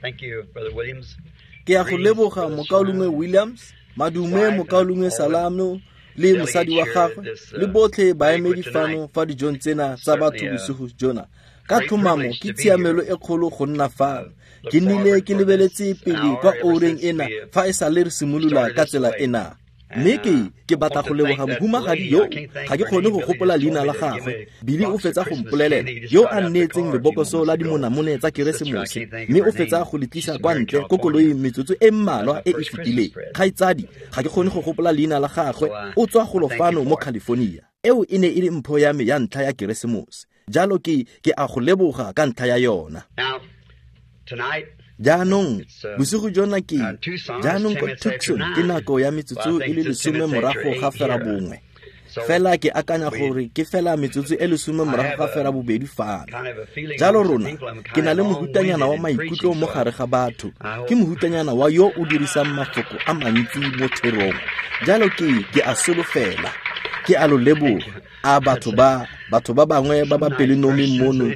Thank you, Brother Williams. Ke a go leboga mokaulengwe Williams, madume mokaulengwe Salamo le mosadi wa gagwe le botlhe baemedi fano fa dijong tsena tsa batho bosigo jona. Ka tlhomamo ke tshiamelo e kgolo go nna fano. Ke nnile ke lebeletse pele kwa oureng ena fa e sale re simolola ka tsela ena. Mme ke batla go leboga mohumagadi yo ga ke kgone go gopola leina la gagwe. Billy o fetsa go mpolelela yo a nneetseng lebokoso la dimonamone tsa Keresemose, mme o fetsa go le tlisa kwa ntle ko koloing metsotso e mmalwa e e fetileng. Kgaitsadi, ga ke kgone go gopola leina la gagwe, o tswa golo fano mo California. Eo e ne e le mpho ya me ya ntlha ya Keresemose. Jalo ke a go leboga ka ntlha ya yona. Jaanong bosigo jona ke jaanong ko Tucson ke nako ya metsotso e le 10 morago ga fera bongwe. Fela ke akanya gore ke fela metsotso e 10 morago ga fera bobedi fano. Jalo rona ke na le mohutanyana wa maikutlo mo gare ga batho. Ke mohutanyana wa yo o dirisang mafoko a mantsi mo therong. Jalo ke a solofela. Ke a lo leboga. A batho ba bangwe ba ba pelonomi mono,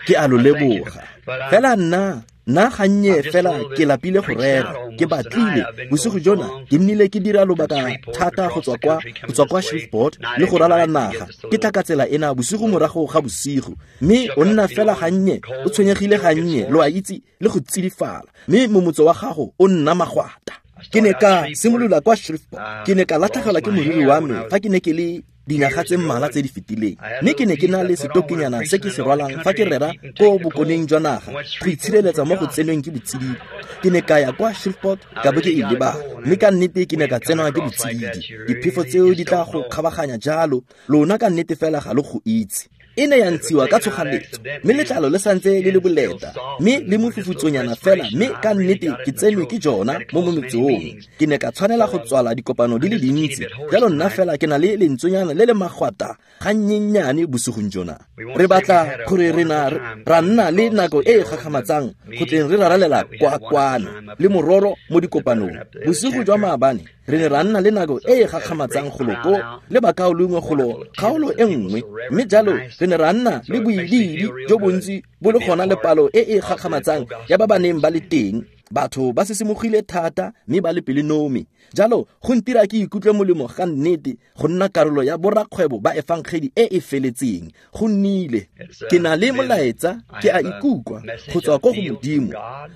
ke a lo leboga. Fela nna gannye fela ke lapile go rera, ke batlile bosigo jona ke nnile ke dira lobaka thata go tswa kwa Shreveport le go ralala naga. Ke tla ka tsela ena bosigo morago ga bosigo, mme o nna fela gannye, o tshwenyegile gannye, lo a itse, le go tsidifala, mme momotso wa gago o nna magwata. Ke ne ka simolola kwa Shreveport, ke ne ka latlhegelwa ke moriri wa me fa ke ne ke le dinyaga tse mmalwa tse di fetileng, mme ke ne ke na le setokinyana se ke se rwalang fa ke rera ko bokoneng jwa naga go itshireletsa mo go tsenweng ke botsididi. Ke ne ka ya kwa Shreveport ka bo ke e lebala, mme ka nnete ke ne ka tsenwa ke botsididi. Diphefo tseo di tla go kgabaganya jalo, lona ka nnete fela ga lo go itse. E ne ya ntshiwa ka tshoganetso, mme letlalo le santse le le boleta, mme le mofufutsonyana fela, mme ka nnete ke tsenwe ke jona mo mometsong. Ke ne ka tshwanela go tswala dikopano di le dintsi, jalo nna fela ke na le lentsonyana le le magwata gannyenyane bosigong jona. Re batla gore ra nna le nako e e gakgamatsang go tleng re raralela kwa kwano le mororo mo dikopanong. Bosigo jwa maabane re ne ra nna le nako e e gakgamatsang golo ko le bakaulengwe golo kgaolo e nngwe, mme jalo re ne ra nna le boidiidi jo bontsi bo le gona le palo e e gakgamatsang ya ba ba neng ba le teng. Batho ba sesimogile thata mme ba le pelonomi. Jalo go ntira ke ikutlwe molemo ga nnete go nna karolo ya borakgwebo ba efangedi e e feletseng. Go nnile ke na le molaetsa, ke a ikutlwa go tswa ko go Modimo.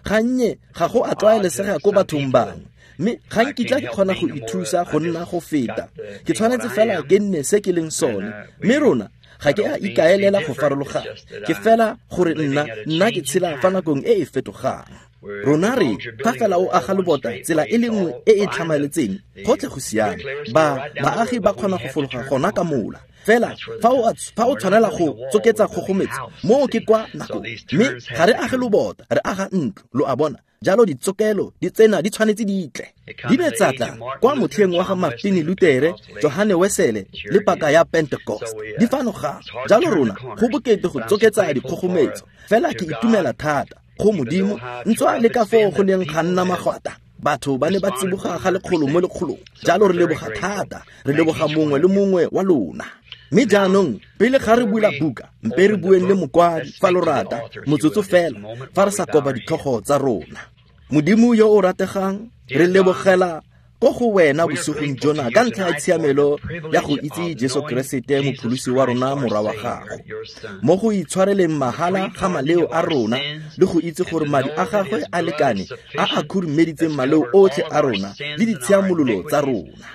Gannye ga go a tlwaelesega ko bathong bangwe, mme ga nkitla ke kgona go ithusa go nna go feta. Ke tshwanetse fela ke nne se ke leng sone, mme rona ga ke a ikaelela go farologana. Ke fela gore nna ke tshela fa nakong e e fetogang. Rona re fa fela o aga lobota tsela e le nngwe e e tlhamaletseng, gotlhe go siame. Baagi ba kgona go fologa gona ka mola. Fela fa o tshwanela go tsoketsa kgogometso, moo ke kwa nako. Mme ga re age lobota, re aga ntlo, lo a bona. Jalo ditsokelo di tsena di tshwanetse di tle. Di ne tsa tla kwa motlheng wa ga Martin Luther, Johane Wesele le paka ya Pentecost. Di fano ga. Jalo rona go bokete go tsoketsa dikgogometso. Fela ke itumela thata go Modimo ntswa le ka foo go neng ga nna magwata. Batho ba ne ba tsiboga ga lekgolo mo lekgolong. Jalo re leboga thata, re leboga mongwe le mongwe wa lona. Mme jaanong pele ga re bula buka, mpe re bueng le mokwadi fa lo rata, motsotso fela, fa re sa koba ditlhogo tsa rona. Modimo yo o rategang, re lebogela ko go wena bosigong jona ka ntlha ya tshiamelo ya go itse Jesu Keresete mopholosi wa rona morwa wa gago, mo go itshwareleng mahala ga maleo a rona le go itse gore madi a gagwe a lekane a a khurumeditseng maleo otlhe a rona le ditshiamololo tsa rona.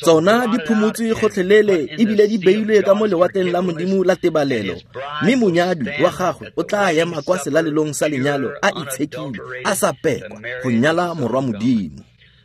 Tsona di phumotswe gotlhelele ebile di beilwe ka mo lewatleng la Modimo la tebalelo, mme monyadi wa gagwe o tla ema kwa selalelong sa lenyalo a itshekile, a sa pekwa go nyala morwa Modimo.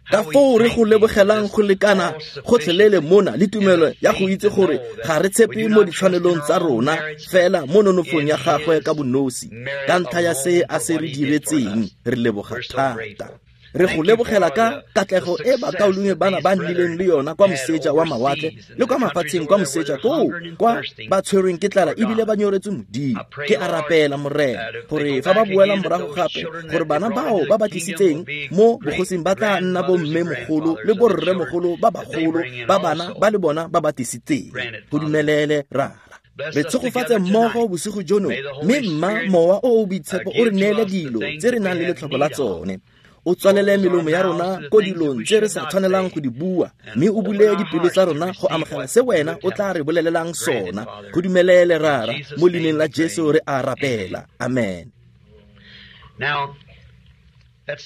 Ka foo re go lebogelang go lekana gotlhelele mona le tumelo ya go itse gore ga re tshepe mo ditshwanelong tsa rona fela mo nonofong ya gagwe ka bonosi, ka ntlha ya se a se re diretseng, re leboga thata. Re go lebogela ka katlego e bakaulengwe bana ba nnileng le yona kwa moseja wa mawatle le kwa mafatsheng kwa moseja koo kwa ba tshwerweng ke tlala ebile ba nyoretswe Modimo. Ke a rapela Morena gore fa ba boela morago gape, gore bana bao ba ba tlisitseng mo bogosing ba tla nna bomme mogolo le borre mogolo ba bagolo ba bana ba le bona ba ba tlisitseng. Go dumelele Rara. Re tshegofatse mmogo bosigo jono, mme mma Mowa o o Boitshepo o re neele dilo tse re nang le letlhoko la tsone. O tswalele melomo ya rona ko dilong tse re sa tshwanelang go di bua, mme o bule dipelo tsa rona go amogela se wena o tla re bolelelang sona. Go dumelele, Rara, mo leineng la Jesu re a rapela. Amen.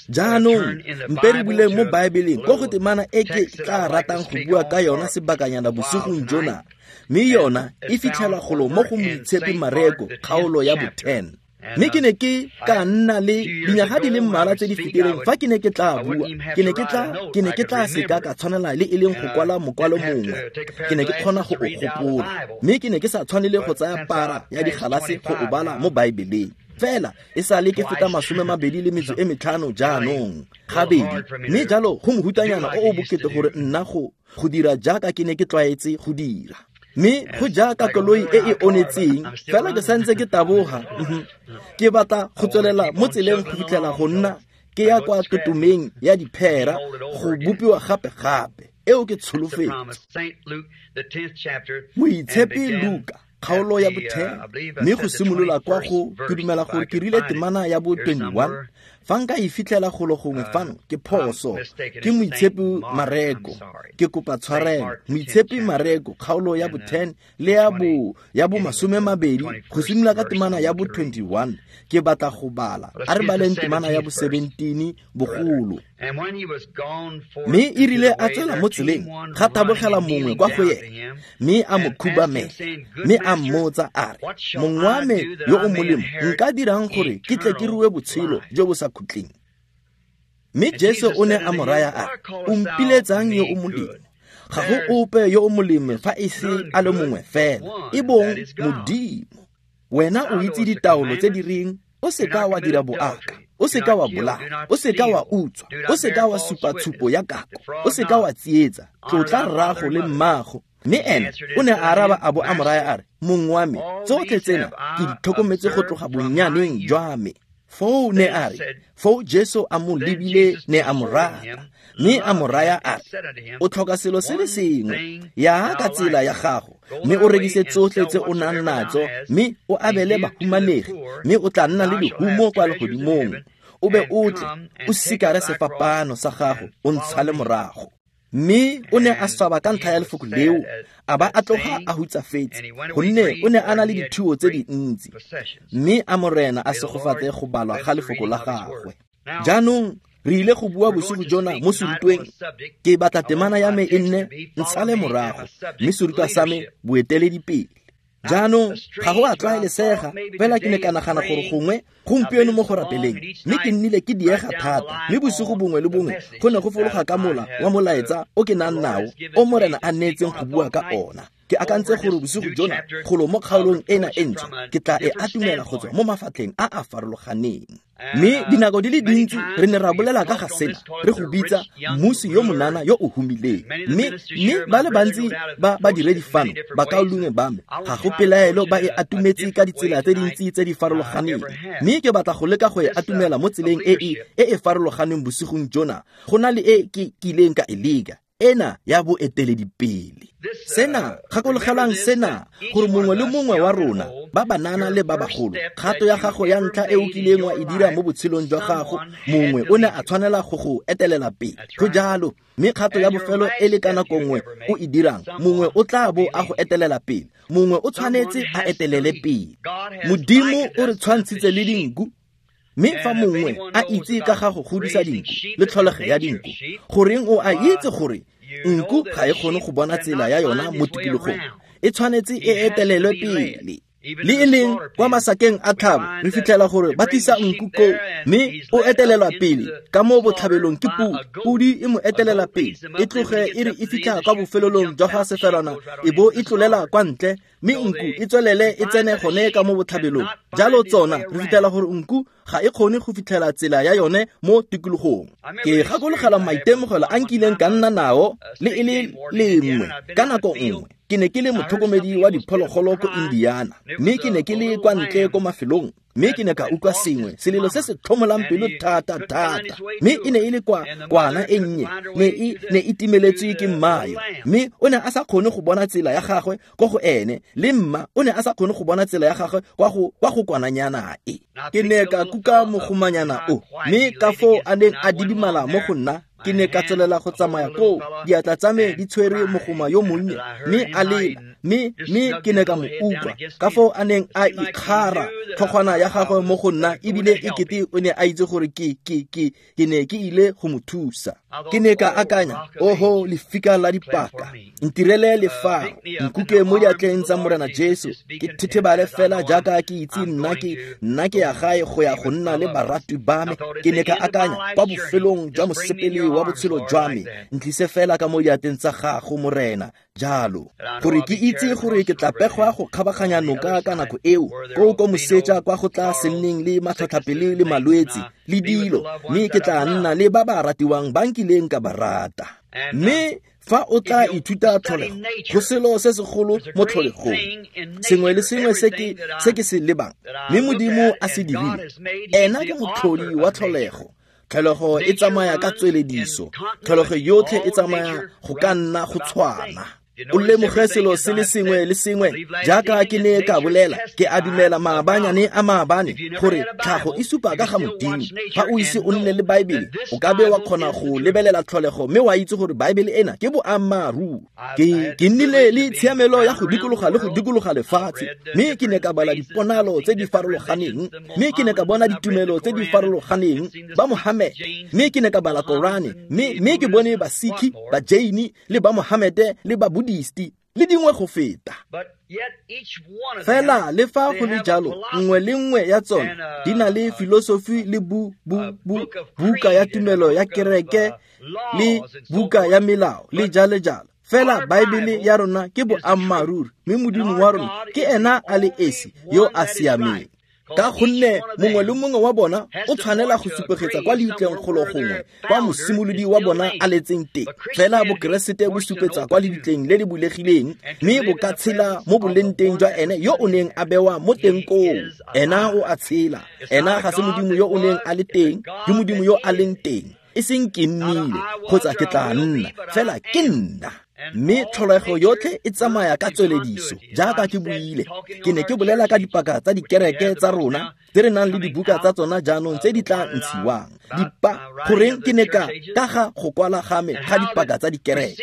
Jaanong mpe re buleng mo Baebeleng ko go temana e ke tla ratang go bua ka yona sebakanyana bosigong jona, mme yona e fitlhelwa golo mo go Moitshepi Mareko kgaolo ya bo-10. Mme ke ne ke ka nna le dinyaga di le mmalwa tse di fetileng fa ke ne ke tla bua, ke ne ke tla seka ka tshwanela le e leng go kwala mokwalo mongwe. Ke ne ke kgona go o gopola, mme ke ne ke sa tshwanele go tsaya para ya digalase go o bala mo Baebeleng. Fela e sale ke feta 25 jaanong gabedi, mme jalo go mohutanyana o o bokete gore nna go dira jaaka ke ne ke tlwaetse go dira. Mme go jaaka koloi e e onetseng, fela ke santse ke taboga. Ke batla go tswelela mo tseleng go fitlhela go nna ke ya kwa totomeng ya diphera go bopiwa gape-gape. Eo ke tsholofetso. Moitshepi Luka kgaolo ya bo-10, mme go simolola kwa go ke dumela gore ke rile temana ya bo-21. Fa nka e fitlhela golo gongwe fano ke phoso. Ke Moitshepi Mareko, ke kopa tshwarelo. Moitshepi Mareko kgaolo ya bo-10 le ya bo-20 go simolola ka temana ya bo-21. Ke batla go bala. A re baleng temana ya bo-17 bogolo. Mme e rile a tswela mo tseleng, ga tabogela mongwe kwa go ena, mme a mo khubamela, mme a mmotsa a re, Mong wa me yo o molemo, nka dirang gore ke tle ke rue botshelo jo bo sa khutleng? Mme Jesu o ne a mo raya a re, O mpiletsang yo o molemo? Ga go ope yo o molemo fa e se a le mongwe fela, e bong Modimo. Wena o itse ditaolo tse di reng, o seka wa dira boaka, o seka wa bolaya, o seka wa utswa, o seka wa supa tshupo ya kako, o seka wa tsietsa, tlotla rrago le mmago. Mme ene o ne a araba a bo a mo raya a re, Mong wa me, tsotlhe tsena ke di tlhokometse go tloga bonnyaneng jwa me. Foo ne a re, foo Jesu a mo lebile ne a mo rata, mme a mo raya a re, O tlhoka selo se le sengwe, ya ka tsela ya gago, mme o rekise tsotlhe tse o nang natso, mme o abele bahumanegi, mme o tla nna le lehumo kwa legodimong. O be o tle, o sikare sefapano sa gago, o ntshale morago. Mme o ne a swaba ka ntlha ya lefoko leo, a ba a tloga a hutsafetse, gonne o ne a na le dithuo tse dintsi. Mme a Morena a segofatse go balwa ga lefoko la gagwe. Jaanong re ile go bua bosigo jona mo serutweng. Ke batla temana ya me e nne ntshale morago, mme serutwa sa me boeteledipele. Jaanong ga go a tlwaelesega, fela ke ne ka nagana gore gongwe gompieno mo go rapeleng, mme ke nnile ke diega thata, mme bosigo bongwe le bongwe go ne go fologa ka mola wa molaetsa o ke nang nao, o Morena a neetseng go bua ka ona. Ke akantse gore bosigo jona golo mo kgaolong ena e ntšhwa ke tla e atumela go tswa mo mafatlheng a a farologaneng. Mme dinako di le dintsi re ne ra bolela ka ga sena, re go bitsa mmusi yo monana yo o humileng. Mme ba le bantsi ba badiredi fano bakaulengwe ba me, ga go pelaelo ba e atumetse ka ditsela tse dintsi tse di farologaneng. Mme ke batla go leka go e atumela mo tseleng e e farologaneng bosigong jona, go na le e ke kileng ka e leka, ena ya boeteledipele. Sena, gakologelang sena, gore mongwe le mongwe wa rona, ba banana le ba bagolo, kgato ya gago ya ntlha e o kileng wa e dira mo botshelong jwa gago, mongwe o ne a tshwanela go go etelela pele. Go jalo, mme kgato ya bofelo e le ka nako nngwe o e dirang, mongwe o tla bo a go etelela pele, mongwe o tshwanetse a etelele pele. Modimo o re tshwantshitse le dinku. Mme fa mongwe a itse ka ga go godisa dinku le tlholego ya dinku, goreng o a itse gore nku ga e kgone go bona tsela ya yona mo tikologong, e tshwanetse e etelelwe pele. Le e leng kwa masakeng a tlhabo re fitlhela gore ba tlisa nku koo, mme o etelelwa pele ka mo botlhabelong ke podi. Podi e mo etelela pele, e tloge e re e fitlha kwa bofelelong jwa ga sefelwana, e bo e tlolela kwa ntle, mme nku e tswelele e tsene gone ka mo botlhabelong. Jalo tsona re fitlhela gore nku ga e kgone go fitlhela tsela ya yone mo tikologong. Ke gakologela maitemogelo a nkileng ka nna nao le e le lengwe ka nako nngwe. Ke ne ke le motlhokomedi wa diphologolo ko Indiana, mme ke ne ke le kwa ntle ko mafelong, mme ke ne ka utlwa sengwe, selelo se se tlhomolang pelo thata thata. Mme e ne e le kwa kwana e nnye, ne e timeletswe ke mmayo, mme o ne a sa kgone go bona tsela ya gagwe ko go ene, le mma o ne a sa kgone go bona tsela ya gagwe kwa go kwananyana e. Ke ne ka kuka mogomanyana o, mme ka foo a neng a didimala mo go nna, ke ne ka tswelela go tsamaya koo, diatla tsa me di tshwere mogoma yo monnye, mme a lela, mme ke ne ka mo utlwa ka foo a neng a ikgara tlhogwana ya gagwe mo go nna, ebile e kete o ne a itse gore ke ne ke ile go mo thusa. Ke ne ka akanya, oho lefika la dipaka, ntirele lefaro, nkuke mo diatleng tsa Morena Jesu, ke thethebale fela jaaka ke itse nna ke ya gae go ya go nna le baratwi ba me. Ke ne ka akanya, kwa bofelong jwa mosepele wa botshelo jwa me, ntlise fela ka mo diatleng tsa gago Morena, jalo gore ke itse gore ke tla pegwa go kgabaganya noka ka nako eo, koo ko moseja kwa go tla se nneng le matlhotlhapelo le malwetse le dilo, mme ke tla nna le ba ba ratiwang ba nkileng ka ba rata. Mme fa o tla ithuta tlholego, go selo se segolo mo tlholegong, sengwe le sengwe se ke se lebang, mme Modimo a se dirile, ena ke motlhodi wa tlholego. Tlholego e tsamaya ka tswelediso, tlholego yotlhe e tsamaya go ka nna go tshwana. O lemoge selo se le sengwe le sengwe, jaaka ke ne ka bolela, ke a dumela maabanyane a maabane gore tlhago e supa ka ga Modimo. Fa o ise o nne le Baebele, o ka be wa kgona go lebelela tlholego mme wa itse gore Baebele ena ke boammaaruri. Ke nnile le tshiamelo ya go dikologa le go dikologa lefatshe, mme ke ne ka bala diponalo tse di farologaneng, mme ke ne ka bona ditumelo tse di farologaneng, ba Mohammed, mme ke ne ka bala Korane, mme ke bone ba Sikhi, ba Jaini, le ba Mohammed, le ba Buddhisti, le dingwe go feta. Fela le fa go le jalo, nngwe le nngwe ya tsone di na le filosofi le buka ya tumelo ya kereke le buka ya melao le jalo jalo. Fela Baebele ya rona ke boammaaruri, mme Modimo wa rona ke ena a le esi yo a siameng. Ka gonne mongwe le mongwe wa bona o tshwanela go supegetsa kwa leitleng golo gongwe kwa mosimolodi wa bona a letseng teng. Fela Bokeresete bo supetsa kwa leitleng le le bulegileng, mme bo ka tshela mo boleng teng jwa ene yo o neng a bewa mo teng koo. Ena o a tshela. Ena ga se Modimo yo o neng a le teng, ke Modimo yo a leng teng. E seng ke nnile kgotsa ke tla nna, fela ke nna. Mme tlholego yotlhe e tsamaya ka tswelediso, jaaka ke buile. Ke ne ke bolela ka dipaka tsa dikereke tsa rona tse re nang le dibuka tsa tsona jaanong tse di tla ntshiwang. Goreng ke ne ka ga go kwala ga me ga dipaka tsa dikereke,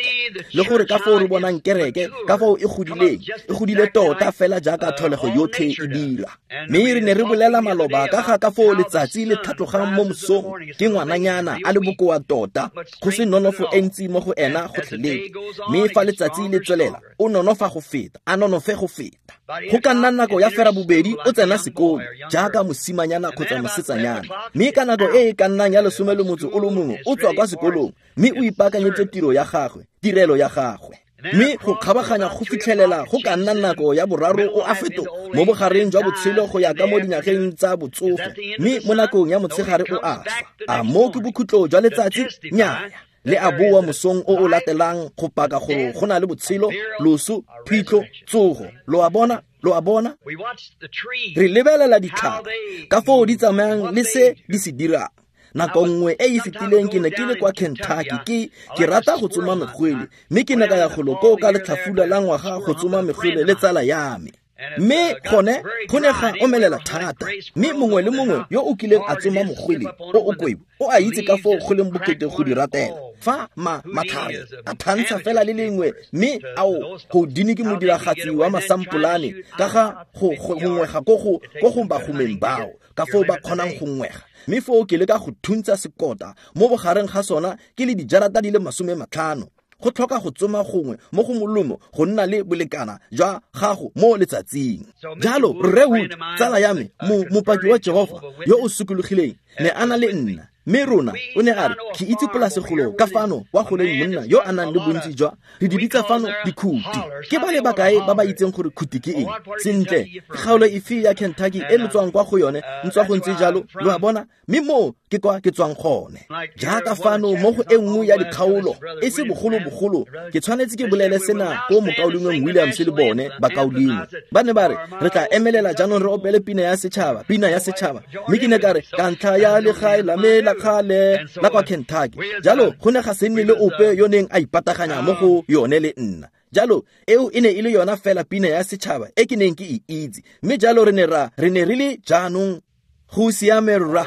le gore ka foo re bonang kereke, ka foo e godileng, e godile tota fela jaaka tlholego yotlhe e dira. Mme re ne re bolela maloba ka ga ka foo letsatsi le tlhatlogang mo mosong, ke ngwananyana a le bokoa tota, go se nonofo e ntsi mo go ena gotlhelele. Mme fa letsatsi le tswelela, o nonofa go feta, a nonofe go feta. Go ka nna nako ya fera bobedi o tsena sekolo, jaaka mosimanyana kgotsa mosetsanyana. Mme ka nako e e ka nnang ya 11 o tswa kwa sekolong, mme o ipaakanyetse tiro ya gagwe, tirelo ya gagwe. Mme go kgabaganya go fitlhelela go ka nna nako ya boraro o a fetoga mo bogareng jwa botshelo go ya ka mo dinyageng tsa botsogo, mme mo nakong ya motshegare o a swa. A mo ke bokhutlo jwa letsatsi? Nnyaya. Le a boa mosong o o latelang go paka gore go na le botshelo, loso, phitlho, tsogo. Lo a bona? Lo a bona? Re lebelela ditlhare ka foo di tsamayang le se di se dirang. Nako nngwe e e fetileng ke ne ke le kwa Kentucky, ke rata go tsoma megwele, mme ke ne ka ya golo koo ka letlhafula la ngwaga go tsoma megwele le tsala ya me. Mme gone go ne ga omelela thata, mme mongwe le mongwe yo o kileng a tsoma mogwele o o kwebo o a itse ka foo go leng bokete go di ratela. Fa matlhare a thantsha fela le lengwe, mme ao Houdini ke modiragatsi wa masampolane ka ga go ngwega ko go bagomeng bao, ka foo ba kgonang go ngwega. Mme foo ke leka go thuntsa sekota mo bogareng ga sona ke le dijarata di le 50. Go tlhoka go tsoma gongwe mo go molomo go nna le bolekana jwa gago mo letsatsing. Jalo Rre Wood, tsala ya me, mopaki wa Jehova yo o sokologileng, ne a na le nna. Mme rona, o ne a re, ke itse polase golo ka fano kwa go leng monna yo a nang le bontsi jwa, re di bitsa fano dikhuti. Ke ba le bakae ba ba itseng gore khuti ke eng? Sentle, ke kgaolo efe ya Kentucky e lo tswang kwa go yone, ntswa go ntse jalo, lo a bona? Mme moo ke kwa ke tswang gone. Jaaka fano mo go e nngwe ya dikgaolo, e se bogolobogolo, ke tshwanetse ke bolele sena ko mokaulengweng Williams le bone bakaulengwe. Ba ne ba re, re tla emelela jaanong re opele pina ya setšhaba, pina ya setšhaba. Mme ke ne ka re, ka ntlha ya legae la me la kgale la kwa Kentucky. Jalo go ne ga se nne le ope yo neng a ipataganya mo go yone le nna. Jalo eo e ne e le yona fela pina ya setšhaba e ke neng ke e itse. Mme jalo re ne re le jaanong go siame rra.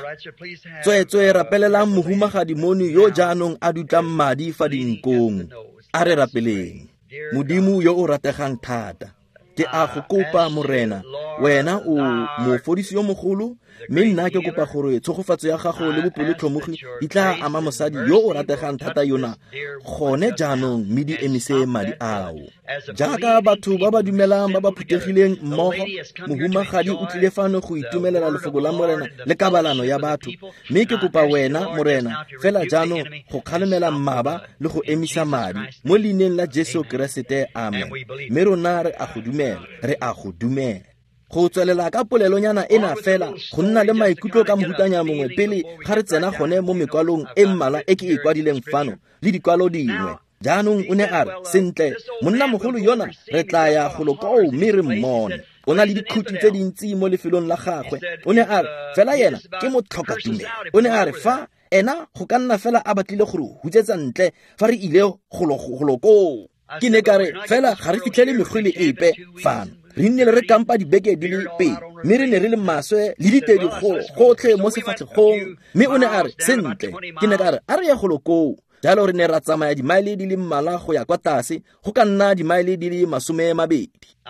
Tsweetswe rapelelang mohumagadi mono yo jaanong a dutlang madi fa dinkong. A re rapeleng. Modimo yo o rategang thata, ke a go kopa Morena, wena o mofodisi yo mogolo, mme nna ke kopa gore tshegofatso ya gago le bopelotlhomogi di tla ama mosadi yo o rategang thata yona gone jaanong, mme di emise madi ao. Jaaka batho ba ba dumelang ba ba phuthegileng mmogo, mohumagadi o tlile fano go itumelela lefoko la Morena le kabalano ya batho. Mme ke kopa wena Morena fela jaanong go kgalemela mmaba le go emisa madi mo leineng la Jesu Keresete, amen. Mme rona re a go dumela, re a go dumela. Go tswelela ka polelonyana ena fela, go nna le maikutlo ka mohutanya mongwe pele ga re tsena gone mo mekwalong e mmalwa e ke e kwadileng fano le dikwalo dingwe. Jaanong o ne a re, sentle, monnamogolo yona re tla ya golo koo mme re mmone. O na le dikhuti tse dintsi mo lefelong la gagwe. O ne a re, fela yena ke motlhokatumelo. O ne a re, fa ena go ka nna fela a batlile gore hutsetsa ntle fa re ile golo koo. Ke ne ka re, fela ga re fitlhele megwele epe fano. Re nnile re kampa dibeke di le pedi, mme re ne re le maswe le ditedi gotlhe mo sefatlhegong. Mme o ne a re, sentle, ke ne ka re, a re ye golo koo. Jalo re ne ra tsamaya dimaele di le mmalwa go ya kwa tlase, go ka nna dimaele di le 20.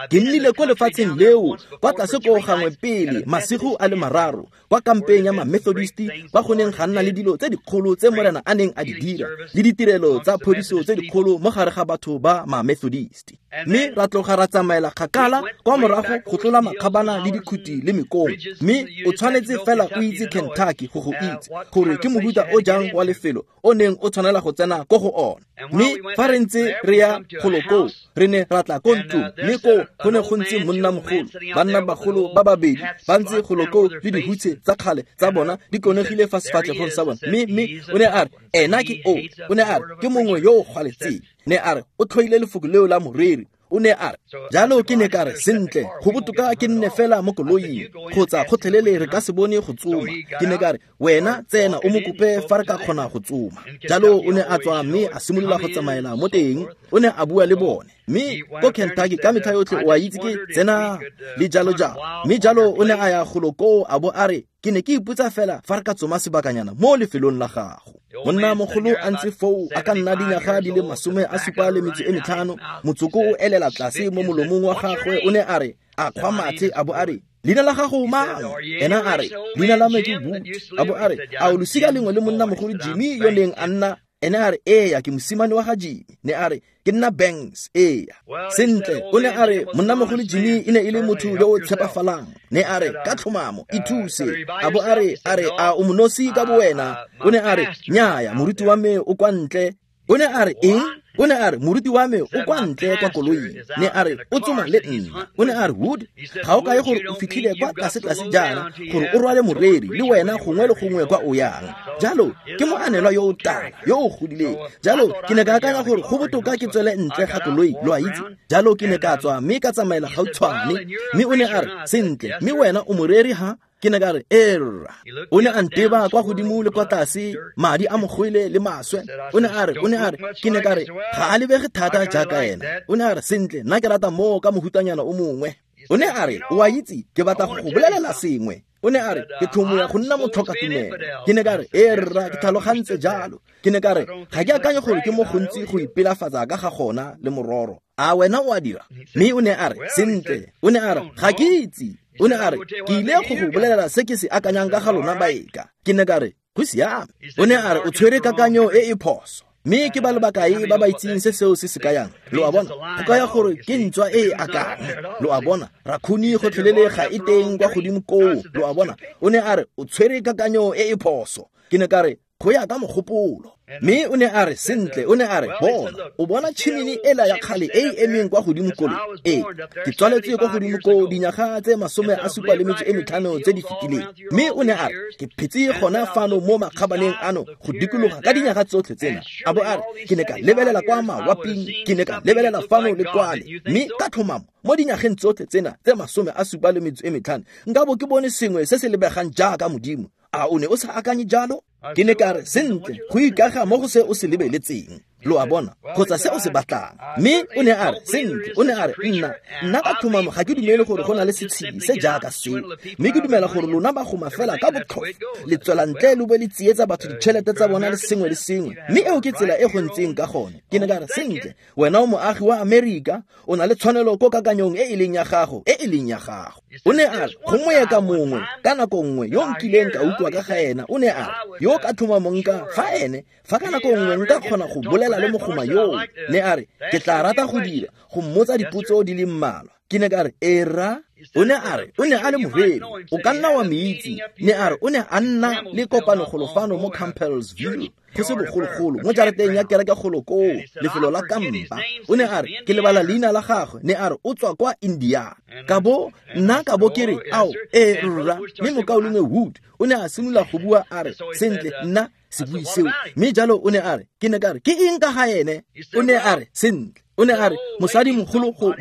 Ke nnile ko lefatsheng leo kwa tlase ko gangwe pele masigo a le mararo, kwa kampeng ya ma-Methodist, kwa go neng ga nna le dilo tse dikgolo tse Morena a neng a di dira, le ditirelo tsa phodiso tse dikgolo mo gare ga batho ba ma-Methodist. Mme ra tloga ra tsamaela kgakala kwa morago go tlola makgabana le dikhuti le mekong. Mme o tshwanetse fela o itse Kentucky go go itse gore ke mohuta o jang wa lefelo o neng o tshwanela go tsena ko go ona. Mme fa re ntse re ya golo koo, re ne ra tla ko ntlong, mme koo go ne go ntse monnamogolo, bannabagolo ba babedi ba ntse golo koo le dihutshe tsa kgale tsa bona di konegile fa sefatlhegong sa bona. Mme o ne a re, ena ke o. O ne a re, ke mongwe yo o gwaletseng. Ne a re, o tlhoile lefoko leo la moreri. O ne a re, jalo ke ne ka re, sentle, go botoka ke nne fela mo koloing, kgotsa gotlhelele re ka se bone go tsoma. Ke ne ka re, wena tsena o mo kope fa re ka kgona go tsoma. Jalo o ne a tswa mme a simolola go tsamaela mo teng. O ne a bua le bone. Mme ko Kentucky ka metlha yotlhe o a itse ke tsena le jalo jalo. Mme jalo o ne a ya golo koo a bo a re, ke ne ke ipotsa fela fa re ka tsoma sebakanyana mo lefelong la gago. Monna mogolo a ntse foo a ka nna dinyaga di le 75, motsoko o elela tlase mo molomong wa gagwe. O ne a re, a kgwa mathe a bo a re, leina la gago mang? Ena a re, leina la me ke Wood. A bo a re, a o losika lengwe le monna mogolo Jimmy yo neng a nna? Ena a re, eya, ke mosimane wa ga Jimmy. Ne a re, ke nna Banks, eya. Sentle, o ne a re, monnamogolo Jimmy e ne e le motho yo o tshepafalang. Ne a re, ka tlhomamo, ithuse. A bo a re, a o monosi ka bowena? O ne a re, nnyaya, moruti wa me o kwa ntle. O ne a re, eng? O ne a re, moruti wa me o kwa ntle kwa koloing. Ne a re, o tsoma le nna. O ne a re, Wood, ga o kae gore o fitlhile kwa tlase-tlase jaana gore o rwale moreri le wena gongwe le gongwe kwa o yang. Jalo ke moanelwa yo o tala, yo o godileng. Jalo ke ne ka akanya gore go botoka ke tswele ntle ga koloi, lo a itse. Jalo ke ne ka tswa mme ka tsamaela gautshwane. Mme o ne a re, sentle, mme wena o moreri ha? Ke ne ka re, erra. O ne a nteba kwa godimo le kwa tlase, madi a mogwele le maswe. O ne a re, ke ne ka re, ga a lebege thata jaaka ena. O ne a re, sentle, nna ke rata moo ka mohutanyana o mongwe. O ne a re, o a itse, ke batla go go bolelela sengwe. O ne a re, ke tlhomoya go nna motlhokatumelo. Ke ne ka re, erra, ke tlhalogantse jalo. Ke ne ka re, ga ke akanye gore ke mo gontsi go ipelafatsa ka ga gona le mororo. A wena o a dira? Mme o ne a re, sentle. O ne a re, ga ke itse. O ne a re, ke ile go go bolelela se ke se akanyang ka ga lona baeka. Ke ne ka re, go siame. O ne a re, o tshwere kakanyo e e phoso. Mme ke ba le bakae ba ba itseng se seo se se kayang? Lo a bona, go kaya gore ke ntswa e e akang. Lo a bona, rakhuni gotlhelele ga e teng kwa godimo koo. Lo a bona, o ne a re o tshwere kakanyo e e phoso. Ke ne ka re go ya ka mogopolo. Mme o ne a re sentle, o ne a re bona, o bona tšhimini ela ya kgale e e emeng kwa godimo kole. Ee, ke tswaletswe kwa godimo koo dinyaga tse 75 tse di fetileng. Mme o ne a re ke phetse gona fano mo makgabaneng ano go dikologa ka dinyaga tsotlhe tsena. A bo a re ke ne ka lebelela kwa mawaping, ke ne ka lebelela fano le kwale, mme ka tlhomamo mo dinyageng tsotlhe tsena tse 75 nka bo ke bone sengwe se se lebegang jaaka Modimo. A o ne o sa akanye jalo? Ke ne ka re sentle, go ikaga mo go se o se lebeletseng. Lo a bona, kgotsa se o se batlang. Mme o ne a re sentle, o ne a re nna ka tlhomamo ga ke dumele gore go na le setshedi se jaaka seo, mme ke dumela gore lona ba goma fela ka botlhofo, le tswela ntle lo be le tsietsa batho ditšhelete tsa bona le sengwe le sengwe, mme eo ke tsela e go ntseng ka gone. Ke ne ka re sentle, wena o moagi wa Amerika, o na le tshwanelo ko kakanyong e e leng ya gago, e e leng ya gago. O ne a re go moeka mongwe ka nako nngwe yo nkileng ka utlwa ka ga ena, o ne a re yo ka tlhomamong ka fa ene fa ka nako nngwe nka kgona go bolela le mogoma yoo, ne a re ke tla rata go dira go mmotsa dipotso di le mmalwa. Ke ne ka re era. O ne a re o ne a le moreri, o ka nna wa mo itse. Ne a re o ne a nna le kopanogolo fano mo Campbellsville go se bogologolo mo jarateng ya kereke golo koo, lefelo la kampa. O ne a re ke lebala leina la gagwe, ne a re o tswa kwa Indiana. Ka bo nna ka bo ke re ao ee rra. Mme mokaulengwe Wood o ne a simolola go bua a re sentle nna se bue seo. Mme jalo o ne a re ke ne ka re ke eng ka ga ene? O ne a re sentle, o ne a re mosadi mogolo go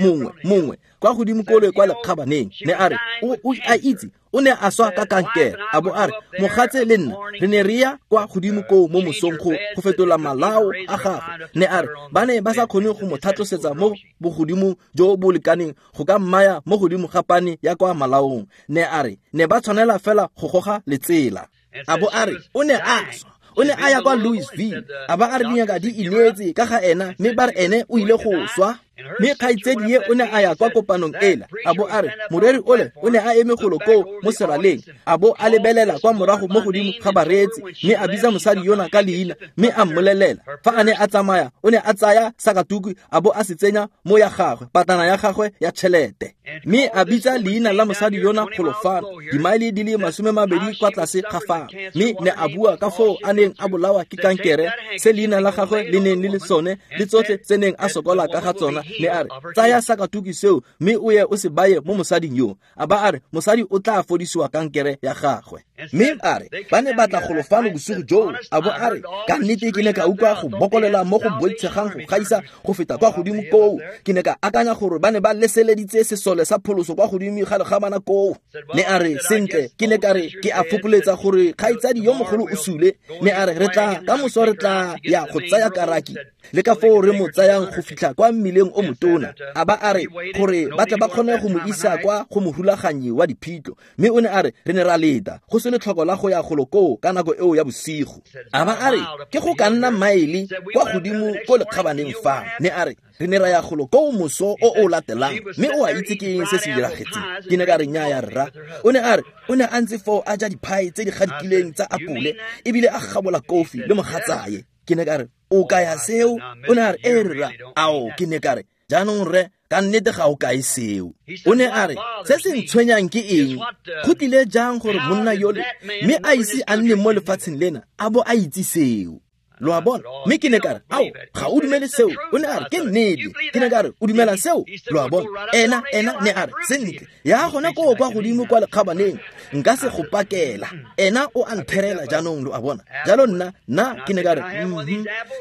mongwe kwa godimo kole kwa lekgabaneng, ne a re o a itse o ne a swa ka kankere. A bo a re mogatse le nna re ne re ya kwa godimo koo mo mosong go fetola malao a gagwe. Ne a re ba ne ba sa kgone go mo tlhatlosetsa mo bogodimo jo bo lekaneng go ka mmaya mo godimo ga pane ya kwa malaong. Ne a re ne ba tshwanela fela go goga letsela. A bo a re o ne a swa, o ne a ya kwa Louisville. A ba a re dingaka di ineetse ka ga ena, mme ba re ene o ile go swa. Mme kgaitsedi ye o ne a ya kwa kopanong ela. A bo a re moreri ole o ne a eme golo koo mo seraleng, a bo a lebelela kwa morago mo godimo ga bareetsi, mme a bitsa mosadi yona ka leina, mme a mmolelela fa a ne a tsamaya o ne a tsaya sakatuku a bo a se tsenya mo ya gagwe patana ya gagwe ya tšhelete, mme a bitsa leina la mosadi yona golo fano dimaele di le 20 kwa tlase ga fano, mme ne a bua ka foo a neng a bolawa ke kankere, se leina la gagwe le neng le le sone, le tsotlhe tse neng a sokola ka ga tsona. Ne a re tsaya sakatuku seo mme o ye o se baye mo mosading yo. A ba a re mosadi o tla fodisiwa kankere ya gagwe. Mme a re ba ne ba tla golo fano bosigo joo. A bo a re ka nnete ke ne ka utlwa go bokolela mo go boitshegang go gaisa go feta kwa godimo koo. Ke ne ka akanya gore ba ne ba leseleditse sesole sa pholoso kwa godimo ga legamana koo. Ne a re sentle, ke ne ka re ke a fokoletsa gore kgaitsadi yo mogolo o sule. Ne a re re tla ka moso re tla ya go tsaya karaki le ka foo re mo tsayang go fitlha kwa mmileng o motona. A ba a re gore ba tle ba kgone go mo isa kwa go morulaganyi wa diphitlho. Mme o ne a re re ne ra leta go se letlhoko la go ya golo koo ka nako eo ya bosigo. A ba a re ke go ka nna maele kwa godimo ko lekgabaneng fa. Ne a re re ne ra ya golo koo moso o o latelang, mme o a itse ke eng se se diragetseng? Ke ne ka re nnyaya rra. O ne a re o ne a ntse foo a ja diphae tse di gadikileng tsa apole ebile a gabola kofi le mogatsaye. Ke ne ka re o kaya seo? O ne a re ee rra. Ao, ke ne ka re jaanong rre ka nnete ga o kae seo. O ne a re se se ntshwenyang ke eng? Go tlile jang gore monna yole mme a ise a nne mo lefatsheng lena a bo a itse seo? Lo a bona? Mme ke ne ka re ao ga o dumele seo? O ne a re ke nnete. Ke ne ka re o dumela seo? Lo a bona? Ena ne a re sentle ya gona koo kwa godimo kwa lekgabaneng nka se go pakela. Ena o a ntherela jaanong, lo a bona. Jalo nna ke ne ka re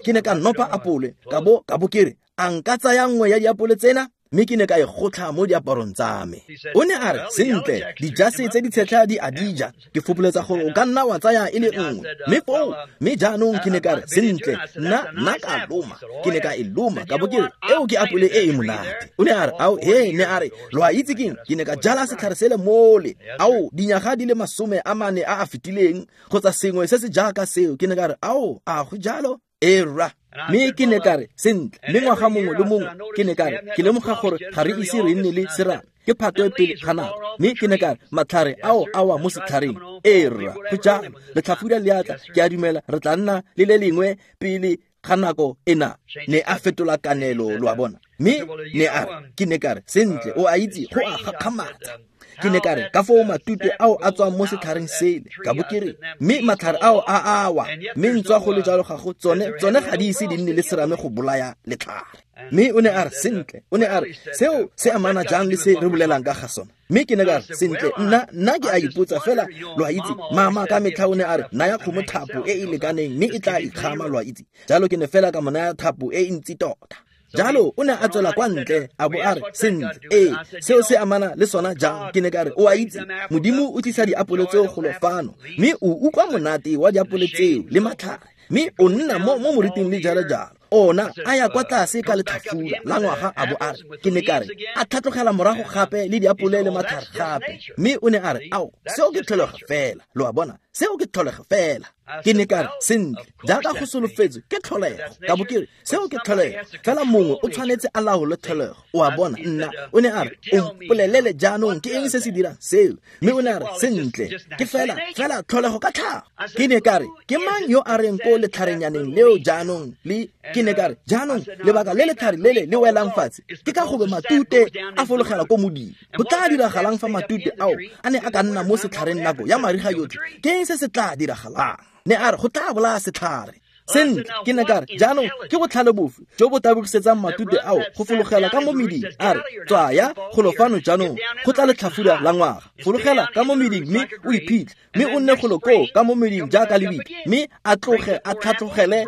ke ne ka nopa apole ka bo ke re a nka tsaya nngwe ya diapole tsena? Mme ke ne ka e gotlha mo diaparong tsa me. O ne a re sentle dijase tse di tshetlha di a dija, ke fopoletsa gore o ka nna wa tsaya e le nngwe. Mme foo mme jaanong ke ne ka re sentle nna ka loma. Ke ne ka e loma ka bo ke re eo ke apole e e monate. O ne a re ao he, ne a re lo a itse keng? Ke ne ka jala setlhare sele mole ao dinyaga di le 40 a a fetileng kgotsa sengwe se se jaaka seo. Ke ne ka re ao a go jalo? Ee rra. Mme ke ne ka re sentle, mme ngwaga mongwe le mongwe ke ne ka re ke lemoga gore ga re ise re nne le serame, ke phato e pele ga nako. Mme ke ne ka re matlhare ao a wa mo setlhareng. Ee rra, go jalo, letlhafura le atla, ke a dumela re tla nna le le lengwe pele ga nako ena. Ne a fetola kanelo, lo a bona. Mme ne a re, ke ne ka re, sentle, o a itse, go a gakgamatsa. Ke ne ka re, ka foo matute ao a tswang mo setlhareng sele, ka bo ke re, mme matlhare ao a awa, mme ntswa go le jalo ga go tsone ga di ise di nne le serame go bolaya letlhare. Mme o ne a re, sentle, o ne a re, seo se amana jang le se re bolelang ka ga sona? Mme ke ne ka re, sentle, nna ke a ipotsa fela, lo a itse, mama ka metlha o ne a re, naya kgomo thapo e e lekaneng, mme e tla ikgama, lo a itse. Jalo ke ne fela ka mo naya thapo e e ntsi tota. Jalo o ne a tswela kwa ntle a bo a re, sentle, ee, seo se amana le sona jang? Ke ne ka re, o a itse, Modimo o tlisa diapole tseo golo fano, mme o utlwa monate wa diapole tseo le matlhare, mme o nna mo moriting le jalo jalo. Ona a ya kwa tlase ka letlhafula la ngwaga a bo a re, ke ne ka re, a tlhatlogela morago gape le diapole le matlhare gape. Mme o ne a re, ao, seo ke tlholego fela, lo a bona, seo ke tlholego fela. Ke ne ka re, sentle, jaaka go solofetswe ke tlholego, ka bo ke re, seo ke tlholego fela, mongwe o tshwanetse a laole tlholego, o a bona. Nna o ne a re, o mpolelele jaanong ke eng se se dirang seo? Mme o ne a re, sentle, ke fela tlholego ka tlhago. Ke ne ka re, ke mang yo a reng ko letlharenyaneng leo jaanong le? Ke ne ka re, jaanong lebaka le letlhare lele le welang fatshe ke ka gobe matute a fologela ko modimo. Go tla diragalang fa matute ao a ne a ka nna mo setlhareng nako ya mariga yotlhe? Ke eng se se tla diragalang? Ne a re, go tla bolaya setlhare. Sentle, ke ne ka re, jaanong ke botlhale bofe jo bo tabogisetsang matute ao go fologela ka mo meding? A re, tswaya golo fano jaanong, go tla letlhafula la ngwaga, fologela ka mo meding mme o iphitlhe, mme o nne golo koo ka mo meding jaaka lebitla, mme a tloge a tlhatlogele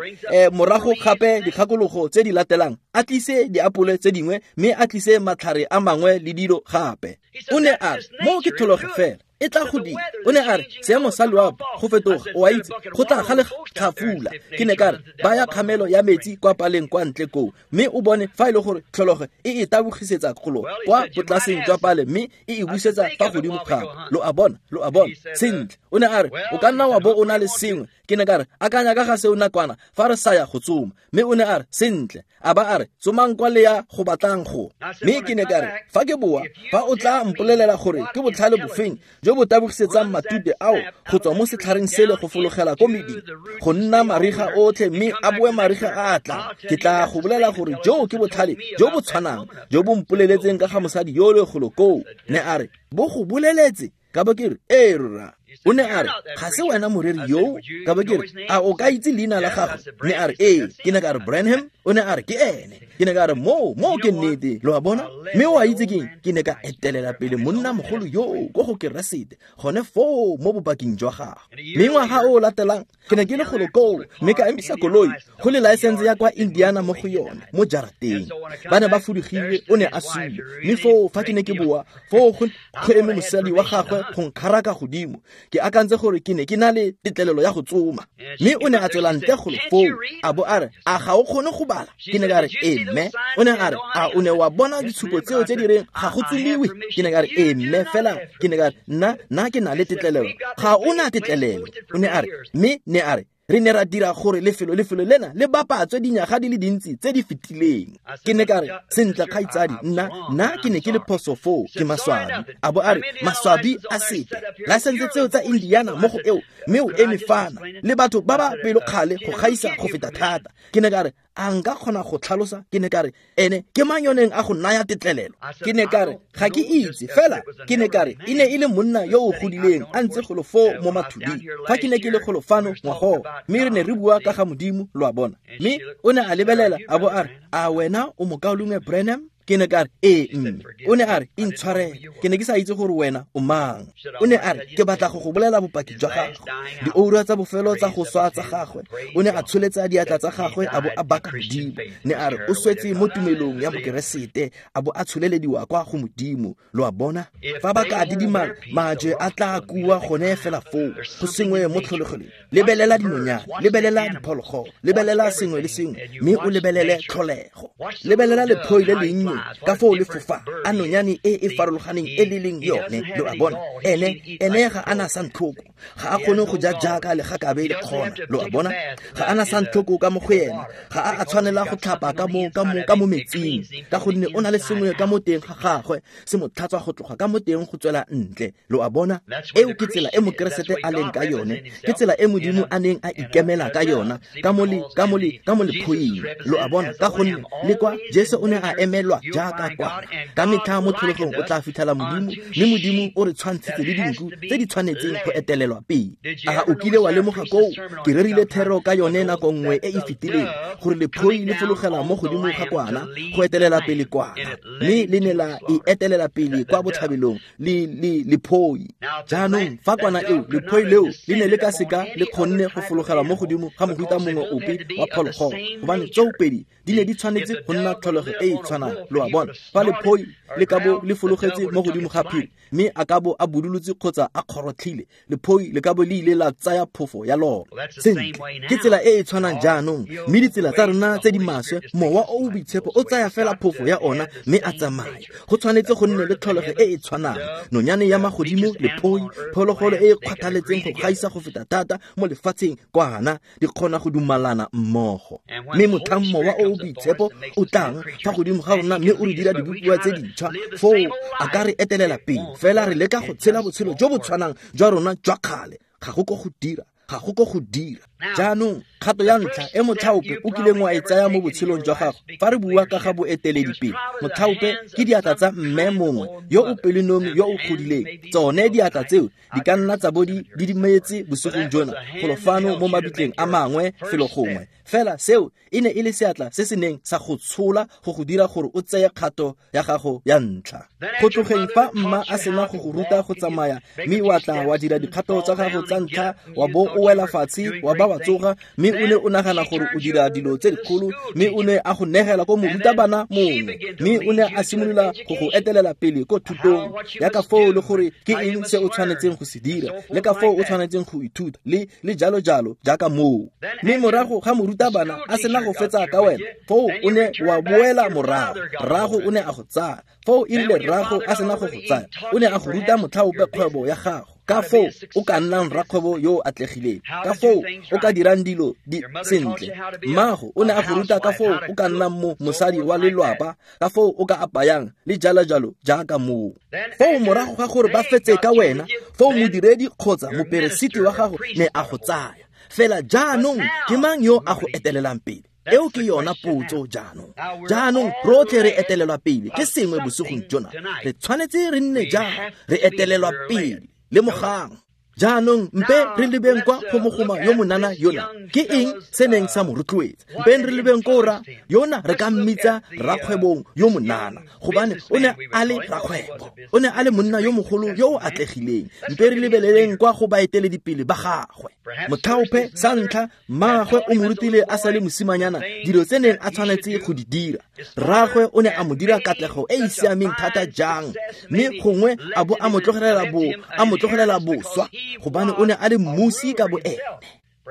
morago gape dikgakologo tse di latelang, a tlise diapole tse dingwe, mme a tlise matlhare a mangwe le dilo gape. O ne a re, moo ke tlholego fela, e tla go dira. O ne a re, seemo sa loapi go fetoga, o a itse, go tla ga letlhafula. Ke ne ka re, baya kgamelo ya metsi kwa paleng kwa ntle koo, mme o bone fa e le gore tlholego e e tabogisetsa golo kwa botlaseng jwa pale, mme e e busetsa fa godimo gape. Lo a bona, lo a bona. Sentle, o ne a re, o ka nna wa bo o na le sengwe. Ke ne ka re, akanya ka ga seo nakwana fa re sa ya go tsoma. Mme o ne a re, sentle, a ba a re, tsomang kwa le ya go batlang go. Mme ke ne ka re, fa ke boa, fa o tla mpolelela gore ke botlhale bofeng jo bo tabogisetsang matute ao go tswa mo setlhareng sele go fologela ko meding, go nna mariga otlhe mme a boe mariga a tlang, ke tla go bolela gore joo ke botlhale jo bo tshwanang jo bo mpoleletseng ka ga mosadi yo le golo koo. Ne a re, bo go boleletse? Ka bo ke re, ee rra. O ne a re, ga se wena moreri yoo? Ka bo ke re, a o ka itse leina la gagwe? Ne a re, ee. Ke ne ka re, Branham? O ne a re, ke ene. Ke ne ka re, moo ke nnete, lo a bona. Mme o a itse keng? Ke ne ka etelela pele monna mogolo yoo ko go Keresete, gone foo mo bopaking jwa gagwe. Mme ngwaga o latelang, ke ne ke le golo koo, mme ka emisa koloi go le license ya kwa Indiana mo go yone, mo jarateng. Ba ne ba fudugile, o ne a sule. Mme foo fa ke ne ke boa, foo go eme mosadi wa gagwe go nkgaraka godimo. Ke akantse gore ke ne ke na le tetlelelo ya go tsoma. Mme o ne a tswela ntle golo foo, a bo a re, a ga o kgone go bala? Ke ne ka re, ee mme. O ne a re, a o ne wa bona ditshupo tseo tse di reng ga go tsomiwe? Ke ne ka re, ee mme, fela ke ne ka re, nna ke na le tetlelelo. Ga o na tetlelelo. O ne a re, mme ne a re, re ne ra dira gore lefelo lena le bapatswe dinyaga di le dintsi tse di fetileng. Ke ne ka re, sentle kgaitsadi, nna ke ne ke le phoso foo, ke maswabi. A bo a re, maswabi a sepe, license tseo tsa Indiana mo go eo, mme o eme fana le batho ba ba pelokgale go gaisa go feta thata. Ke ne ka re, a nka kgona go tlhalosa? Ke ne ka re, ene ke mang yo neng a go naya tetlelelo? Ke ne ka re, ga ke itse, fela ke ne ka re, e ne e le monna yo o godileng a ntse golo foo mo mathuding fa ke ne ke le golo fano ngwagogo, mme re ne re bua ka ga Modimo, lo a bona. Mme o ne a lebelela a bo a re, a wena o mokaulengwe Branham? Ke ne ka re, ee mme. O ne a re, intshwarele, ke ne ke sa itse gore wena o mang. O ne a re, ke batla go go bolela bopaki jwa gago, dioura tsa bofelo tsa go swa tsa gagwe. O ne a tsholetsa diatla tsa gagwe a bo a baka Modimo. Ne a re, o swetse mo tumelong ya Bokeresete, a bo a tsholelediwa kwa go Modimo. Lo a bona? Fa ba ka didimala, majwe a tla kua gone fela foo, go sengwe mo tlholegelong. Lebelela dinonyane, lebelela diphologolo, lebelela sengwe le sengwe, mme o lebelele tlholego. Lebelela lephoi le lennye legodimong, ka foo le fofa, a nonyane e e farologaneng e le leng yone, lo a bona. Ene ga ana santlhoko, ga a kgone go ja jaaka legakabe le kgona, lo a bona. Ga ana santlhoko ka mo go ena, ga a tshwanela go tlhapa ka mo metsing, ka gonne o na le sengwe ka mo teng ga gagwe se mo tlhatswa go tloga ka mo teng go tswela ntle, lo a bona. Eo ke tsela e Mokeresete a leng ka yone, ke tsela e Modimo a neng a ikemela ka yona ka mo lephoing, lo a bona, ka gonne le kwa Jesu o ne a emelwa jaaka kwana. Ka metlha mo tlholegong o tla fitlhela Modimo, mme Modimo o re tshwantshitse le dinku tse di tshwanetseng go etelelwa pele. A o kile wa lemoga koo? Ke rerile thero ka yone nako nngwe e e fetileng, gore lephoi le fologela mo godimo ga kwana go etelela pele kwana, mme le ne la e etelela pele kwa botlhabelong le lephoi. Jaanong fa kwana eo, lephoi leo le ne le ka seka le kgonne go fologela mo godimo ga mohuta mongwe ope wa phologolo, gobane tsoopedi di ne di tshwanetse go nna tlholego e e tshwanang, lo a bona. Fa lephoi le ka bo le fologetse mo godimo ga phiri, mme a ka bo a budulotse kgotsa a kgorotlhile, lephoi le ka bo le ile la tsaya phofo ya lona. Sentle, ke tsela e e tshwanang jaanong, mme ditsela tsa rona tse di maswe, mowa o o boitshepo o tsaya fela phofo ya ona mme a tsamaya. Go tshwanetse go nne le tlholego e e tshwanang. Nonyane ya magodimo, lephoi, phologolo e e kgwathaletseng go gaisa go feta thata mo lefatsheng, kwana, di kgona go dumalana mmogo. Mme motlhang mowa o o boitshepo o tlang fa godimo ga rona mme o re dira dibopiwa tse dintšhwa, foo a ka re etelela pele. Fela re leka go tshela botshelo jo bo tshwanang jwa rona jwa kgale, ga go ko go dira, ga go ko go dira. Jaanong kgato ya ntlha e motlhaope o kileng wa e tsaya mo botshelong jwa gago, fa re bua ka ga boeteledipele, motlhaope ke diatla tsa mme mongwe yo o pelonomi yo o godileng. Tsone diatla tseo di ka nna tsa bo di didimetse bosigong jona golo fano mo mabitleng a mangwe felo gongwe, fela seo e ne e le seatla se se neng sa go tshola go go dira gore o tseye kgato ya gago ya ntlha. Go tlogeng fa mma a sena go go ruta go tsamaya, mme wa tla wa dira dikgato tsa gago tsa ntlha, wa bo o wela fatshe, wa ba wa tsoga, mme o ne o nagana gore o dira dilo tse dikgolo, mme o ne a go negela ko morutabana mongwe, mme o ne a simolola go go etelela pele ko thutong ya ka foo le gore ke eng se o tshwanetseng go se dira, le ka foo o tshwanetseng go ithuta, le jalo jalo jaaka moo. Mme morago ga morutabana a sena go fetsa ka wena, foo o ne wa boela morago, rrago o ne a go tsaya. Foo e rile rrago a sena go go tsaya, o ne a go ruta motlhaope kgwebo ya gago, ka foo o ka nnang rakgwebo yo o atlegileng, ka foo o ka dirang dilo di sentle. Mmago o ne a go ruta ka foo o ka nnang mo mosadi wa lelwapa, ka foo o ka apayang, le jalo jalo jaaka moo. Foo morago ga gore ba fetse ka wena, foo modiredi kgotsa moperesiti wa gago ne a go tsaya. Fela jaanong ke mang yo a go etelelang pele? Eo ke yona potso jaanong. Jaanong rotlhe re etelelwa pele ke sengwe bosigong jona. Re tshwanetse re nne jang? Re etelelwa pele. Lemogang. Jaanong mpe re lebeng kwa go mogoma yo monana yona. Ke eng se neng sa mo rotloetsa? Mpe re lebeng ko ra yona re ka mmitsa rakgwebong yo monana, gobane o ne a le rakgwebo, o ne a le monna yo mogolo yo o atlegileng. Mpe re lebeleleng kwa go baeteledipele ba gagwe. Motlhaope sa ntlha, mmaagwe o mo rutile a sa le mosimanyana dilo tse neng a tshwanetse go di dira. Rraagwe o ne a mo dira katlego e e siameng thata jang, mme gongwe a bo a mo tlogelela boswa, gobane o ne a le mmusi ka boene.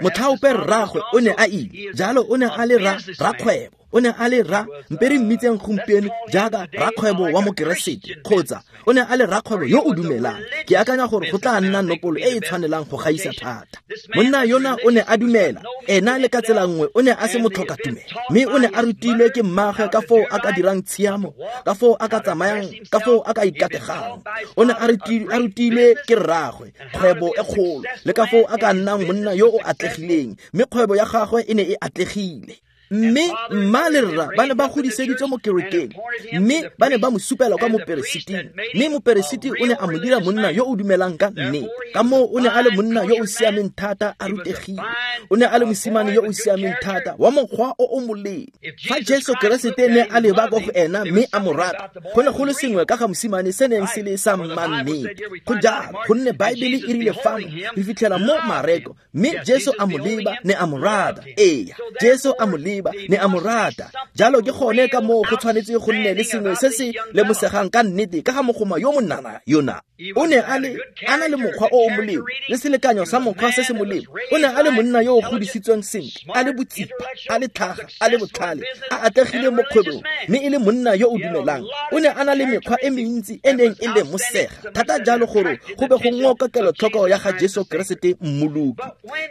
Motlhaope rraagwe o ne a ile jalo, o ne a le rakgwebo, o ne a le mpe re mmitseng gompieno jaaka rakgwebo wa Mokeresete, kgotsa o ne a le rakgwebo yo o dumelang. Ke akanya gore go tla nna nopolo e e tshwanelang go gaisa thata. Monna yona o ne a dumela, ena le ka tsela nngwe o ne a se motlhoka tumelo, mme o ne a rutilwe ke mmaagwe ka foo a ka dirang tshiamo, ka foo a ka tsamayang, ka foo a ka ikategang. O ne a rutilwe ke rraagwe kgwebo e kgolo, le ka foo a ka nnang monna yo o atlegileng, mme kgwebo ya gagwe e ne e atlegile. Mme mma le rra ba ne ba godiseditswe mo kerekeng, mme ba ne ba mo supela kwa moperesiting, mme moperesiti o ne a mo dira monna yo o dumelang ka nnete. Ka moo o ne a le monna yo o siameng thata, a rutegile. O ne a le mosimane yo o siameng thata, wa mokgwa o o molemo. Fa Jesu Keresete ne a leba kwa go ena mme a mo rata, go ne go le sengwe ka ga mosimane se neng se le sa mmannete. Go jalo, gonne Baebele e rile fano re fitlhela mo Mareko, mme Jesu a mo leba ne a mo rata. Eya, Jesu a mo leba maleba, ne a mo rata. Jalo ke gone ka moo go tshwanetse go nne le sengwe se se lemosegang ka nnete ka ga mogoma yo monana yona. O ne a na le mokgwa o o molemo le selekanyo sa mokgwa se se molemo. O ne a le monna yo o godisitsweng sentle, a le botsipa, a le tlhaga, a le botlhale, a atlegile mo kgwebong, mme e le monna yo o dumelang. O ne a na le mekgwa e mentsi e neng e lemosega thata jalo gore go be go ngoka kelotlhoko ya ga Jesu Keresete Mmoloki.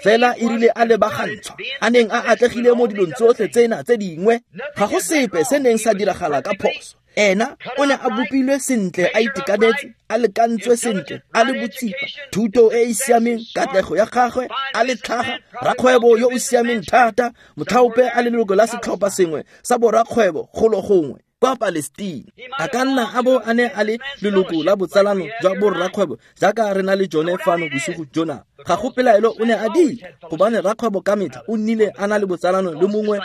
Fela e rile a lebagantshwa, a neng a atlegile mo dilong tsotlhe tsena tse dingwe, ga go sepe se neng sa diragala ka phoso. Ena o ne a bopilwe sentle, a itekanetse, a lekantswe sentle, a le botsipa, thuto e e siameng, katlego ya gagwe, a le tlhaga, rakgwebo yo o siameng thata, motlhaope a le leloko la setlhopha sengwe sa borakgwebo golo gongwe kwa Palestine. A ka nna a bo a ne a le leloko la botsalano jwa borrakgwebo jaaka re na le jone fano bosigo jona. Ga go pelaelo o ne a dira, gobane rakgwebo ka metlha o nnile a na le botsalano le mongwe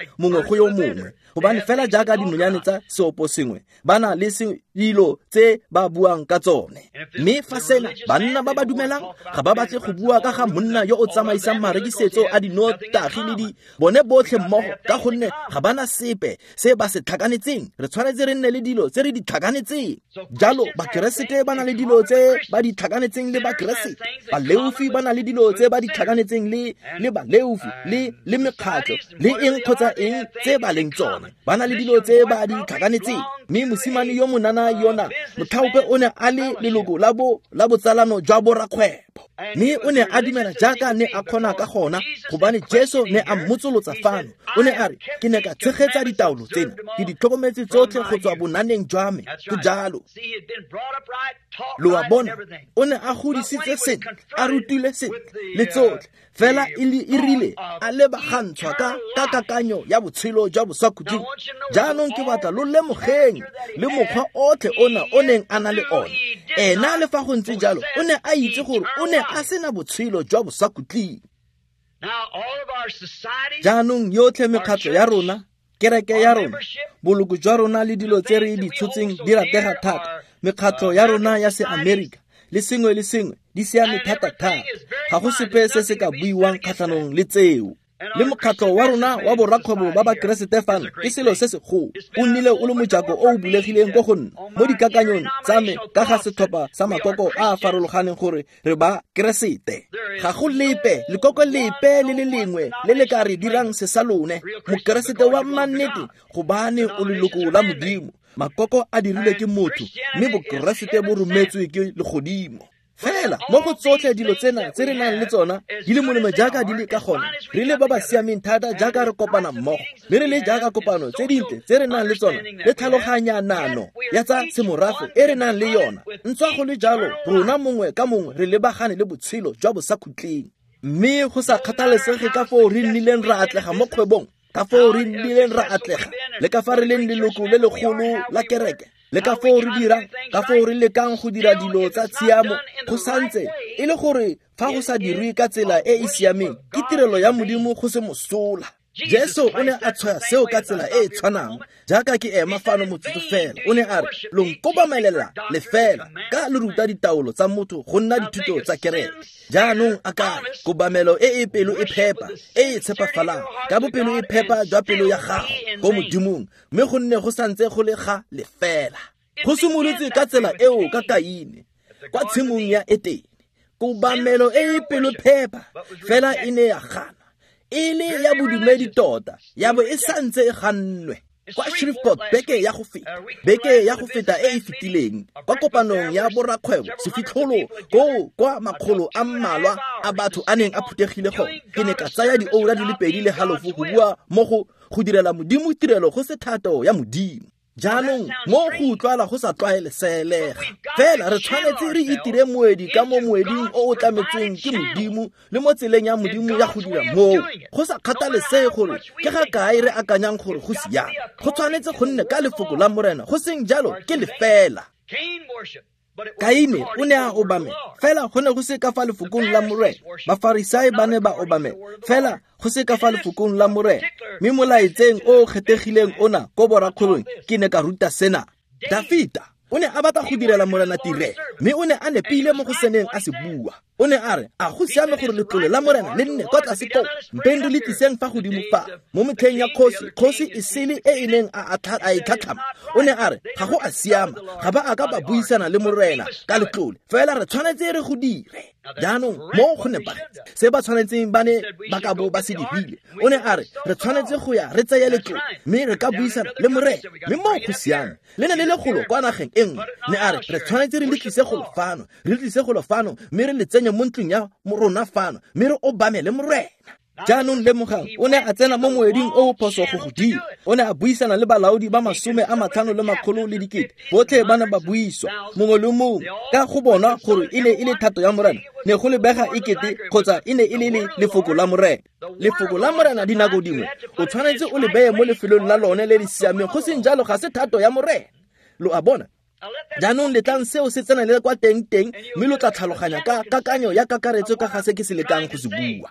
go yo mongwe, gobane fela jaaka dinonyane tsa seopo sengwe ba na le dilo tse ba buang ka tsone. Mme fa sena banna ba ba dumelang ga ba batle go bua ka ga monna yo o tsamaisang marekisetso a dinotagi le di bone botlhe mmogo, ka gonne ga bana sepe se ba se tlhakanetseng. Re tshwanetse re nne le dilo tse re di tlhakanetseng. Jalo Bakeresete ba na le dilo tse ba di tlhakanetseng le Bakeresete, Baleofi ba na le dilo tse ba di tlhakanetseng le baleofi le mekgatlho le eng kgotsa eng tse ba leng tsone. Ba na le dilo tse ba di tlhakanetseng. Mme mosimane yo monana yona motlhaope o ne a le leloko la botsalano jwa borakgwebo, mme o ne a dumela jaaka ne a kgona ka gona, gobane Jesu ne a mmotsolotsa fano. O ne a re, ke ne ka tshegetsa ditaolo tsena, ke di tlhokometse tsotlhe go tswa bonaneng jwa me. Go jalo. Lo a bona, o ne a godisitse sentle, a rutile sentle le tsotlhe, fela e rile a lebagantshwa ka kakanyo ya botshelo jwa bosakhutleng. Jaanong ke batla lo lemogeng le mokgwa otlhe ona o neng a na le one. Ena le fa go ntse jalo, o ne a itse gore o ne a sena botshelo jwa bosakhutleng. Jaanong yotlhe mekgatlho ya rona, kereke ya rona, boloko jwa rona le dilo tse re di tshotseng di ratega thata. Mekgatlho ya rona ya se-Amerika le sengwe le sengwe di siame thata-thata. Ga go sepe se se ka buiwang kgatlhanong le tseo. Le mokgatlho wa rona wa borakgwebo ba Bakeresete fano ke selo se segolo. O nnile o le mojako o o bulegileng ko go nna mo dikakanyong tsa me ka ga setlhopha sa makoko a a farologaneng gore re ba Keresete. Ga go lepe lekoko lepe le le lengwe le le ka re dirang se sa lone. Mokeresete wa mannete, gobane o leloko la Modimo. Makoko a dirilwe ke motho, mme Bokeresete bo rometswe ke legodimo. Fela mo go tsotlhe dilo tsena tse re nang le tsona di le molemo jaaka di le ka gona, re le ba ba siameng thata jaaka re kopana mmogo, mme re le jaaka kopano tse dintle tse re nang le tsona le tlhaloganyanano ya tsa semorafe e re nang le yona. Ntswa go le jalo, rona mongwe ka mongwe re lebagane le botshelo jwa bosakhutleng. Mme go sa kgathalesege ka foo re nnileng ra atlega mo kgwebong, ka foo re nnileng ra atlega, le ka fa re leng leloko le legolo la kereke, le ka foo re dirang, ka foo re lekang go dira dilo tsa tshiamo, go santse e le gore fa go sa dirwe ka tsela e e siameng, ke tirelo ya Modimo go se mosola. Jesu o ne a tshwaya seo ka tsela e e tshwanang jaaka ke ema fano motsotso fela. O ne a re, lo nkobamelela lefela ka le ruta ditaolo tsa motho go nna dithuto tsa kereke. Jaanong a ka kobamelo e e pelo e phepa, e e tshepafalang, ka bopelo e phepa jwa pelo ya gago ko Modimong, mme go nne go santse go le ga lefela. Go simolotse ka tsela eo ka Kaine kwa tshimong ya Etene. Kobamelo e e pelo phepa fela e ne ya gana, e le ya bodumedi tota, ya bo e santse e gannwe. Kwa Shreveport beke ya go feta e e fetileng, kwa kopanong ya borakgwebo sefitlholo koo kwa makgolo a mmalwa a batho a neng a phuthegile gone, ke ne ka tsaya dioura di le 2.5 go bua mo go direla Modimo tirelo go se thato ya Modimo. Jaanong mo go utlwala go sa tlwaeleselega, fela re tshwanetse re itire moedi ka mo moeding o o tlametsweng ke Modimo le mo tseleng ya Modimo ya go dira moo. Go sa kgathalesege gore ke ga kae re akanyang gore go siame, go tshwanetse go nne ka lefoko la Morena, go seng jalo ke lefela. Kaine o ne a obamela, fela go ne go se ka fa lefokong la Morena. Bafarisai ba ne ba obamela, fela go se ka fa lefokong la Morena. Mme molaetseng o o kgethegileng ona ko borakgwebong ke ne ka ruta sena. Dafita O ne a batla go direla Morena tirelo, mme o ne a nepile mo go seneng a se bua. O ne a re, a go siame gore letlole la Morena le nne kwa tlase koo, mpeng re le tliseng fa godimo fa. Mo metlheng ya kgosi, kgosi e sele e e neng a e tlhatlhama, o ne a re, ga go a siama, ga ba a ka ba buisana le Morena ka letlole, fela re tshwanetse re go dire. Jaanong mo go nepagetse se ba tshwanetseng ba ne ba ka bo ba se dirile. O ne a re, re tshwanetse go ya re tseye letlole, mme re ka buisana le Morena, mme mo go siame. Le ne le le golo kwa nageng e nngwe. Ne a re, re tshwanetse re le tlise golo fano, re tlise golo fano, mme re le tsenye mo ntlong ya rona fano, mme re obamele Morena. Jaanong lemogang, o ne a tsena mo moeding o o phoso go godimo. O ne a buisana le balaodi ba 500 le 100 le 1000. Botlhe ba ne ba buiswa, mongwe le mongwe, ka go bona gore e ne e le thato ya Morena. Ne go lebega ekete kgotsa e ne e le lefoko la Morena. Lefoko la Morena dinako dingwe o tshwanetse o le beye mo lefelong la lone le le siameng, go seng jalo ga se thato ya Morena. Lo a bona? Jaanong letlang seo se tsenele kwa teng-teng, mme lo tla tlhaloganya ka kakanyo ya kakaretso ka ga se ke se lekang go se bua.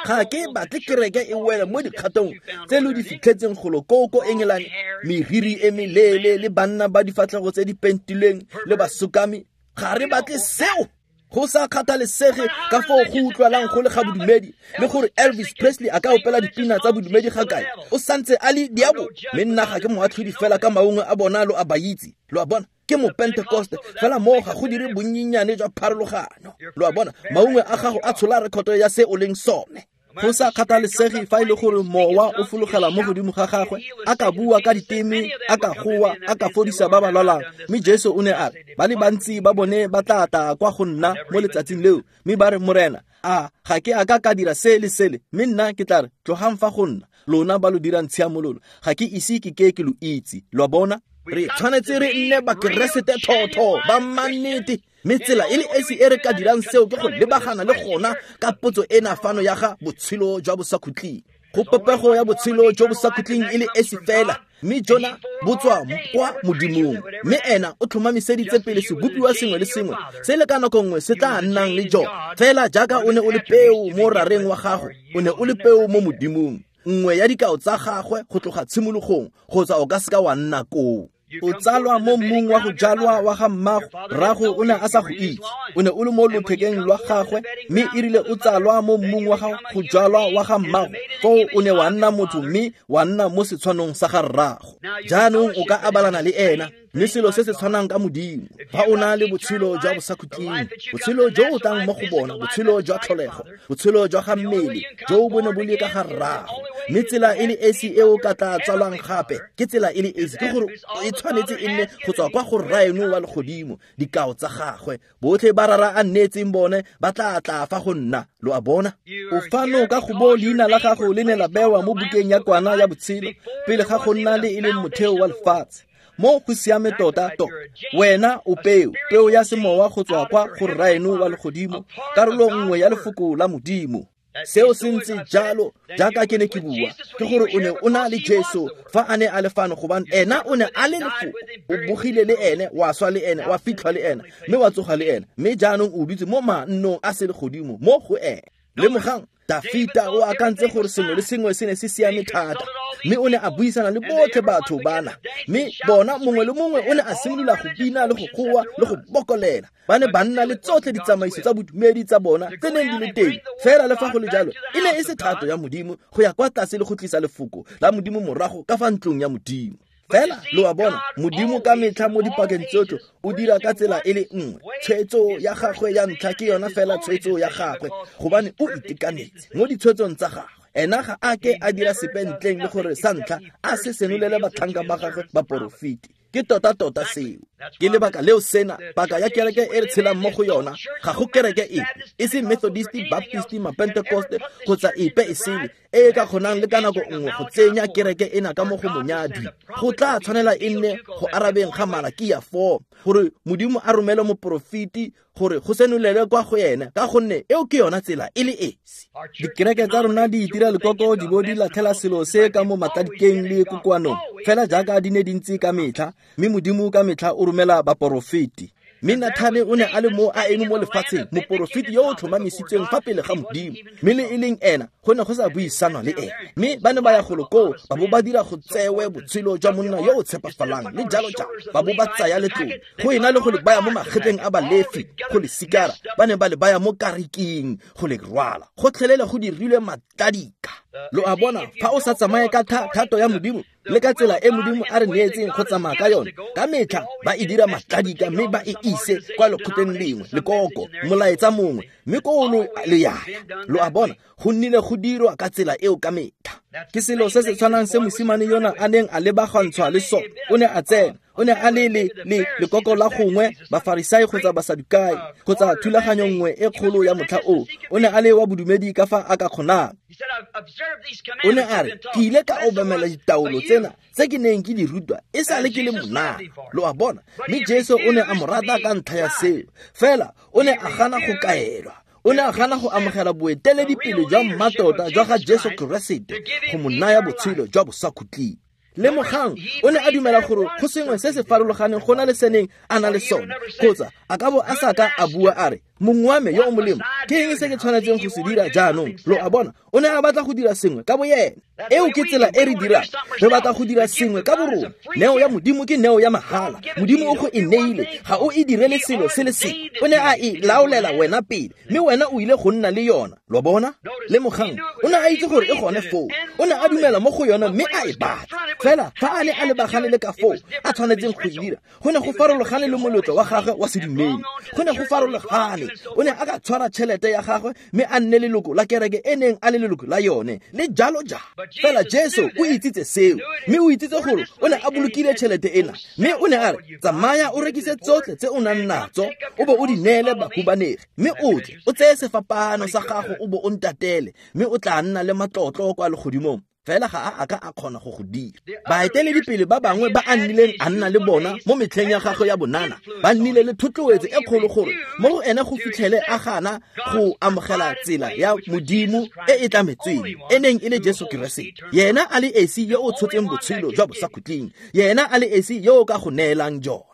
Ga ke batle kereke e wele mo dikgatong tse lo di fitlhetseng golo koo ko Engelane, meriri e meleele le banna ba difatlhego tse di pentilweng le basokami. Ga re batle seo. Go sa kgathalesege ka foo go utlwalang go le ga bodumedi, le gore Elvis Presley a ka opela dipina tsa bodumedi ga kae, o santse a le diabo. Mme nna ga ke moatlhodi fela ka maungwe a bona lo a ba itse. Lo a bona? Ke mopentekoste, fela moo ga go dire bonnyenyane jwa pharologano. Lo a bona? Maungwe a gago a tshola rekoto ya se o leng sone. Go sa kgathalesege fa e le gore mowa o fologela mo godimo ga gagwe, a ka bua ka diteme, a ka goa, a ka fodisa ba ba lwalang. Mme Jesu o ne a re, ba le bantsi ba bone ba tla tla kwa go nna mo letsatsing leo, mme ba re, Morena, a ga ke a ka ka dira se le sele? Mme nna ke tla re, tlogang fa go nna, lona ba lo dirang tshiamololo, ga ke ise ke ke ke lo itse. Lo a bona? Re tshwanetse re nne bakeresete thotho ba mannete. Mme tsela e le esi e re ka dirang seo ke go lebagana le gona ka potso ena fano ya ga botshelo jwa bosakhutleng. Go popego ya botshelo jo bosakhutleng e le esi fela, mme jona bo tswa kwa Modimong. Mme ena o tlhomamiseditse pele sebopiwa sengwe le sengwe se le ka nako nngwe se tla nnang le jone. Fela jaaka o ne o le peo mo rareng wa gago, o ne o le peo mo Modimong, nngwe ya dikao tsa gagwe go tloga tshimologong, kgotsa o ka seka wa nna koo. O tsalwa mo mmung wa go jalwa wa ga mmago, rrago o ne a sa go itse. O ne o le mo lothekeng lwa gagwe, mme e rile o tsalwa mo mmung wa go jalwa wa ga mmago, foo o ne wa nna motho mme wa nna mo setshwanong sa ga rrago. Jaanong o ka abalana le ena, mme selo se se tshwanang ka Modimo. Fa o na le botshelo jwa bosakhutleng, botshelo jo o tlang mo go bona, botshelo jwa tlholego, botshelo jwa ga mmele, jo bo ne bo le ka ga rrago. Mme tsela e le esi e o ka tla tsalwang gape, ke tsela e le esi, ke gore e tshwanetse e nne go tswa kwa go rraeno wa legodimo, dikao tsa gagwe. Botlhe ba rara a nnetseng bone ba tla tla fa go nna. Lo a bona? O fano ka go bo leina la gago le ne la bewa mo bukeng ya kwana ya botshelo pele ga go nna le e leng motheo wa lefatshe. Mo go siame tota tota. Wena o peo, peo ya semowa go tswa kwa go rraeno wa legodimo, karolo nngwe ya lefoko la Modimo. Seo se ntse jalo jaaka ke ne ke bua, ke gore o ne o na le Jesu fa a ne a le fano, gobane ena o ne a le lefoko. O bogile le ene, wa swa le ene, wa fitlhwa le ene, mme wa tsoga le ene, mme jaanong o dutse mo mannong a selegodimo mo go ene. Lemogang, Dafita o akantse gore sengwe le sengwe se ne se siame thata, mme o ne a buisana le botlhe batho bana, mme bona mongwe le mongwe o ne a simolola go bina le go goa le go bokolela. Ba ne ba nna le tsotlhe ditsamaiso tsa bodumedi tsa bona tse neng di le teng. Fela le fa go le jalo, e ne e se thato ya Modimo go ya kwa tlase le go tlisa lefoko la Modimo morago ka fa ntlong ya Modimo. Fela lo a bona, Modimo ka metlha mo dipakeng tsotlhe o dira ka tsela e le nngwe. Tshwetso ya gagwe ya ntlha ke yona fela tshwetso ya gagwe, gobane o itekanetse mo ditshwetsong tsa gagwe. Ena ga a ke a dira sepe ntleng le gore sa ntlha a se senolele batlhanka ba gagwe baporofeti. Ke tota-tota seo. Ke lebaka leo sena, paka ya kereke e re tshelang mo go yona, ga go kereke epe, e se Methodist, Baptist, Mapentekoste, kgotsa epe e sele, e e ka kgonang le ka nako nngwe go tsenya kereke ena ka mo go monyadwi. Go tla tshwanela e nne go arabeng ga Malakia 4, gore Modimo a romele moporofeti gore go senolelwe kwa go ene, ka gonne eo ke yona tsela e le esi. Dikereke tsa rona di itira lekoko di bo di latlhela selo se ka mo matladikeng le kokoanong, fela jaaka di ne di ntse ka metlha, mme Modimo ka metlha o romela baporofeti. Mme Nathane o ne a le mo a eme mo lefatsheng, moporofeti yo o tlhomamisitsweng fa pele ga Modimo, mme le e leng ena go ne go sa buisanwa le ene. Mme ba ne ba ya golo koo ba bo ba dira go tsewe botshelo jwa monna yo o tshepafalang le jalo jalo, ba bo ba tsaya letlole go ena le go le baya mo magetleng a Balefi go le sikara, ba ne ba le baya mo kariking go le rwala. Gotlhelele go dirilwe matladika. Lo a bona, fa o sa tsamaye ka thato ya Modimo le ka tsela e Modimo a re neetseng go tsamaya ka yone, ka metlha ba e dira matladika mme ba e ise kwa lekgotleng lengwe, lekoko, molaetsa mongwe, mme koo lo le yaya. Lo a bona, go nnile go dirwa ka tsela eo ka metlha. Ke selo se se tshwanang se mosimane yona a neng a lebagantshwa le sone. O ne a tsena, o ne a le le lekoko la gongwe Bafarisai kgotsa Basadukai kgotsa thulaganyo nngwe e kgolo ya motlha o. O ne a le wa bodumedi ka fa a ka kgonang. O ne a re, ke ile ka obamela ditaolo tsena tse ke neng ke di rutwa e sa le ke le monana. Lo a bona, mme Jesu o ne a mo rata ka ntlha ya seo. Fela o ne a gana go kaelwa. O ne a gana go amogela boeteledipele jwa mmatota jwa ga Jesu Keresete go mo naya botshelo jwa bosakhutleng. Lemogang, o ne a dumela gore go sengwe se se farologaneng go na le se neng a na le sone, kgotsa a ka bo a sa ka a bua a re, mongwe wa me yo o molemo, ke eng se ke tshwanetseng go se dira jaanong? Lo a bona, o ne a batla go dira sengwe ka boyena. Eo ke tsela e re dirang. Re batla go dira sengwe ka borona. Neo ya Modimo ke neo ya mahala. Modimo o go e neile, ga o e direle selo se le sengwe. O ne a e laolela wena pele, mme wena o ile go nna le yona. Lo bona? Lemogang, o ne a itse gore e gone foo. O ne a dumela mo go yona mme a e batla. Fela fa a ne a lebagane le ka foo a tshwanetseng go e dira, go ne go farologane le moletlo wa gagwe wa sedumedi. Go ne go farologane. O ne a ka tshwara tšhelete ya gagwe mme a nne leloko la kereke e neng a le leloko la yone, le jalo jalo. Fela Jesu o itsitse seo, mme o itsitse gore o ne a bolokile tšhelete ena, mme o ne a re, tsamaya o rekise tsotlhe tse o nang natso, o bo o di neele bahumanegi, mme o tle o tseye sefapano sa gago o bo o ntatele, mme o tla nna le matlotlo kwa legodimong. Fela ga a ka a kgona go go dira. Baeteledipele ba bangwe ba a nnileng a nna le bona mo metlheng ya gagwe ya bonana ba nnile le thotloetso e kgolo gore mo go ene go fitlhele a gana go amogela tsela ya Modimo e e tlametsweng, e neng e le Jesu Keresete. Yena a le esi yo o tshotseng botshelo jwa bosakhutleng, yena a le esi yo o ka go neelang jona.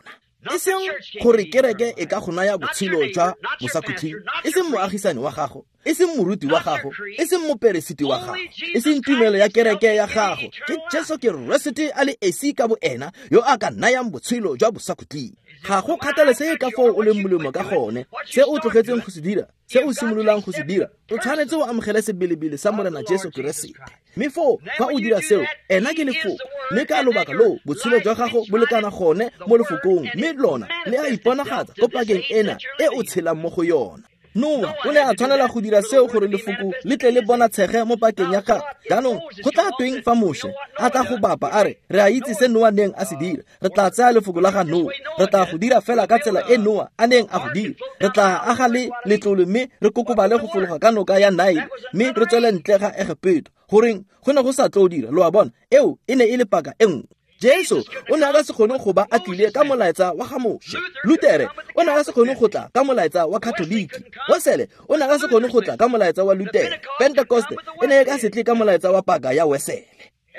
E seng gore kereke e ka go naya botshelo jwa bosakhutleng, e seng moagisane wa gago, e seng moruti wa gago, e seng moperesiti wa gago, e seng tumelo ya kereke ya gago. Ke Jesu Keresete a le esi ka boena yo a ka nayang botshelo jwa bosakhutleng. Ga go kgathalesege ka foo o leng molemo ka gone, se o tlogetseng go se dira, se o simololang go se dira, o tshwanetse o amogele sebelebele sa Morena Jesu Keresete. Mme foo fa o dira seo, ena ke lefoko, mme ka lobaka loo botshelo jwa gago bo lekana gone mo lefokong, mme lona le a iponagatsa ko pakeng ena e o tshelang mo go yona. Noa o ne a tshwanela go dira seo gore lefoko le tle le bonatshege mo pakeng ya gagwe. Jaanong go tla tweng fa Moshe a tla go bapa a re, re a itse se Noa neng a se dira, re tla tsaya lefoko la ga Noa, re tla go dira fela ka tsela e Noa a neng a go dira, re tla aga le letlole mme re kokobale go fologa ka noka ya Nile mme re tswele ntle ga Egepeto. Goreng go ne go sa tlo dira? Lo a bona, eo e ne e le paka e nngwe. Jesu o ne a ka se kgone go ba a tlile ka molaetsa wa ga Moshe. Lutere o ne a ka se kgone go tla ka molaetsa wa Katoliki. Wesele o ne a ka se kgone go tla ka molaetsa wa Lutere. Pentekoste e ne e ka se tle ka molaetsa wa paka ya Wesele.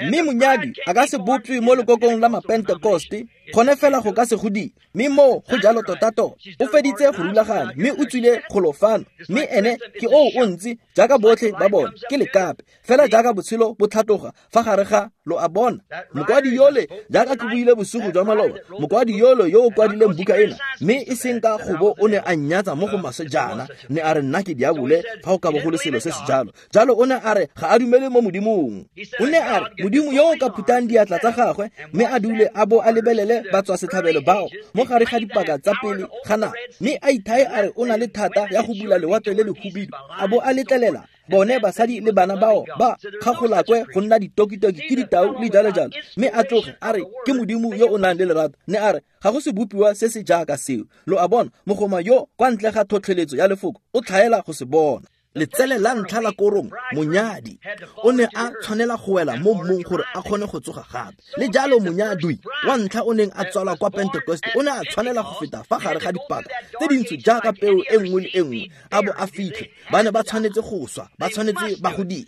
Mme monyadi a ka se bopwe mo lekokong la Mapentekoste, gone fela go ka se go dira. Mme moo go jalo tota-tota. O feditse go rulaganya mme o tswile golo fano, mme ene ke oo o ntse jaaka botlhe ba bone, ke lekape. Fela jaaka botshelo bo tlhatloga fa gare ga, lo a bona, mokwadi yole, jaaka ke buile bosigo jwa maloba, mokwadi yole yo o kwadileng buka ena, mme e seng ka gobo o ne a nnyatsa mo go maswe jaana, ne a re nna ke diabole fa go ka bo go le selo se se jalo. Jalo o ne a re ga a dumele mo Modimong. O ne a re Modimo yo o ka phutang diatla tsa gagwe mme a dule a bo a lebelele batswasetlhabelo bao mo gare ga dipaka tsa pele ga nako, mme a ithae a re o na le thata ya go bula lewatle le lehubidu, a bo a letlelela bone basadi le bana bao ba kgagolakwe go nna ditokitoki ke ditau le jalo jalo, mme a tloge a re ke Modimo yo o nang le lerato. Ne a re ga go sebopiwa se se jaaka seo. Lo a bona, mogoma yo kwa ntle ga tlhotlheletso ya lefoko o tlhaela go se bona. Letsele la ntlha la korong, monyadi, o ne a tshwanela go wela mo mmung gore a kgone go tsoga gape. Le jalo monyadwi wa ntlha o neng a tswalwa kwa Pentecost o ne a tshwanela go feta fa gare ga dipaka tse dintsho jaaka peo e nngwe le e nngwe a bo a fitlhe. Ba ne ba tshwanetse go swa, ba tshwanetse ba go dire.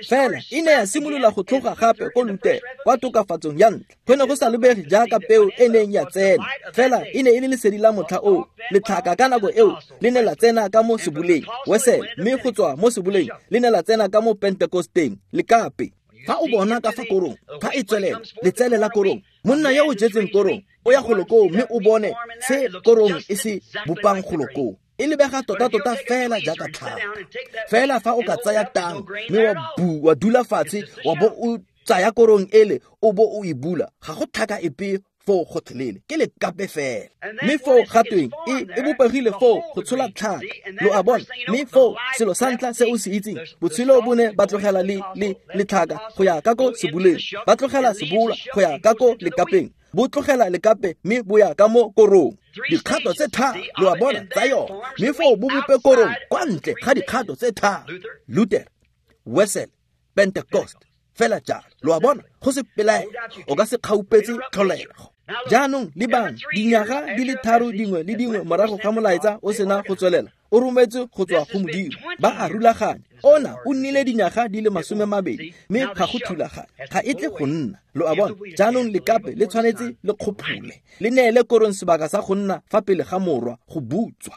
Fela e ne ya simolola go tlhoga gape ko Lutere kwa tokafatsong ya ntlha. Go ne go sa lebege jaaka peo e neng ya tsena, fela e ne e le lesedi la motlha oo. Letlhaka ka nako eo le ne la tsena ka mo seboleng Wesele, mme go tswa mo seboleng le ne la tsena ka mo Pentekosteng. Lekape fa o bona ka fa korong fa e tswelela, letsele la korong, monna yo o jetseng korong o ya golo koo mme o bone se korong e se bopang golo koo. E lebega tota-tota fela jaaka tlhaka. Fela fa o ka tsaya tang mme wa dula fatshe wa bo o tsaya korong ele o bo o e bula, ga go tlhaka epe foo gotlhelele, ke lekape fela. Mme foo gatweng e bopegile foo go tshola tlhaka, lo a bona. Mme foo selo sa ntlha se o se itseng, botshelo bo ne ba tlogela le letlhaka go ya ka ko seboleng, ba tlogela sebola go ya ka ko lekapeng, bo tlogela lekape mme bo ya ka mo korong. Dikgato tse tharo, lo a bona, tsa yona. Mme foo bo bope korong kwa ntle ga dikgato tse tharo, Luther, Wesele, Pentecost, fela jalo. Lo a bona, go se pelaelo, o ka se kgaupetse tlholego. Jaanong lebang, dinyaga di le tharo dingwe le dingwe morago ga molaetsa o sena go tswelela, o rometswe go tswa go Modimo, ba a rulaganya. Ona o nnile dinyaga di le 20, mme ga go thulaganya, ga e tle go nna. Lo a bona, jaanong lekape le tshwanetse le kgophole, le neele korong sebaka sa go nna fa pele ga morwa go butswa.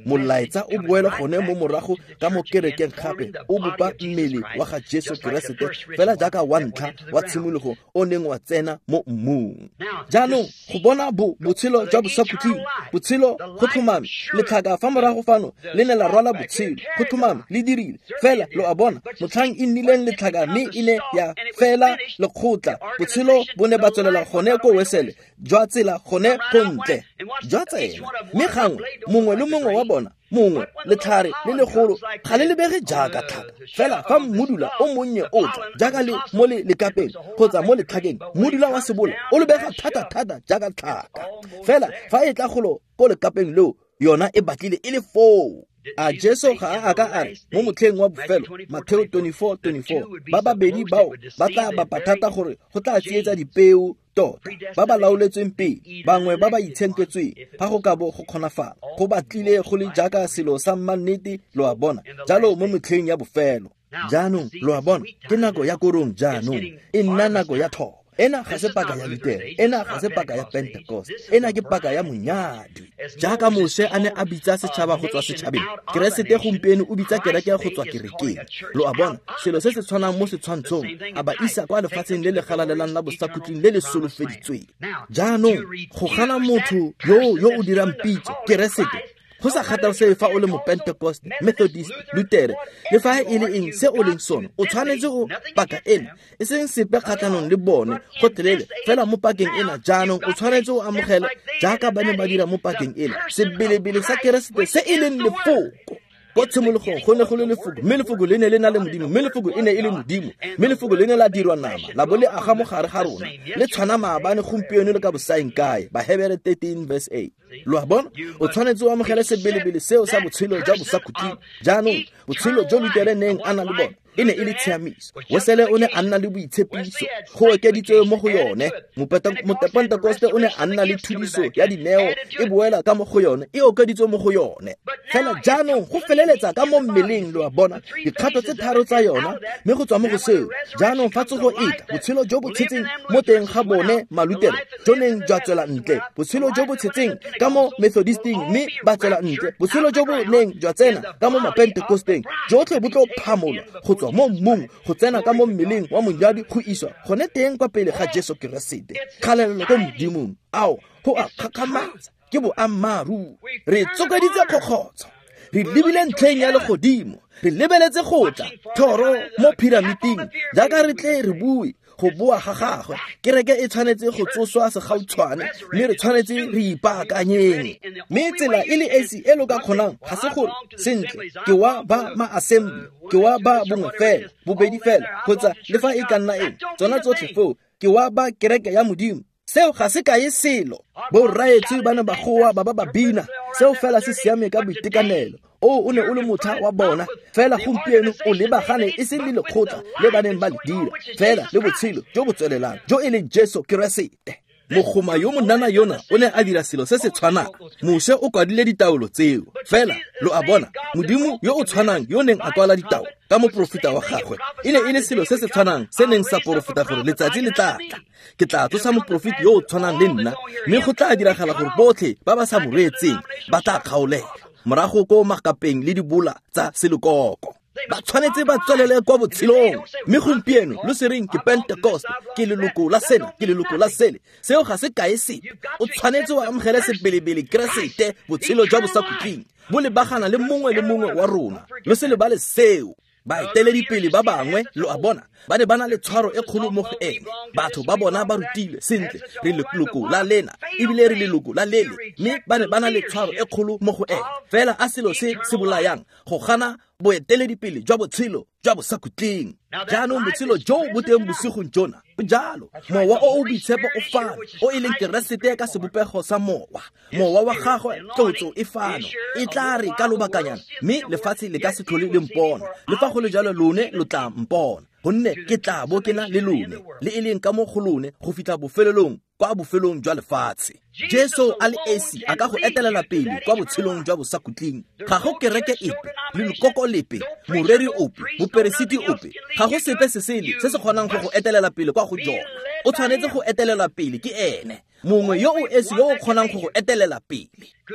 Molaetsa o boela gone mo morago ka mo kerekeng gape, o bopa mmele wa ga Jesu Keresete fela jaaka wa ntlha wa tshimologo o neng wa tsena mo mmung. Jaanong go bona botshelo jwa bosakhutleng, botshelo go tlhomame, letlhaka fa morago fano le ne la rwala botshelo, go tlhomame le dirile. Fela lo a bona, motlhang e nnileng letlhaka mme e ne ya fela lekgotla, botshelo bo ne ba tswelela gone ko Wesele jwa tsela gone go ntle jwa tsela. Mme gangwe mongwe le mongwe wa bona, mongwe letlhare le legolo ga le lebege jaaka tlhaka, fela fa mmudula o monnye o tla jaaka le mo le lekapeng kgotsa mo letlhakeng, mmudula wa sebola o lebega thata-thata jaaka tlhaka. Fela fa e tla golo ko lekapeng leo, yona e batlile e le foo. A Jesu ga a ka a re mo motlheng wa bofelo, Mateo 24:24, ba babedi bao ba tla bapa thata gore go tla tsietsa dipeo tota, ba ba laoletsweng pele, bangwe ba ba itshenketsweng, fa go ka bo go kgonafala, go batlile go le jaaka selo sa mmannete, lo a bona, jalo mo metlheng ya bofelo. Jaanong lo a bona, ke nako ya korong jaanong, e nna nako ya thobo. Ena ga se paka ya Lutere, ena ga se paka ya Pentecost, ena ke paka ya monyadwi. Jaaka Moshe a ne a bitsa setšhaba go tswa setšhabeng, Keresete gompieno o bitsa kereke go tswa kerekeng. Lo a bona, selo se se tshwanang mo setshwantshong, a ba isa kwa lefatsheng le le galalelang la bosakhutleng le le solofeditsweng. Jaanong go gana motho yo o dirang pitso, Keresete, go sa kgathalesege fa o le mo-Pentecost, Methodist, Lutere, le fa e le eng se o leng sone, o tshwanetse o paka ena, e seng sepe kgatlhanong le bone gotlhelele, fela mo pakeng ena jaanong o tshwanetse o amogele jaaka ba ne ba dira mo pakeng ena, sebelebele sa Keresete se e leng lefoko. Ko tshimologong go ne go le lefoko, mme lefoko le ne le na le Modimo, mme lefoko e ne e le Modimo, mme lefoko le ne la dirwa nama, la bo le aga mo gare ga rona, le tshwana maabane, gompieno le ka bosaeng kae. Bahebere 13:8. Lo a bona, o tshwanetse o amogele sebelebele seo sa botshelo jwa bosakhutleng. Jaanong botshelo jo Lutere neng a na le bona e ne e le tshiamiso, Wesele o ne a nna le boitshepiso, go okeditswe mo go yone. Mopentekoste o ne a nna le thudiso ya dineo e boela ka mo go yone, e okeditswe mo go yone. Fela jaanong go feleletsa ka mo mmeleng, lo a bona, dikgato tse tharo tsa yona, mme go tswa mo go seo jaanong fa tsogo e tla, botshelo jo bo tshetseng mo teng ga bone Malutere jo neng jwa tswela ntle, botshelo jo bo tshetseng ka mo Methodisting mme ba tswela ntle, botshelo jo bo neng jwa tsena ka mo Mapentekosteng, jotlhe bo tlo phamolwa go tswa mo mmung go tsena ka mo mmeleng wa monyadi go iswa gone teng kwa pele ga Jesu Keresete. Kgalelelo ko Modimong, ao go a kgakgamatsa, ke boammaaruri. Re tsokeditse kgokgotsho, re lebile ntlheng ya legodimo, re lebeletse go tla thoro mo piramiting, jaaka re tle re bue go boa ga gagwe. Kereke e tshwanetse go tsoswa segautshwane, mme re tshwanetse re ipaakanyeng. Mme tsela e le esi e lo ka kgonang ga se gore sentle ke wa ba ma-assembly, ke wa ba bongwe fela, bobedi fela, kgotsa le fa e ka nna eng, tsona tsotlhe foo ke wa ba kereke ya Modimo. Seo ga se kae selo. Borraetsho ba ne ba goa ba ba bina, seo fela se siame ka boitekanelo. O ne o le motlha wa bona, fela gompieno o lebagane e seng le lekgotla le ba neng ba le dira, fela le botshelo jo bo tswelelang jo e leng Jesu Keresete. Mogoma yo monana yona o ne a dira selo se se tshwanang. Moshe o kwadile ditaolo tseo, fela lo a bona, Modimo yo o tshwanang yo neng a kwala ditaolo ka moporofeta wa gagwe e ne e le selo se se tshwanang se neng sa porofeta gore letsatsi le tla tla, ke tla tsosa moporofeti yo o tshwanang le nna, mme go tla diragala gore botlhe ba ba sa mo reetseng ba tla kgaolela morago ko makapeng le dibola tsa selekoko. Ba tshwanetse ba tswelele kwa botshelong. Mme gompieno lo se reng ke Pentecost, ke leloko la sena, ke leloko la sele, seo ga se kae sepe. O tshwanetse wa amogele sebelebele Keresete, botshelo jwa bosakhutleng bo lebagana le mongwe le mongwe wa rona. Lo se lebale seo. Baeteledipele ba bangwe, lo a bona, ba ne ba na le tshwaro e kgolo mo go ene. Batho ba bona ba rutilwe sentle, re leloko la lena ebile re leloko la lele, mme ba ne ba na le tshwaro e kgolo mo go ene. Fela a selo se se bolayang go gana boeteledipele jwa botshelo jwa bosakhutleng. Jaanong botshelo jo bo teng bosigong jona bo jalo. Mowa o o boitshepo o fano, o e leng Keresete ka sebopego sa mowa. Mowa wa gagwe, tlotso e fano, e tla re ka lobakanyana, mme lefatshe le ka se tlhole le mpona. Le fa go le jalo lone lo tla mpona, gonne ke tla bo ke na le lone, le e leng ka mo go lone go fitlha bofelelong, kwa bofelong jwa lefatshe. Jesu a le esi a ka go etelela pele kwa botshelong jwa bosakhutleng. Ga go kereke epe, lelokoko lepe, moreri ope, moperesiti ope, ga go sepe se sele se se kgonang go go etelela pele kwa go jona. O tshwanetse go etelela pele ke ene, mongwe yo o esi yo o kgonang go go etelela pele.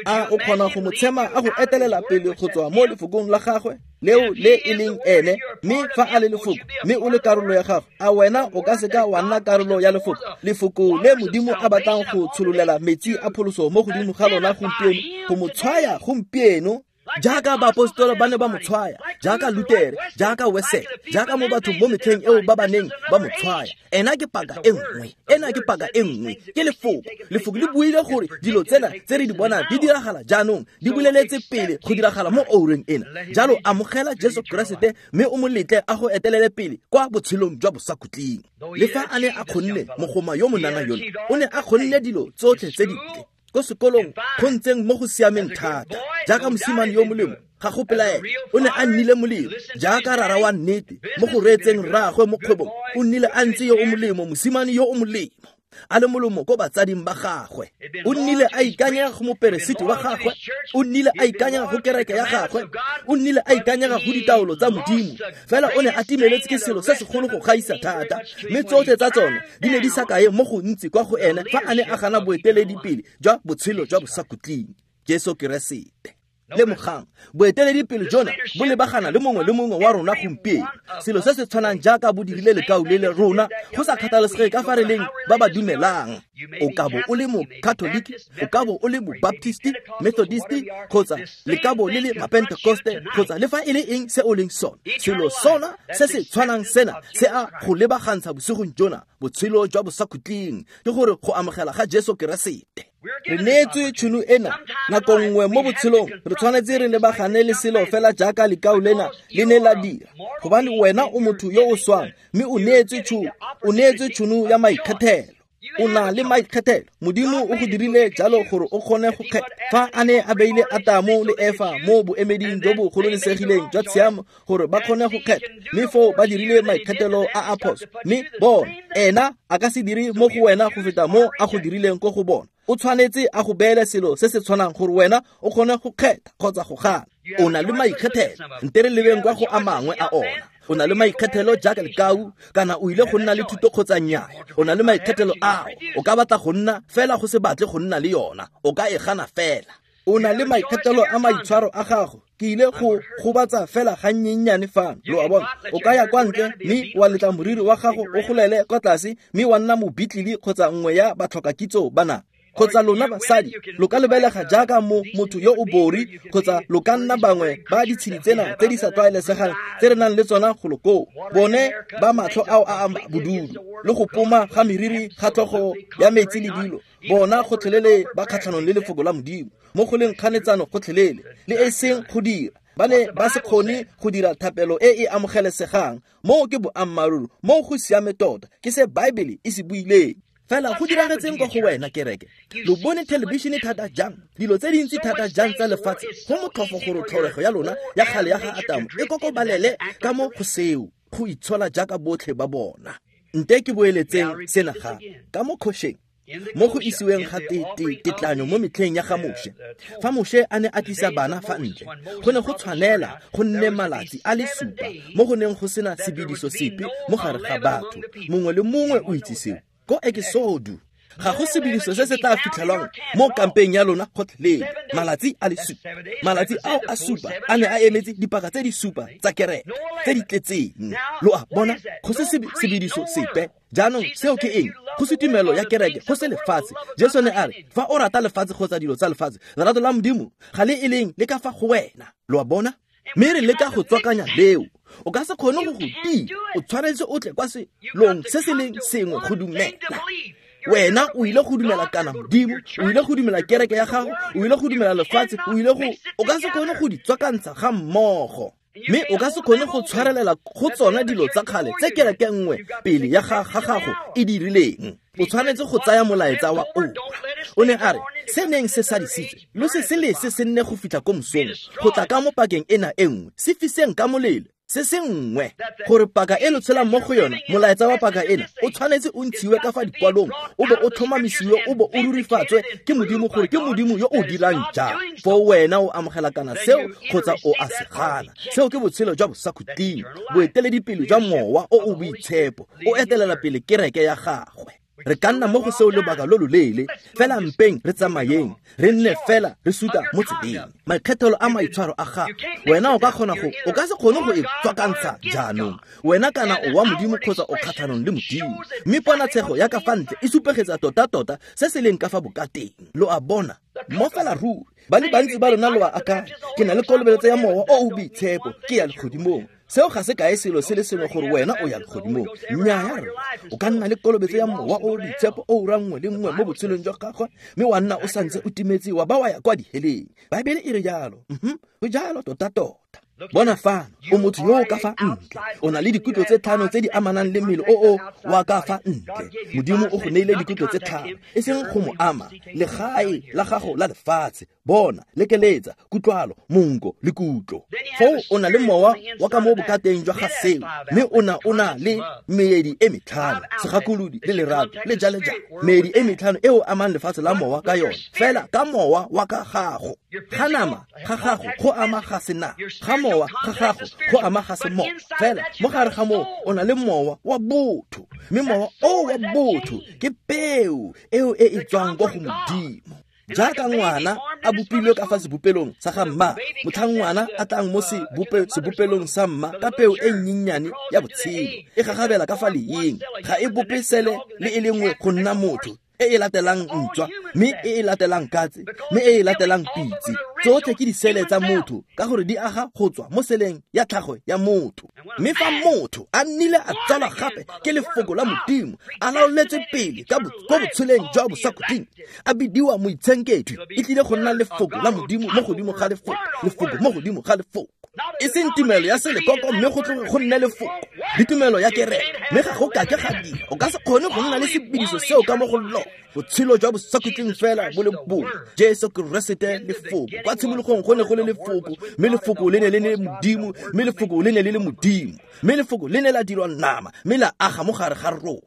A o kgona go mo tshema a go etelela pele go tswa mo lefokong la gagwe leo le e leng ene? Mme fa a le lefoko, mme o le karolo ya gagwe, a wena o ka seka wa nna karolo ya lefoko? Lefoko le Modimo a batlang go tshololela metsi a pholoso mo godimo ga lona gompieno, go mo tshwaya gompieno, jaaka baapostola ba ne ba mo tshwaya, jaaka Lutere, jaaka Wesley, jaaka mo bathong mo metlheng eo ba ba neng ba mo tshwaya. Ena ke paka e nngwe, ena ke paka e nngwe, ke lefoko. Lefoko le buile gore dilo tsena tse re di bonang di diragala jaanong, di boleletse pele go diragala mo oureng ena. Jalo amogela Jesu Keresete mme o mo letle a go etelele pele kwa botshelong jwa bosakhutleng. Le fa a ne a kgonne, mogoma yo monana yona o ne a kgonne dilo tsotlhe tse dintle ko sekolong, go ntseng mo go siameng thata, jaaka mosimane yo molemo, ga go pelaelo o ne a nnile molemo, jaaka rara wa nnete mo go reetseng rraagwe mo kgwebong, o nnile a ntse yo o molemo, mosimane yo o molemo, a le molomo ko batsading ba gagwe. O nnile a ikanyega go moperesiti wa gagwe, o nnile a ikanyega go kereke ya gagwe, o nnile a ikanyega go ditaolo tsa Modimo. Fela o ne a timeletse ke selo se segolo go gaisa thata, mme tsotlhe tsa tsone di ne di sa kae mo gontsi kwa go ene fa a ne a gana boeteledipele jwa botshelo jwa bosakhutleng, Jesu Keresete. Lemogang, boeteledipele jona bo lebagana le mongwe le mongwe wa rona gompieno, selo se se tshwanang jaaka bo dirile lekau le le rona, go sa kgathalesege ka fa re leng ba ba dumelang. O ka bo o le mo-Catholic, o ka bo o le mo-Baptist, Methodist, kgotsa le ka bo le le ma-Pentecoste, kgotsa le fa e le eng se o leng sone. Selo sona se se tshwanang sena se a go lebagantsha bosigong jona, botshelo jwa bosakhutleng, ke gore go amogela ga Jesu Keresete. Re neetswe tšhono ena nako nngwe mo botshelong, re tshwanetse re lebagane le selo fela jaaka lekau lena le ne la dira, gobane wena o motho yo o swang, mme o neetswe tšhono ya maikgethelo. O na le maikgethelo. Modimo o go dirile jalo gore o kgone go kgetha. Fa a ne a beile Atamo le Efa mo boemeding jo bo gololesegileng jwa tshiamo gore ba kgone go kgetha, mme foo ba dirile maikgethelo a a phoso, mme bona, ena a ka se dire mo go wena go feta mo a go dirileng ko go bona. O tshwanetse a go beele selo se se tshwanang gore wena o kgone go kgetha kgotsa go gana. O na le maikgethelo. Nte re lebeng kwa go a mangwe a ona. O na le maikgethelo jaaka lekau, kana o ile go nna le thuto kgotsa nnyaa. O na le maikgethelo ao. O ka batla go nna fela go se batle go nna le yona, o ka e gana fela. O na le maikgethelo a maitshwaro a gago. Ke ile go gobatsa fela gannyennyane fano, lo a bona. O ka ya kwa ntle mme wa letla moriri wa gago o golele kwa tlase, mme wa nna mobitlili kgotsa nngwe ya batlhokakitso bana. Kgotsa lona basadi lo ka lebelega jaaka mo motho yo o bori, kgotsa lo ka nna bangwe ba ditshedi tsena tse di sa tlwaelesegang tse re nang le tsona golo koo, bone ba matlho ao a a bodudu le go poma ga meriri ga tlhogo ya metsi le dilo, bona gotlhelele ba kgatlhanong le lefoko la Modimo, mo go leng kganetsano gotlhelele, le e seng go dira. Ba ne ba se kgone go dira thapelo e e amogelesegang. Moo ke boammaaruri, moo go siame tota, ke se Baebele e se buileng. Fela go diragetseng kwa go wena kereke. Lo bone television thata jang, dilo tse dintsi thata jang tsa lefatshe, go motlhofo gore tlholego ya lona ya kgale ya ga Atamo e kokobalele ka mo go seo, go itshola jaaka botlhe ba bona. Nte ke boeletseng sena gape ka mo kgošeng, mo go isiweng ga tetlanyo mo metlheng ya ga Moshe. Fa Moshe a ne a tlisa bana fa ntle, go ne go tshwanela go nne malatsi a le supa mo go neng go sena sebediso sepe mo gare ga batho. Mongwe le mongwe o itse seo. Ko Ekisodu ga go sebediso se se tla fitlhelwang mo kampeng ya lona gotlhelele. Malatsi a le supa. Malatsi ao a supa a ne a emetse dipaka tse di supa tsa kereke tse di tletseng. Lo a bona, go se sebediso sepe. Jaanong seo ke eng? Go se tumelo ya kereke, go se lefatshe. Jesu ne a re, fa o rata lefatshe kgotsa dilo tsa lefatshe, lerato la Modimo ga le e leng le ka fa go wena. Lo a bona? Mme re leka go tswakanya leo. O ka se kgone go go tia. O tshwanetse o tle kwa selong se se leng sengwe go dumela. Wena o ile go dumela kana Modimo, o ile go dumela kereke ya gago, o ile go dumela lefatshe, o ile go, o ka se kgone go di tswakantsha ga mmogo. Mme o ka se kgone go tshwarelela go tsona dilo tsa kgale tse kereke nngwe pele ya ga gago e dirileng. O tshwanetse go tsaya molaetsa wa oura. O ne a re, se neng se sadisitswe, lo se se lese se nne go fitlha ko mosong, go tla ka mo pakeng ena e nngwe, se fiseng ka molelo, se se nngwe, gore paka e lo tshelang mo go yona, molaetsa wa paka ena, o tshwanetse o ntshiwe ka fa dikwalong, o bo o tlhomamisiwe, o bo o rurifatswe ke Modimo gore ke Modimo yo o dirang jang. Foo wena o amogela kana seo kgotsa o a se gana. Seo ke botshelo jwa bosakhutleng, boeteledipele jwa Mowa o o Boitshepo, o etelela pele kereke ya gagwe. Re ka nna mo go seo lobaka lo loleele, fela mpeng re tsamayeng, re nne fela re suta mo tseleng. Maikgethelo a maitshwaro a gago, wena o ka kgona go, o ka se kgone go e tswakantsha jaanong. Wena kana o wa Modimo kgotsa o kgatlhanong le Modimo. Mme ponatshego ya ka fa ntle e supegetsa tota-tota se se leng ka fa bokateng. Lo a bona, mo fela ruri. Ba le bantsi ba lona lo a akanya, ke na le kolobeletso ya Mowa o o Boitshepo, ke ya legodimong. Seo ga se kae selo se le sengwe gore wena o ya legodimong. Nnyaya rra, o ka nna le kolobetso ya Mowa o o Boitshepo o ura nngwe le nngwe mo botshelong jwa gagwe, mme wa nna o santse o timetse wa ba wa ya kwa diheleng. Baebele e re jalo. Go jalo tota-tota. Bona fano, o motho yo o ka fa ntle. O na le dikutlo tse tlhano tse di amanang le mmele o o wa ka fa ntle. Modimo o go neile dikutlo tse tlhano, e seng go mo ama, legae la gago la lefatshe. Bona, lekeletsa, kutlwalo, monko le kutlo. Foo o na le mowa wa ka mo bokateng jwa ga seo, mme o na le meedi e metlhano, segakolodi le lerato le jale jalo. Meedi e metlhano e o amang lefatshe la mowa ka yone, fela ka mowa wa ka gago. Ga nama ga gago go ama ga sena, ga mowa ga gago go ama ga semowa. Fela mo gare ga moo o na le mowa wa botho, mme mowa o wa botho ke peo eo e e tswang kwa go Modimo. Jaaka ngwana a bopilwe ka fa sebopelong sa ga mma, motlhang ngwana a tlang mo sebopelong sa mma ka peo e nnyennyane ya botshelo, e gagabela ka fa leeng, ga e bope sele le e le nngwe go nna motho, e e latelang ntswa, mme e e latelang katse, mme e e latelang pitse. Tsotlhe ke disele tsa motho ka gore di aga go tswa mo seleng ya tlhago ya motho. Mme fa motho a nnile a tsalwa gape ke lefoko la Modimo, a laoletswe pele ka ko botsheleng jwa bosakhutleng, a bidiwa moitshenketwi, e tlile go nna lefoko la Modimo mo godimo ga lefoko, lefoko mo godimo ga lefoko. E seng tumelo ya selekoko, mme go tloge go nne lefoko le tumelo ya kereke, mme ga go kake ga dira. O ka se kgone go nna le sebediso seo ka mo go lona. Botshelo jwa bosakhutleng fela bo le bongwe, Jesu Keresete lefoko. Kwa tshimologong go ne go le lefoko, mme lefoko le ne le le Modimo, mme lefoko le ne le le Modimo, mme lefoko le ne la dirwa nama, mme la aga mo gare ga rona.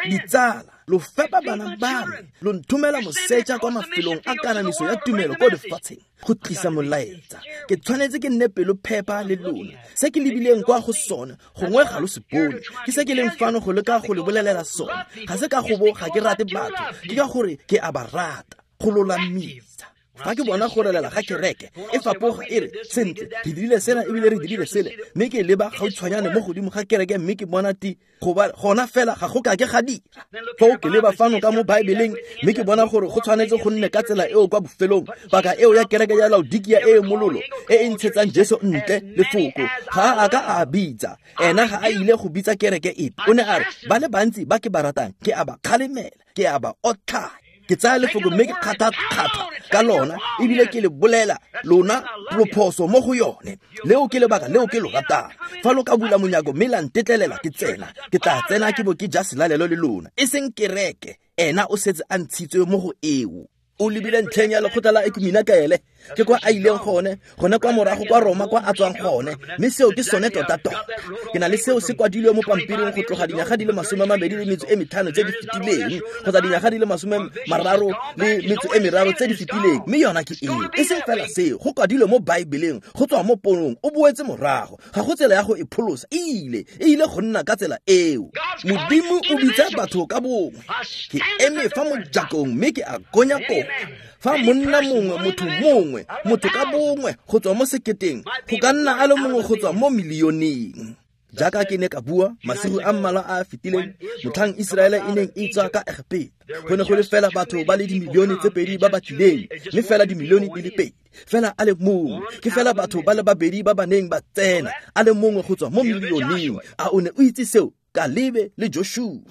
Ditsala, lo fepa bana ba me, lo nthomela moseja kwa mafelong a kanamiso ya tumelo ko lefatsheng go tlisa molaetsa. Ke tshwanetse ke nne pelo phepa le lona. Se ke lebileng kwa go sone, gongwe ga lo se bone. Ke se ke leng fano go leka go le bolelela sone. Ga se ka go bo ga ke rate batho, ke ka gore ke a ba rata, go lolamisa. Fa ke bona go relela ga kereke e fapoga e re, sentle, re dirile sena ebile re dirile sele, mme ke leba gautshwanyane mo godimo ga kereke mme ke bona ti goba gona fela ga go kake ga dira. Foo ke leba fano ka mo Baebeleng mme ke bona gore go tshwanetse go nne ka tsela eo kwa bofelong. Paka eo ya kereke ya Laodikia e e mololo e e ntshetsang Jesu ntle lefoko, ga a ka a bitsa. Ena ga a ile go bitsa kereke epe. O ne a re, ba le bantsi ba ke ba ratang ke a ba kgalemela, ke a ba otlhaya. Ke tsaya lefoko mme ke kgatha-kgatha ka lona, ebile ke le bolela lona lo phoso mo go yone. Leo ke lebaka leo ke lo ratang. Fa lo ka bula monyako mme la ntetlelela ke tsena, ke tla tsena ke bo ke ja selalelo le lona. E seng kereke, ena o setse a ntshitswe mo go eo. O lebile ntlheng ya lekgotla la ekumenakaele, ke kwa a ileng gone, gone kwa morago kwa Roma kwa a tswang gone, mme seo ke sone tota-tota. Ke na le seo se kwadilwe mo pampiring go tloga dinyaga di le 25 tse di fetileng, kgotsa dinyaga di le 33 tse di fetileng, mme yona ke eo. E seng fela seo, go kwadilwe mo Baebeleng, go tswa mo ponong, o boetse morago. Ga go tsela ya go e pholosa, e ile go nna ka tsela eo. Modimo o bitsa batho ka bongwe. Ke eme fa mojakong mme ke a konya kopa. Fa monna mongwe, motho mongwe, motho ka bongwe go tswa mo seketeng, go ka nna a le mongwe go tswa mo milioneng. Jaaka ke ne ka bua masigo a mmalwa a a fetileng, motlhang Iseraele e neng e tswa ka Egepeta, go ne go le fela batho ba le dimilione tse 2 ba ba tlileng, mme fela dimilione di le 2. Fela a le mongwe, ke fela batho ba le babedi ba ba neng ba tsena, a le mongwe go tswa mo milioneng. A o ne o itse seo? Kalebe le Joshua.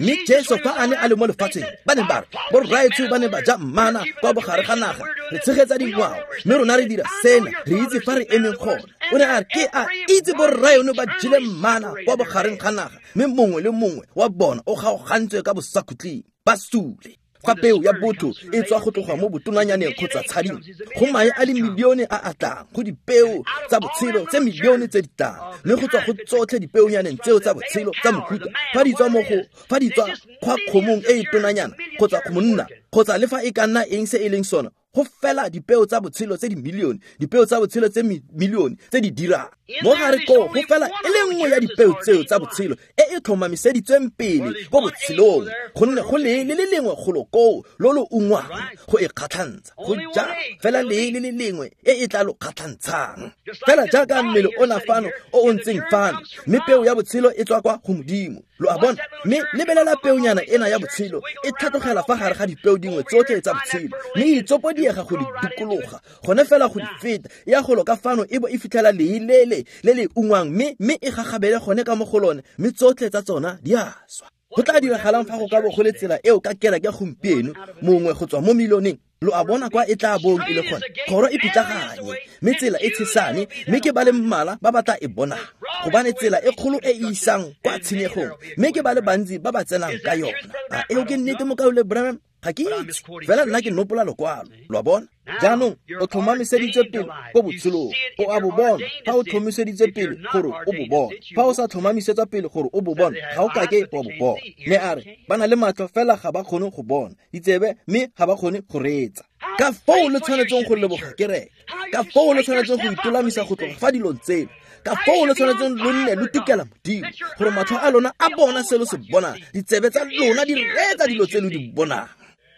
Mme Jesu fa a ne a le mo lefatsheng, ba ne ba re, borraetsho ba ne ba ja mmana kwa bogare ga naga, re tshegetsa dingwao, mme rona re dira sena, re itse fa re emeng gone. O ne a re, ke a itse borraeno ba jele mmana kwa bogareng ga naga, mme mongwe le mongwe wa bona o kgaogantswe ka bosakhutleng, ba sule. Fa peo ya botho e tswa go tloga mo botonanyaneng kgotsa tshading, go mae a le milione a a tlang, go dipeo tsa botshelo tse milione tse di tlang, mme go tswa go tsotlhe dipeonyaneng tseo tsa botshelo tsa mohuta, fa di tswa fa di tswa kgwa kgomong e e tonanyana kgotsa monna, kgotsa le fa e ka nna eng se e leng sona, go fela dipeo tsa botshelo tse dimilione, dipeo tsa botshelo tse milione tse di dirang. Mo gare koo go fela e le nngwe ya dipeo tseo tsa botshelo e e tlhomamiseditsweng pele ko botshelong, gonne go lee le le lengwe golo koo lo lo ungwang go e kgatlhantsha, go ja fela lee le le lengwe e e tla lo kgatlhantshang. Fela jaaka mmele ona fano o o ntseng fano, mme peo ya botshelo e tswa kwa go Modimo. Lo a bona? Mme lebelela peonyana ena ya botshelo e tlhatlogela fa gare ga dipeo dingwe tsotlhe tsa botshelo, mme e itsopodiega go di dikologa, gone fela go di feta, ya golo ka fano e bo e fitlhela lee lele le le ungwang, mme e gagabele gone ka mo go lone, mme tsotlhe tsa tsona di a swa. Go tla diragalang fa go ka bo go le tsela eo ka kereke gompieno, mongwe go tswa mo milioneng? Lo a bona kwa e tla bong e le gone, kgoro e pitlaganye, mme tsela e tshesane, mme ke ba le mmala ba ba tla e bonang, gobane tsela e kgolo e e isang kwa tshenyegong, mme ke ba le bantsi ba ba tsenang ka yona. A eo ke nnete, mokaulengwe Branham? Ga ke itse, fela nna ke nopola lokwalo. Lo a bona? Jaanong o tlhomamiseditswe pele ko botshelong, o a bo bona fa o tlhomamiseditswe pele gore o bo bona. Fa o sa tlhomamisetswa pele gore o bo bona, ga o kake wa bo bona. Mme a re, ba na le matlho fela ga ba kgone go bona, ditsebe mme ga ba kgone go reetsa. Ka foo le tshwanetseng go leboga kereke, ka foo le tshwanetseng go itolamisa go tloga fa dilong tseno, ka foo le tshwanetseng lo nne lo tukela Modimo, gore matlho a lona a bona se lo se bonang, ditsebe tsa lona di reetsa dilo tse lo di bonang.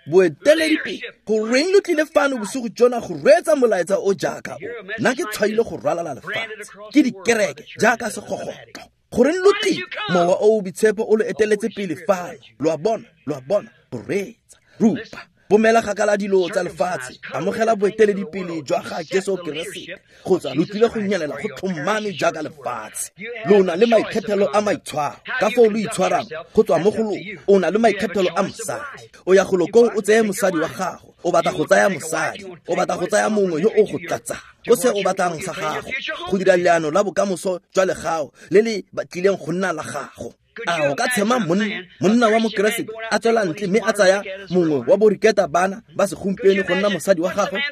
Boeteledipele, goreng lo tlile fano bosigo jona go reetsa molaetsa o jaaka o? Nna ke tshwaile go ralala lefatshe ke dikereke jaaka segogotlo. Goreng lo tlile? Mowa o o boitshepo o lo eteletse pele fano. Lo a bona, lo a bona, go reetsa, rupa, bomela gakala dilo tsa lefatshe, amogela boeteledipele jwa ga Jesu Keresete, kgotsa lo tlile go nyelela go tlhomame jaaka lefatshe. Lo na le maikgethelo a maitshwaro, ka foo lo itshwarang go tswa mo go lona. O na le maikgethelo a mosadi, o ya golo koo o tseye mosadi wa gago, o batla go tsaya mosadi, o batla go tsaya mongwe yo o go tlatsang ko se o batlang sa gago, go dira leano la bokamoso jwa legago le le tlileng go nna la gago. A o ka tshema monna wa mokeresete a tswela ntle mme a tsaya mongwe wa boriketa bana ba segompieno go nna mosadi wa gagwe?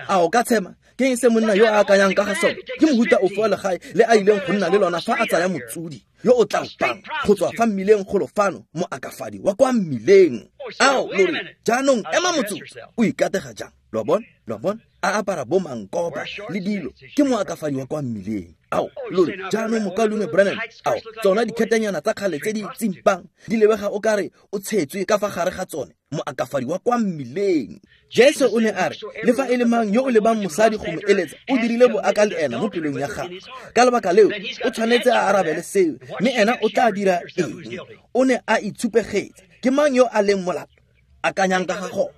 A o ka tshema? Ke eng se monna yo a akanyang ka ga sone? Ke mohuta ofe wa legae le a ileng go nna le lona fa a tsaya motsodi yo o tla opang go tswa fa mmileng golo fano, moakafadi wa kwa mmileng? Ao, lo re, jaanong ema motsotso, o ikatega jang? Lo a bona? Lo a bona? A apara bo mankopa le dilo, ke moakafadi wa kwa mmileng. Ao, lo re, jaanong mokaulengwe Branham, ao, tsona dikhetanyana tsa kgale tse di tsimpang di lebega o kare o tshetswe ka fa gare ga tsone, moakafadi wa kwa mmileng. Jesu o ne a re, le fa e le mang yo o lebang mosadi go mo eletsa, o dirile boaka le ena mo pelong ya gagwe. Ka lebaka leo, o tshwanetse a arabele seo, mme ena o tla dira eng? O ne a itshupegetse. Ke mang yo a leng molato? Akanyang ka ga gona.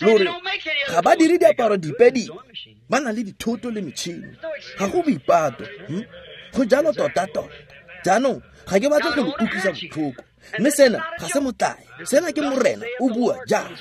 Lo re, ga ba dire diaparo dipe dipe, ba na le dithoto le metšhini, ga go boipato. Go jalo tota-tota. Jaanong ga ke batle go lo utlwisa botlhoko, Mme sena ga se motlae, sena ke Morena o bua jaana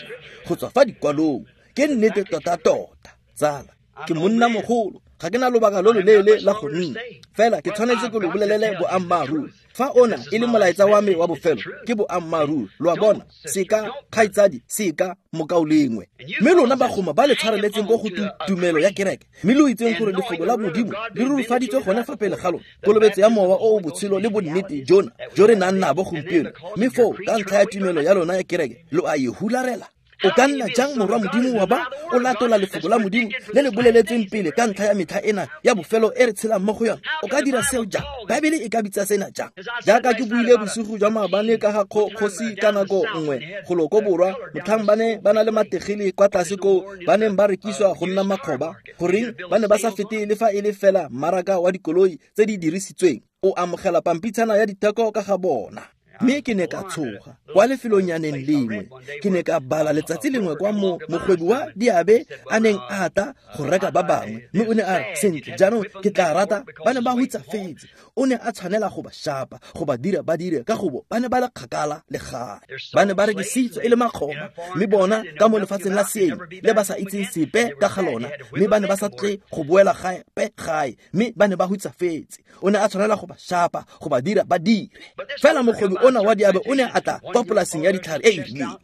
go tswa fa dikwalong. Ke nnete tota-tota, tsala. Ke monna mogolo, ga ke na lobaka lo loleele la go nna, fela ke tshwanetse ke lo bolelele boammaaruri. Fa ona e le molaetsa wa me wa bofelo, ke boammaaruri. Lo a bona, seka kgaitsadi, seka mokaulengwe. Mme lona bagoma ba le tshwareletseng ko go tumelo ya kereke, mme lo itseng gore lefoko la Modimo le rurifaditswe gone fa pele ga lona, kolobetso ya mowa o o botshelo le bonnete jona jo re nang nabo gompieno, mme foo ka ntlha ya tumelo ya lona ya kereke lo a e hularela. O ka nna jang morwa Modimo wa ba o latola lefoko la Modimo le le boleletsweng pele ka ntlha ya metlha ena ya bofelo e re tshelang mo go yona? O ka dira seo jang? Baebele e ka bitsa sena jang? Jaaka ke buile bosigo jwa maabane ka ga kgosi ka nako nngwe golo ko borwa, motlhang ba ne ba na le mategele kwa tlase koo ba neng ba rekiswa go nna makgoba, goreng ba ne ba sa fete le fa e le fela mmaraka wa dikoloi tse di dirisitsweng. O amogela pampitshana ya ditheko ka ga bona. Mme ke ne ka tshoga kwa lefelonyaneng lengwe. Ke ne ka bala letsatsi lengwe kwa mogwebi wa diabe a neng a tla go reka ba bangwe, mme o ne a re, sentle jaanong ke tla rata. Ba ne ba hutsafetse. O ne a tshwanela go ba shapa, go ba dira ba dire, ka gobo ba ne ba le kgakala le gae. Ba ne ba rekisitswe e le makgoba, mme bona ka mo lefatsheng la seeng le ba sa itseng sepe ka ga lona, mme ba ne ba sa tle go boela gape gae, mme ba ne ba hutsafetse. O ne a tshwanela go ba shapa, go ba dira ba dire. Fela mogwebi ona wa diabe o ne a tla kwa polaseng ya ditlhare e e rileng.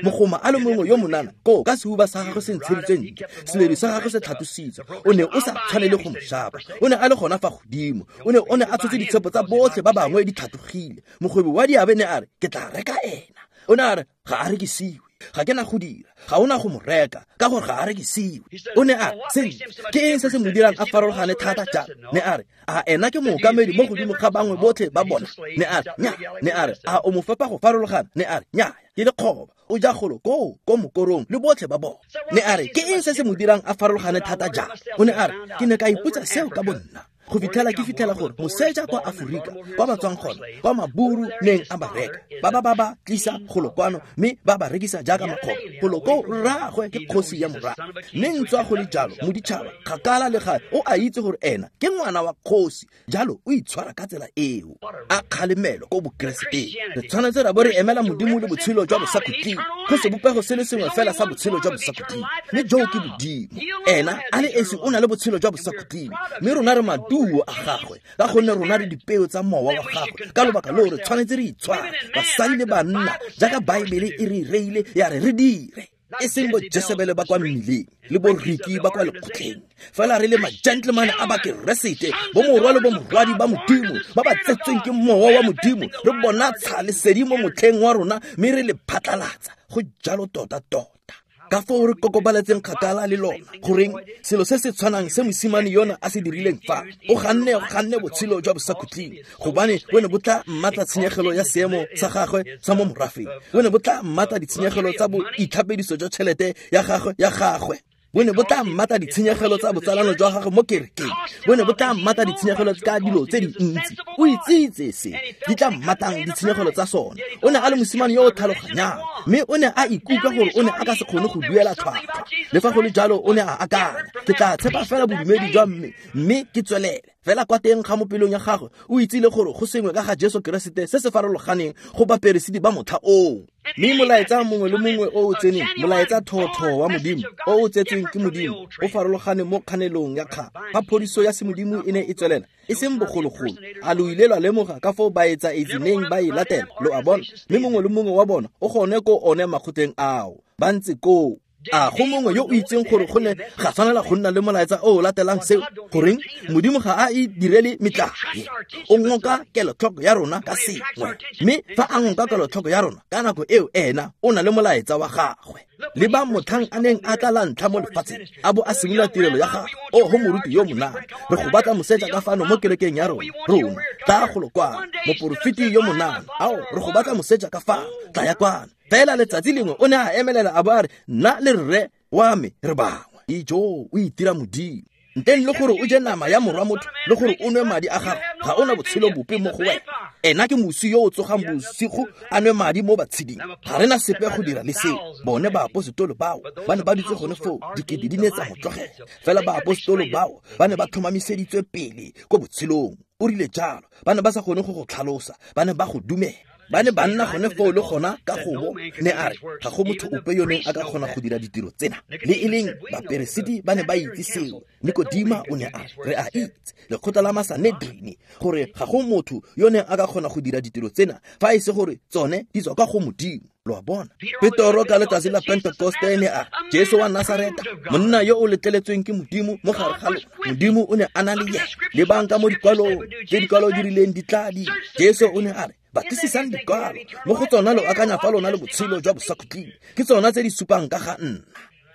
Mogoma a le mongwe yo monana koo ka sehuba sa gagwe se ntsheditswe ntle, seledu sa gagwe se tlhatlositswe, o ne o sa tshwanele go mo shapa. O ne a le gona fa godimo, o ne a tshotse ditshepo tsa botlhe ba bangwe di tlhatlogile. Mogwebi wa diabe ne a re, ke tla reka ena. O ne a re, ga a rekisiwe, ga ke na go dira, ga ona go mo reka, ka gore ga a rekisiwe. O ne a re, sentle, ke eng se se mo dirang a farologane thata jang? Ne a re, a ena ke mookamedi mo godimo ga bangwe botlhe ba bona? Ne a re, nya. Ne a re, a o mo fepa go farologana? Ne a re, nya, ke lekgoba, o ja golo koo ko mokorong le botlhe ba bona. Ne a re, ke eng se se mo dirang a farologane thata jang? O ne a re, ke ne ka ipotsa seo ka bonna go fitlhela ke fitlhela gore moseja kwa Aforika kwa ba tswang gona, kwa maburu neng a ba reka, ba tlisa golo kwano mme ba ba rekisa jaaka makgoba. Golo ko rraagwe ke kgosi ya morago, mme ntswa go le jalo moditšhaba kgakala le gae o a itse gore ena ke ngwana wa kgosi, jalo o itshwara ka tsela eo. A kgalemelo ko bokereseteng. Re tshwanetse ra bo re emela Modimo le botshelo jwa bosakhutleng, go sebopego se le sengwe fela sa botshelo jwa bosakhutleng, mme joo ke Modimo. Ena a le esi o na le botshelo jwa bosakhutleng, mme rona re maduo a gagwe, ka gonne rona re dipeo tsa mowa wa gagwe. Ka lobaka loo re tshwanetse re itshware, basadi le banna, jaaka Baebele e re reile ya re re dire, e seng bo Jesebele ba kwa mmileng le bo Riki ba kwa lekgotleng, fela re le ma-gentleman a bakeresete, bo morwa le bo morwadi ba Modimo ba ba tsetsweng ke mowa wa Modimo. Re bona lesedi mo motlheng wa rona mme re le phatlalatsa. Go jalo tota-tota. Ka foo re kokobaletseng kgakala le lona. Goreng selo se se tshwanang se mosimane yona a se dirileng fa, o ganne botshelo jwa bosakhutleng, gobane bo ne bo tla mmatla tshenyegelo ya seemo sa gagwe sa mo morafeng, bo ne bo tla mmatla ditshenyegelo tsa boitlhapediso jwa tšhelete ya gagwe, bo ne bo tla mmatla ditshenyegelo tsa botsalano jwa gagwe mo kerekeng, bo ne bo tla mmatla ditshenyegelo ka dilo tse dintsi. O itsitse se di tla mmatang ditshenyegelo tsa sona. O ne a le mosimane yo o tlhaloganyang, mme o ne a ikutlwa gore o ne a ka se kgone go duela tlhwatlhwa. Le fa go le jalo o ne a akanya, ke tla tshepa fela bodumedi jwa mme ke tswelele. Fela kwa teng ga mo pelong ya gagwe o itsile gore go sengwe ka ga Jesu Keresete se se farologaneng go baperesiti ba motlha oo. Mme molaetsa mongwe le mongwe o o tseneng, molaetsa thotho wa Modimo o o tsetsweng ke Modimo, o farologane mo kganelong ya kgang. Fa phodiso ya semodimo e ne e tswelela, e seng bogologolo, a lo ile lwa lemoga ka foo baetsaetsi neng ba e latela? Lo a bona, mme mongwe le mongwe wa bona o gone ko one makgotleng ao, ba ntse koo. A go mongwe yo o itseng gore go ne ga tshwanela go nna le molaetsa o o latelang seo? Goreng Modimo ga a e direle metlae? O ngoka kelotlhoko ya rona ka sengwe, mme fa a ngoka kelotlhoko ya rona ka nako eo, ena o na le molaetsa wa gagwe. Le ba motlhang a neng a tla la ntlha mo lefatsheng, a bo a simolola tirelo ya gagwe, o go moruti yo monana, re go batla moseja ka fano mo kerekeng ya rona, tla golo kwano, moporofeti yo monana, ao re go batla moseja ka fano, tla ya kwano. Fela letsatsi lengwe o ne a emelela a bo a re, nna le rre wa me re bangwe. Ijo, o itira Modimo. Ntleng le gore o je nama ya morwa motho le gore o nwe madi a gagwe, ga ona botshelo bope mo go wena. Ena ke mosi yo o tsogang bosigo a nwe madi mo batsheding. Ga rena sepe go dira le seo. Bone baaposetolo bao ba ne ba dutse gone foo, dikete di ne tsa mo tlogela. Fela baaposetolo bao ba ne ba tlhomamiseditswe pele ko botshelong. O rile jalo, ba ne ba sa kgone go go tlhalosa, ba ne ba go dumela. Ba ne ba nna gone foo le gona ka gobo, ne a re ga go motho ope yo neng a ka kgona go dira ditiro tsena. Le e leng baperesiti ba ne ba itse seo. Nikodima o ne a re a itse lekgotla la Masanedrini gore ga go motho yo neng a ka kgona go dira ditiro tsena fa e se gore tsone di tswa kwa go Modimo. Lo a bona? Petoro ka letsatsi la Pentekoste ne a Jesu wa Nasareta, monna yo o letleletsweng ke Modimo mo gare ga lona. Modimo o ne a na le yena. Lebang ka mo dikwalong tse dikwalo di rileng di tla di. Jesu o ne a re batlisisang dikwalo, mo go tsona lo akanya fa lona le botshelo jwa bosakhutleng, ke tsona tse di supang ka ga nna.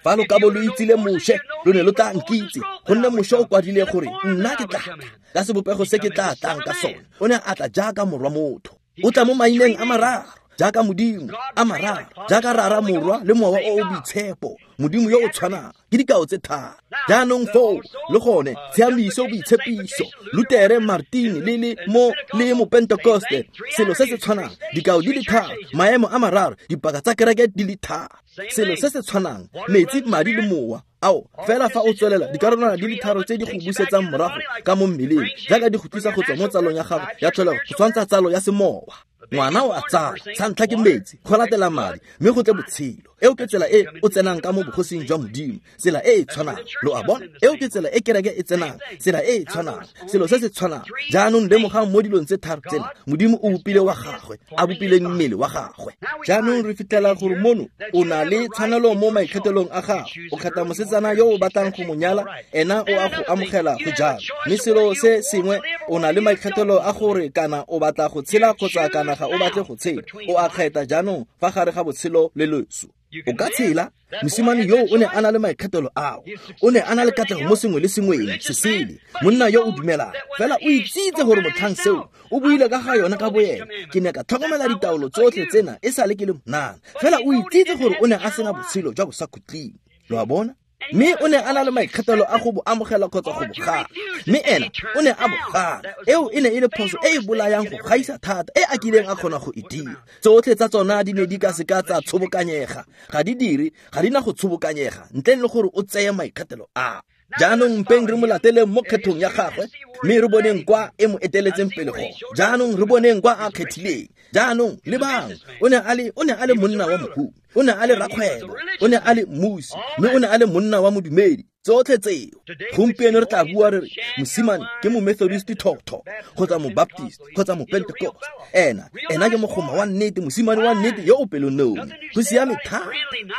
Fa lo ka bo lo itsile Moshe, lo ne lo tla nkitse, gonne Moshe o kwadile gore nna ke tla tla ka sebopego se ke tla tlang ka sone. O ne a tla jaaka morwa motho. O tla mo maineng a mararo, jaaka Modimo, a mararo, jaaka Rara, Morwa le Mowa o o Boitshepo, Modimo yo o tshwanang. Ke dikao tse tharo. Jaanong foo le gone tshiamiso, boitshepiso, Lutere, Martini le le mo le mo Pentekoste, selo se se tshwanang, dikao di le tharo, maemo a mararo, dipaka tsa kereke di le tharo, selo se se tshwanang, metsi, madi le mowa. Ao, fela fa o tswelela, dikarolwana di le tharo tse di go busetsang morago ka mo mmeleng, jaaka di go tlisa go tswa mo tsalong ya gago ya tlholego go tshwantsha tsalo ya semowa. Ngwana o a tsala, sa ntlha ke metsi, go latela madi, mme go tle botshelo. Eo ke tsela e o tsenang ka mo bogosing jwa Modimo, tsela e e tshwanang. Lo a bona? Eo ke tsela e kereke e tsenang, tsela e e tshwanang, selo se se tshwanang. Jaanong lemogang mo dilong tse tharo tsena, Modimo o bopile wa gagwe, a bopileng mmele wa gagwe. Jaanong re fitlhela gore mono o na le tshwanelo mo maikgethelong a gago. O kgetha mosetsana yo o batlang go mo nyala, ena o a go amogela go jalo. Mme selo se sengwe, o na le maikgethelo a gore kana o batla go tshela kgotsa kana ga o batle go tshela. O a kgetha jaanong fa gare ga botshelo le loso. O ka tshela. Mosimane yo o ne a na le maikgethelo ao. O ne a na le katlego mo sengwe le sengweng se sele. Monna yo o dumelang, fela o itsitse gore motlhang seo o buile ka ga yona ka boyena. Ke ne ka tlhokomela ditaolo tsotlhe tsena e sale ke le monana. Fela o itsitse gore o ne a sena botshelo jwa bosakhutleng. Lo a bona? Mme o ne a na le maikgethelo a go bo amogela kgotsa go bo gana. Mme ena o ne a bo gana. Eo e ne e le phoso e e bolayang go gaisa thata e a kileng a kgona go e dira. Tsotlhe tsa tsona di ne di ka seka tsa tshobokanyega. Ga di dire, ga di na go tshobokanyega ntleng le gore o tseye maikgethelo a. Jaanong mpeng re mo lateleng mo kgethong ya gagwe, mme re boneng kwa e mo eteletseng pele gone. Jaanong re boneng kwa a kgethileng. Jaanong lebang, o ne a le monna wa mohumi, o ne a le rakgwebo, o ne a le mmusi, mme o ne a le monna wa modumedi. Tsotlhe tseo. Gompieno re tla bua re re mosimane ke mo Methodist thotho kgotsa mo Baptist kgotsa mo Pentecost. Ena ke mogoma wa nnete, mosimane wa nnete yo o pelonomi. Go siame thata.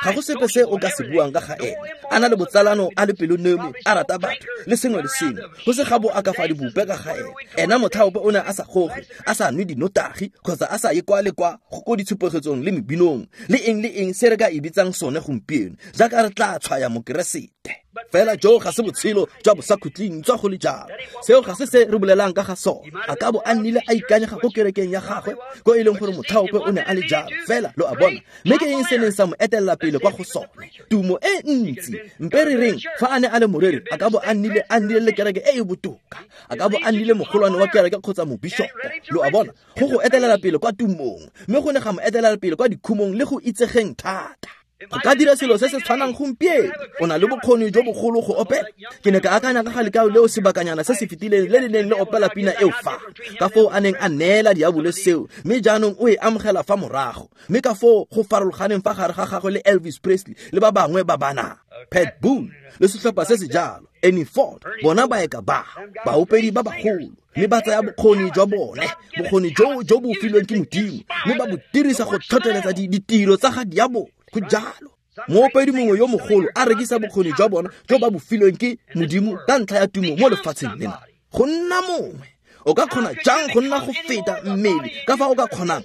Ga go sepe se o ka se buang ka ga ena. A na le botsalano, a le pelonomi, a rata batho le sengwe le sengwe. Go se ga bo a ka fa dibope ka ga ena. Ena motlhaope o ne a sa goge, a sa nwe dinotagi kgotsa a sa ye kwa le kwa go ko ditshupegetsong le mebinong le eng le eng se re ka e bitsang sone gompieno, jaaka re tla tshwaya Mokeresete. Fela jo ga se botshelo jwa bosakhutleng tswa go le jalo. Seo ga se se re bolelang ka ga sone. A ka bo a nnile a ikanyega ko kerekeng ya gagwe, ko e leng gore motlhaope o ne a le jalo. Fela lo a bona, mme ke eng se neng sa mo etelela pele kwa go sone? Tumo e ntsi. Mpe re reng fa a ne a le moreri, a ka bo a nnile le kereke e e botoka. A ka bo a nnile mogolwane wa kereke kgotsa mobishopo. Lo a bona, go go etelela pele kwa tumong, mme go ne ga mo etelela pele kwa dikhumong le go itsegeng thata. Go ka dira selo se se tshwanang gompieno. O na le bokgoni jo bogolo go opela. Ke ne ka akanya ka ga lekao leo sebakanyana se se fetileng le le neng le opela pina eo fa, ka foo a neng a neela diabolo seo, mme jaanong o e amogela fa morago. Mme ka foo go farologaneng fa gare ga gagwe le Elvis Presley le ba bangwe ba bana, Pat Boone le setlhopha se se jalo, Ernie Ford, bona baeka ba, baopedi ba bagolo. Mme ba tsaya bokgoni jwa bone, bokgoni jo bo filweng ke Modimo, mme ba bo dirisa go tlhotlheletsa ditiro tsa ga diabolo. Go jalo. Moopedi mongwe yo mogolo a rekisa bokgoni jwa bona jo ba bo filweng ke Modimo ka ntlha ya tumo mo lefatsheng lena. Go nna mongwe, o ka kgona jang go nna go feta mmele ka fa o ka kgonang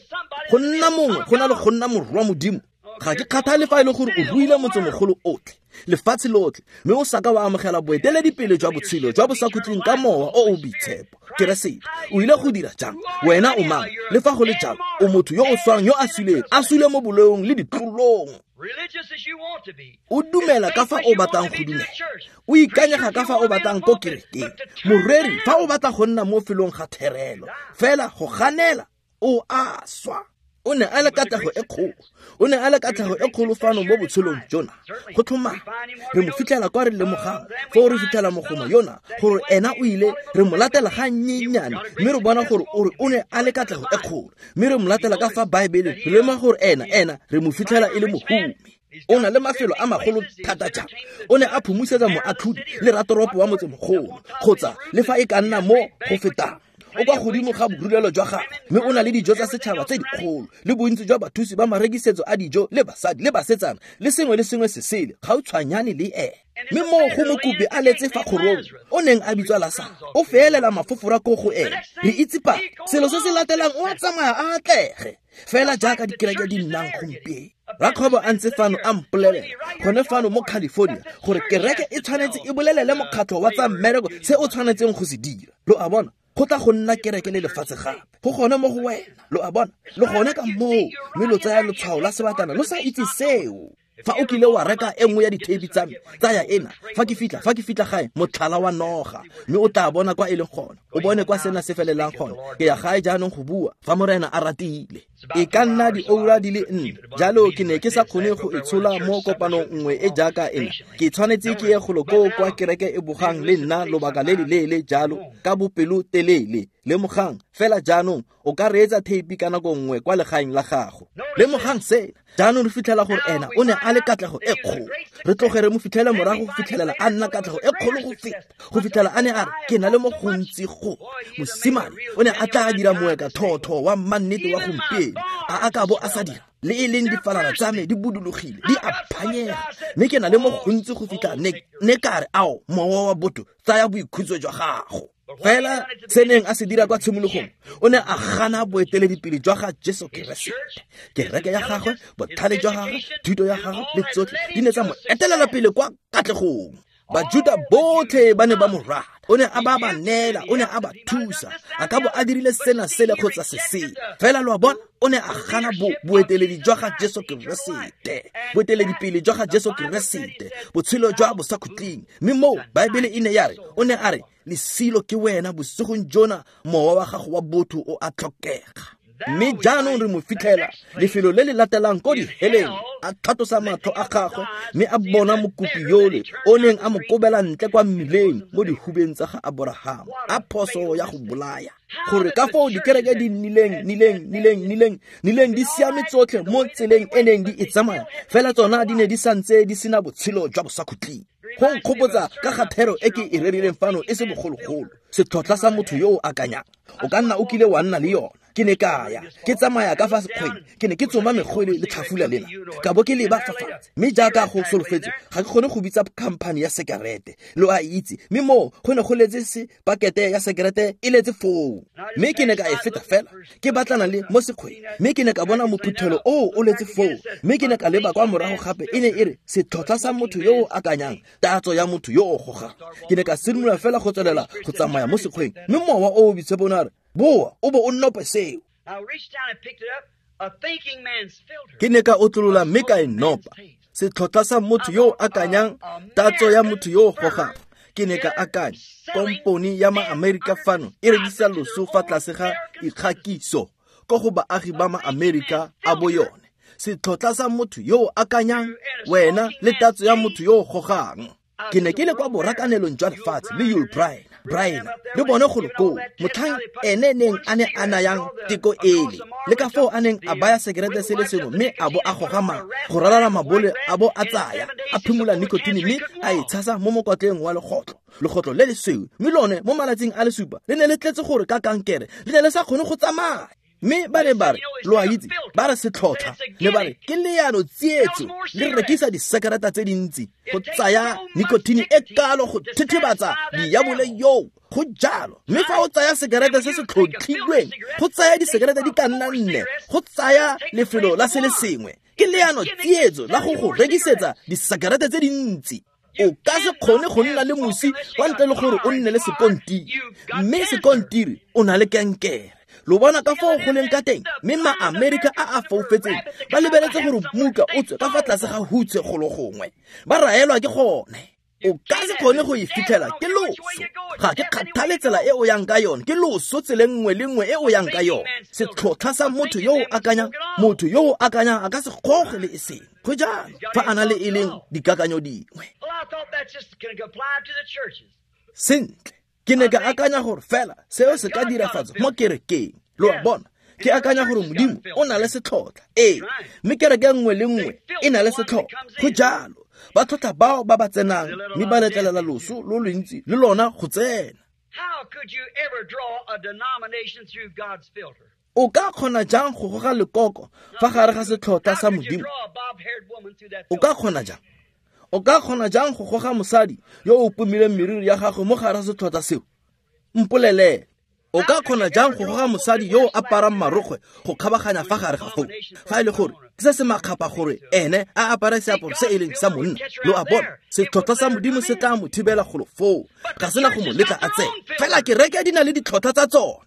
go nna mongwe go na le go nna morwa Modimo? Ga ke kgathale fa e le gore o ruile motsemogolo otlhe, lefatshe lotlhe, mme o saka wa amogela boeteledipele jwa botshelo jwa bosakhutleng ka mowa o o boitshepo, Keresete. O ile go dira jang? Wena o mang? Le fa go le jalo, o motho yo o swang, yo a suleng, a sule mo boleong le ditlolong. O dumela ka fa o batlang go dumela, o ikanyega ka fa o batlang ko kerekeng. Moreri, fa o batla go nna mo felong ga therelo, fela go ganela, o a swa. O ne a le katlego e kgolo. O ne a le katlego e kgolo fano mo botshelong jona. Go tlhomame, re mo fitlhela kwa re lemogang, foo re fitlhela mogoma yona, gore ena o ile, re mo latela ga nnyenyane, mme re bona gore o ne a le katlego e kgolo. Mme re mo latela ka fa Baebeleng, re lemoga gore ena, re mo fitlhela e le mohumi. O na le mafelo a magolo thata jang. O ne a phomosetsa moatlhodi le ratoropo wa motsemogolo, kgotsa le fa e ka nna mo go fetang. O kwa godimo ga borulelo jwa gagwe, mme o na le dijo tsa setšhaba tse dikgolo, le bontsi jwa bathusi ba marekisetso a dijo, le basadi le basetsana, le sengwe le sengwe se sele, gautshwanyane le ene. Mme moo go mokopi a letse fa kgorong, o neng a bitswa Lasaro, o feelela mafofora ko go ene. Re itse pa selo se se latelang, o a tsamaya a atlege, fela jaaka dikereke di nnang gompieno. Rakgwebo a ntse fano a mpolelela gone fano mo California gore kereke e tshwanetse e bolelele mokgatlho wa tsa mmereko se o tshwanetseng go se dira. Lo a bona, go tla go nna kereke le lefatshe gape. Go gone mo go wena, lo a bona, le gone ka moo, mme lo tsaya letshwao la sebatana lo sa itse seo. Fa o kile wa reka e nngwe ya ditheipi tsa me, tsaya ena, fa ke fitlha gae, motlhala wa noga, mme o tla bona kwa e leng gona, o bone kwa sena se felelang gona. Ke ya gae jaanong go bua, fa Morena a ratile. E ka nna dioura di le 4, jalo ke ne ke sa kgone go e tshola mo kopanong nngwe e jaaka ena. Ke tshwanetse ke ye golo koo kwa kereke e bogang le nna lobaka le le leele jalo, ka bopelotelele. Lemogang fela jaanong, o ka reetsa theipi ka nako nngwe kwa legaeng la gago. Lemogang sena. Jaanong re fitlhela gore ena o ne a le katlego e kgolo. Re tloge re mo fitlhele morago go fitlhelela a nna katlego e kgolo go feta, go fitlhela a ne a re, ke na le mo gontsi go. Mosimane o ne a tla dira moeka thotho wa mannete wa gompieno, a ka bo a sa dira. Le e leng difalana tsa me di budulogile, di a phanyega, mme ke na le mo gontsi go fitlha ne ka re, ao, mowa wa botho, tsaya boikhutso jwa gago. Fela se neng a se dira kwa tshimologong, o ne a gana boeteledipele jwa ga Jesu Keresete. Kereke ya gagwe, botlhale jwa gagwe, thuto ya gagwe le tsotlhe di ne tsa mo etelela pele kwa katlegong. Bajuda botlhe ba ne ba mo rata. O ne a ba ba neela, o ne a ba thusa. A ka bo a dirile sena sele kgotsa se sele. Fela lo a bona, o ne a gana boeteledi jwa ga Jesu Keresete, boeteledipele jwa ga Jesu Keresete, botshelo jwa bosakhutleng. Mme moo Baebele e ne ya re, o ne a re, lesilo ke wena bosigong jona, mowa wa gago wa botho o a tlhokega. Mme jaanong re mo fitlhela lefelo le le latelang ko diheleng, a tlhatlosa matlho a gagwe, mme a bona mokopi yole o neng a mo kobela ntle kwa mmileng mo dihubeng tsa ga Aborahama, a phoso ya go bolaya. Gore ka foo dikereke di nnileng di siame tsotlhe mo tseleng e neng di e tsamaya, fela tsona di ne di santse di sena botshelo jwa bosakhutleng. Go nkgopotsa ka ga thero e ke e rerileng fano e se bogologolo, setlhotlha sa motho yo o akanyang. O ka nna o kile wa nna le yona. Ke ne ka ya, ke tsamaya ka fa sekgweng, ke ne ke tsoma megwele le tlhafula lena, ka bo ke leba fa fatshe. Mme jaaka go solofetse, ga ke kgone go bitsa khamphane ya sekerete, lo a itse. Mme moo go ne go letse se pakete ya sekerete e letse foo. Mme ke ne ka e feta fela, ke batlana le mo sekgweng, mme ke ne ka bona mophuthelo oo o letse foo. Mme ke ne ka leba kwa morago gape, e ne e re setlhotlha sa motho yo o akanyang, tatso ya motho yo o gogang. Ke ne ka simolola fela go tswelela go tsamaya mo sekgweng, mme mowa o o boitshepo o ne a re, boa o bo o nope seo. Ke ne ka otlolola mme ka e nopa, setlhotlha sa motho yo o akanyang, tatso ya motho yo o gogang. Ke ne ka akanya, kompone ya ma-Amerika fano e rekisa loso fa tlase ga ikgakiso ko go baagi ba ma-Amerika a bo yone. Setlhotlha sa motho yo o akanyang, wena le tatso ya motho yo o gogang. Ke ne ke le kwa borakanelong jwa lefatshe le Yul Brynner le bone golo koo, motlhang ene neng a ne a nayang teko ele, le ka foo a neng a baya sekerete se le sengwe mme a bo a goga go ralala mabole, a bo a tsaya a phimola nicotine mme a e tshasa mo mokotleng wa legotlo le lesweu. Mme lone mo malatsing a le supa le ne le tletse gore ka kankere, le ne le sa kgone go tsamaya. Mme ba ne ba re, lo a itse, ba re setlhotlha, ne ba re ke leano tsietso, le rekisa disekereta tse dintsi go tsaya nicotine e kalo go thethebatsa diabole yoo. Go jalo. Mme fa o tsaya sekerete se se tlhotlhilweng, go tsaya disekerete di ka nna 4, go tsaya lefelo la se le sengwe. Ke leano tsietso la go go rekisetsa disekerete tse dintsi. O ka se kgone go nna le mosi kwa ntle le gore o nne le sekontiri, mme sekontiri o na le kankere. Lo bona ka foo go leng ka teng, mme ma-Amerika a a foufetseng ba lebeletse gore muka o tswe ka fa tlase ga hutshe golo gongwe, ba raelwa ke gone. O ka se kgone go e fitlhela, ke loso. Ga ke kgathale tsela e o yang ka yone, ke loso tseleng nngwe le nngwe e o yang ka yone. Setlhotlha sa motho yo o akanyang, motho yo o akanyang a ka se goge le e seng. Go jalo, fa a na le e leng dikakanyo dingwe. Sentle, ke ne ka akanya gore fela seo se ka dirafatswa mo kerekeng. Lo a bona, ke akanya gore Modimo o na le setlhotlha. Ee, mme kereke nngwe le nngwe e na le setlhotlha. Go jalo, ba tlhotlha bao ba ba tsenang mme ba letlelela loso lo lontsi le lona go tsena. O ka kgona jang go goga lekoko fa gare ga setlhotlha sa Modimo? O ka kgona jang? O ka kgona jang go goga mosadi yo o pomileng meriri ya gagwe mo gare ga setlhotlha seo? Mpolelele. O ka kgona jang go goga mosadi yo o aparang marokgwe go kgabaganya fa gare ga foo, fa e le gore ke se se makgapa gore ene a apare seaparo se e leng sa monna? Lo a bona, setlhotlha sa Modimo se tla mo thibela golo foo, ga sena go mo letla a tsena. Fela kereke di na le ditlhotlha tsa tsona.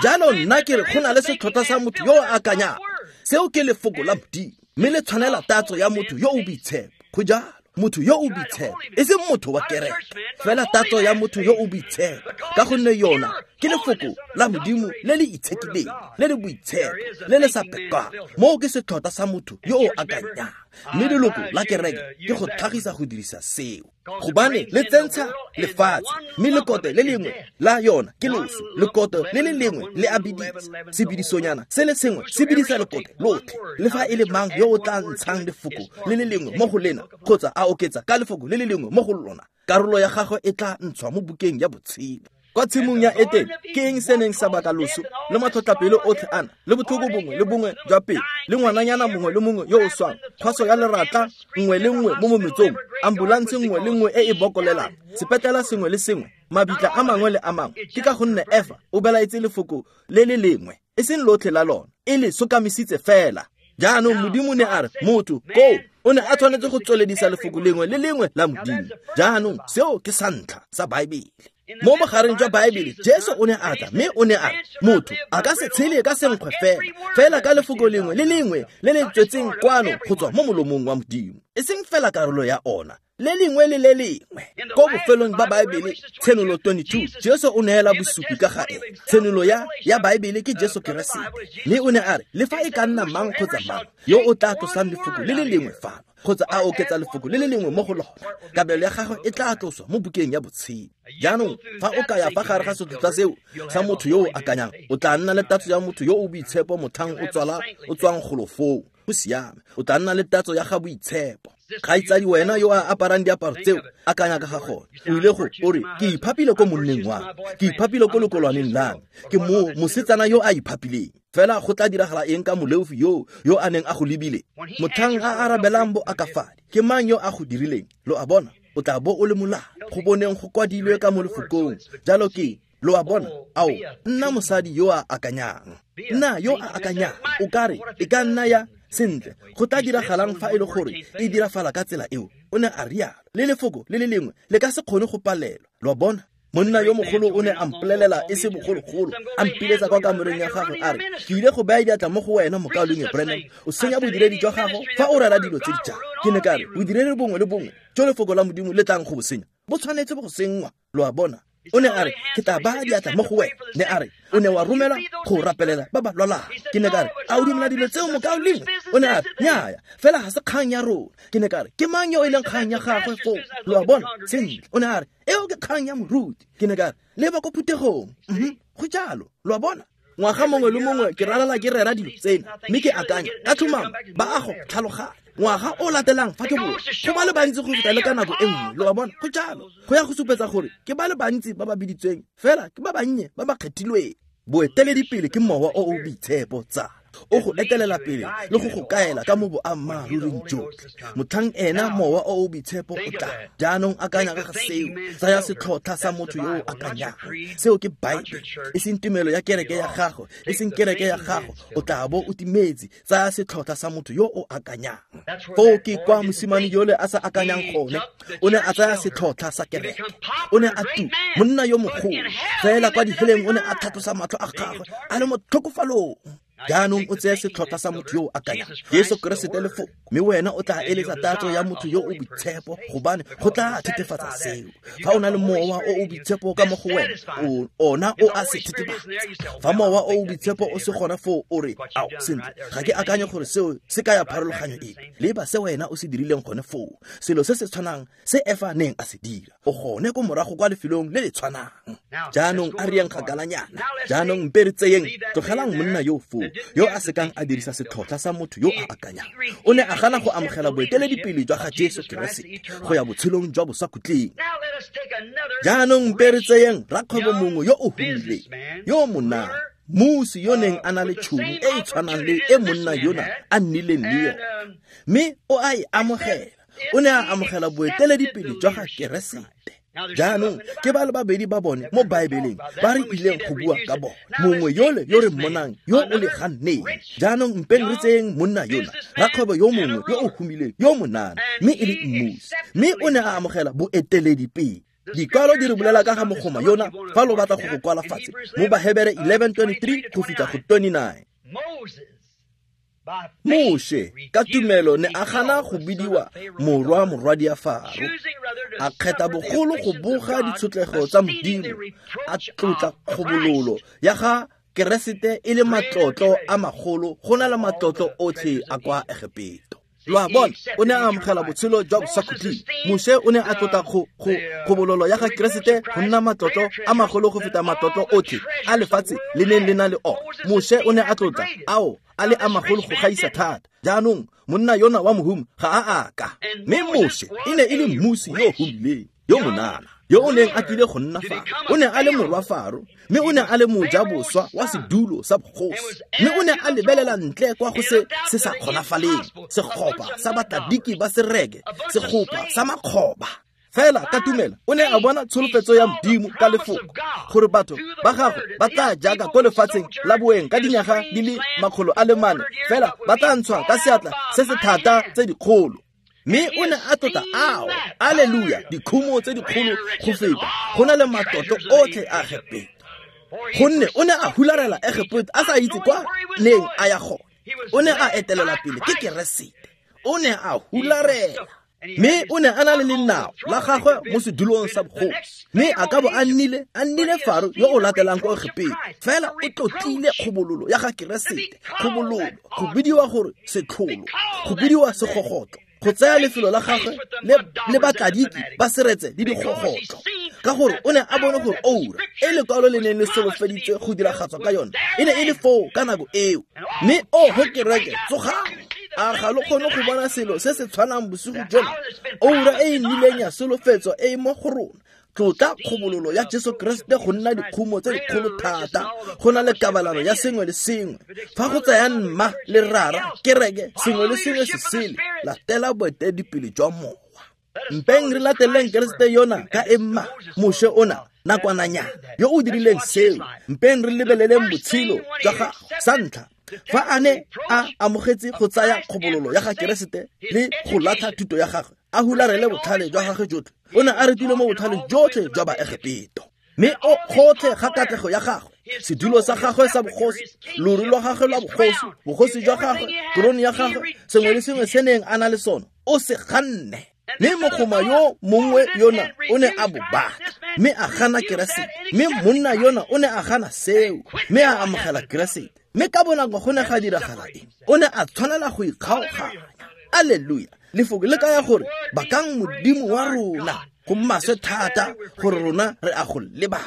Jaanong nna ke re go na le setlhotlha sa motho yo o akanyang. Seo ke lefoko la Modimo, mme le tshwanela tatso ya motho yo o boitshepo. Go jalo, motho yo o boitshepo, e seng motho wa kereke, fela tatso ya motho yo o boitshepo, ka gonne yona ke lefoko la Modimo le le itshekileng, le le boitshepo, le le sa pekwang. Moo ke setlhotlha sa motho yo o akanyang. Mme leloko la kereke ke go tlhagisa go dirisa seo, gobane le tsentsha lefatshe, mme lekote le lengwe la yona ke loso. Lekote le le lengwe le a bidisa, sebidisonyana se le sengwe se bidisa lekote lotlhe. Le fa e le mang yo o tla ntshang lefoko le le lengwe mo go lena, kgotsa a oketsa ka lefoko le le lengwe mo go lona, karolo ya gagwe e tla ntshwa mo bukeng ya botshelo. Kwa tshimong ya Etene, ke eng se neng sa baka loso le matlhotlhapelo otlhe ana, le botlhoko bongwe le bongwe jwa pele, le ngwananyana mongwe le mongwe yo o swang, kgwaso ya leratla nngwe le nngwe mo mometsong, ambulanse nngwe le nngwe e e bokolelang, sepetlela sengwe le sengwe, mabitla a mangwe le a mangwe? Ke ka gonne Efa o belaetse lefoko le le lengwe, e seng lotlhe la lona, e le sokamisitse fela. Jaanong Modimo ne a re motho koo o ne a tshwanetse go tsweledisa lefoko lengwe le lengwe la Modimo. Jaanong seo ke sa ntlha sa Baebele. Mo bogareng jwa Baebele, Jesu o ne a tla mme o ne a re motho a ka se tshele ka senkgwe fela, fela ka lefoko lengwe le lengwe le le tswetseng kwano go tswa mo molomong wa Modimo, e seng fela karolo ya ona, le lengwe le le lengwe. Ko bofelong ba Baebele, Tshenolo 22, Jesu o neela bosupi ka ga ene. Tshenolo ya Baebele ke Jesu Keresete. Mme o ne a re le fa e ka nna mang kgotsa mang yo o tla tlosang lefoko le le lengwe fano, kgotsa a oketsa lefoko le le lengwe mo go lona, kabelo ya gagwe e tla tloswa mo bukeng ya botshelo. Jaanong fa o ka ya fa gare ga setlhotlha seo sa motho yo o akanyang, o tla nna le tatso ya motho yo o boitshepo motlhang o tswang golo foo. Go siame, o tla nna le tatso ya ga boitshepo. Kgaitsadi wena yo a aparang diaparo tseo, akanya ka ga gone. O ile go o re, ke iphapile ko monneng wa me, ke iphapile ko lekolwaneng la me, ke mo mosetsana yo a iphapileng. Fela go tla diragala eng ka moleofi yo a neng a go lebile? Motlhang a arabelang bo akafadi, ke mang yo a go dirileng? Lo a bona, o tla bo o le molao. Go boneng go kwadilwe ka mo lefokong. Jalo ke, lo a bona, ao, nna mosadi yo a akanyang. Nna yo a akanyang. O ka re, e ka nna ya sentle, go tla diragalang fa e le gore e dirafala ka tsela eo? O ne a rialo. Le lefoko le le lengwe le ka se kgone go palelwa. Lo a bona? Monna yo mogolo o ne a mpolelela e se bogologolo, a mpiletsa kwa kamoreng ya gagwe a re, ke ile go baya diatla mo go wena, mokaulengwe Branham, o senya bodiredi jwa gago fa o rera dilo tse di jang. Ke ne ka re, bodiredi bongwe le bongwe jo lefoko la Modimo le tlang go bo senya, bo tshwanetse go senngwa. Lo a bona? O ne a re, ke tla baya diatla mo go wena. Ne a re, o ne wa romela go rapelela ba ba lwalang. Ke ne ka re, a o dumela dilo tseo, mokaulengwe? O ne a re, nnyaya, fela ga se kgang ya rona. Ke ne ka re, ke mang yo e leng kgang ya gagwe foo? Lo a bona? Sentle. O ne a re, eo ke kgang ya moruti. Ke ne ka re, leba ko phuthegong. Go jalo. Lo a bona? Ngwaga mongwe le mongwe ke ralala ke rera dilo tsena, mme ke akanya ka tlhomamo ba a go tlhaloganya. Ngwaga o latelang fa ke boa, go ba le bantsi go feta le ka nako e nngwe. Lo a bona? Go jalo. Go ya go supetsa gore ke ba le bantsi ba ba biditsweng, fela ke ba bannye ba ba kgethilweng. Boeteledipele ke mowa o o boitshepo, tsala. O go etelela pele le go go kaela ka mo boammaaruring jotlhe. Motlhang ena mowa o o boitshepo o tla. Jaanong akanya ka ga seo. Tsaya setlhotlha sa motho yo o akanyang. Seo ke Baebele, e seng tumelo ya kereke ya gago, e seng kereke ya gago. O tla bo o timetse. Tsaya setlhotlha sa motho yo o akanyang. Foo ke kwa mosimane yole a sa akanyang gone. O ne a tsaya setlhotlha sa kereke. O ne a tu monna yo mogolo. Fela kwa diheleng o ne a tlhatlosa matlho a gagwe a le mo tlhokofalong. Jaanong o tseye setlhotlha sa motho yo o akanyang, Jesu Keresete lefoko, mme wena o tla eletsa tatso ya motho yo o boitshepo, gobane go tla thethefatsa seo. Fa o na le mowa o o boitshepo ka mo go wena, ona o a se thethefatsa. Fa mowa o o boitshepo o se gona foo, o re, ao, sentle, ga ke akanye gore seo se kaya pharologanyo epe. Leba se wena o se dirileng gone foo, selo se se tshwanang se Efa neng a se dira. O gone ko morago kwa lefelong le le tshwanang. Jaanong a re yeng kgakalanyana. Jaanong mpe re tseyeng, tlogelang monna yo foo, yo a sekang a dirisa setlhotlha sa motho yo a akanyang. O ne a gana go amogela boeteledipele jwa ga Jesu Keresete go ya botshelong jwa bosakhutleng. Jaanong mpe re tseyeng rakgwebo mongwe yo o humileng, yo monana, mmusi yo neng a na le tšhono e e tshwanang le e monna yona a nnileng le yone, mme o a e amogela. O ne a amogela boeteledipele jwa ga Keresete. Jaanong ke ba le babedi ba bone mo Baebeleng ba re ileng go bua ka bone, mongwe yole yo re mmonang yo o le ganneng. Jaanong mpeng re tseyeng monna yona, rakgwebo yo mongwe yo o humileng, yo monana, mme e le mmusi, mme o ne a amogela boeteledipele. Dikwalo di re bolela ka ga mogoma yona, fa lo batla go go kwala fatshe, mo Bahebere 11:23 go fitlha go 29. Moshe ka tumelo ne a gana go bidiwa morwa morwadia Faro, a kgetha bogolo go boga ditshotlego tsa Modimo, a tlotla kgobololo ya ga Keresete e le matlotlo a magolo go na le matlotlo otlhe a kwa Egepeto. Lo a bona, o ne a amogela botshelo jwa bosakhutleng. Moshe o ne a tlotla kgobololo ya ga Keresete go nna matlotlo a magolo go feta matlotlo otlhe a lefatshe le neng le na le one. Moshe o ne a tlotla ao a le a magolo go gaisa thata. Jaanong monna yona wa mohumi ga a aka, mme Moshe e ne e le mmusi yo humileng, yo monana, yo o neng a tlile go nna Faro. O ne a le morwa Faro, mme o ne a le mojaboswa wa sedulo sa bogosi, mme o ne a lebelela ntle kwa go se se sa kgonafaleng, segopa sa batladiki ba sereke, segopa sa makgoba. Fela ka tumelo o ne a bona tsholofetso ya Modimo ka lefoko, gore batho ba gagwe ba tla jaaka ko lefatsheng la boeng ka dinyaga di le 400, fela ba tla ntshwa ka seatla se se thata tse dikgolo. Mme o ne a tlotla ao, aleluya, dikhumo tse dikgolo go feta go na le matlotlo otlhe a Egepeto, gonne o ne a hularela Egepeto a sa itse kwa neng a ya gone. O ne a etelelwa pele ke Keresete, o ne a hularela, mme o ne a na le lenao la gagwe mo sedulong sa bogosi, mme a ka bo a nnile Faro yo o latelang ko Egepeto. Fela o tlotlile kgobololo ya ga Keresete, kgobololo, go bidiwa gore setlholo, go bidiwa segogotlo, go tsaya lefelo la gagwe le batladiki ba seretse le digogotlo, ka gore o ne a bone gore oura e lekwalo le neng le solofeditswe go diragatswa ka yone e ne e le foo ka nako eo. Mme oho kereke, tsogang! A ga lo kgone go bona selo se se tshwanang bosigo jona? Oura e e nnileng ya solofetswa e e mo go rona. Tlotla kgobololo ya Jesu Keresete go nna dikhumo tse dikgolo thata, go na le kabalano ya sengwe le sengwe. Fa go tsaya mma le rara, kereke, sengwe le sengwe se sele, latela boeteledipele jwa mowa. Mpeng re lateleng Keresete yona ka emma, Moshe ona nakwananyana yo o dirileng seo. Mpeng re lebeleleng botshelo jwa gagwe. Sa ntlha, fa a ne a amogetse go tsaya kgobololo ya ga Keresete le go latlha thuto ya gagwe, a hularele botlhale jwa gagwe jotlhe, o ne a retile mo botlhaleng jotlhe jwa Baegepeto. Mme o gotlhe ga katlego ya gagwe, sedulo sa gagwe sa bogosi, loru lwa gagwe lwa bogosi, bogosi jwa gagwe, korone ya gagwe, sengwe le sengwe se neng a na le sone, o se ganne. Mme mogoma yo mongwe yona o ne a bo batla, mme a gana Keresete. Mme monna yona o ne a gana seo, mme a amogela Keresete. Mme ka bonako go ne ga diragala eng? O ne a tshwanela go ikgaoganya. Alleluia! Lefoko le kaya gore bakang Modimo wa rona, go maswe thata gore rona re a go lebala.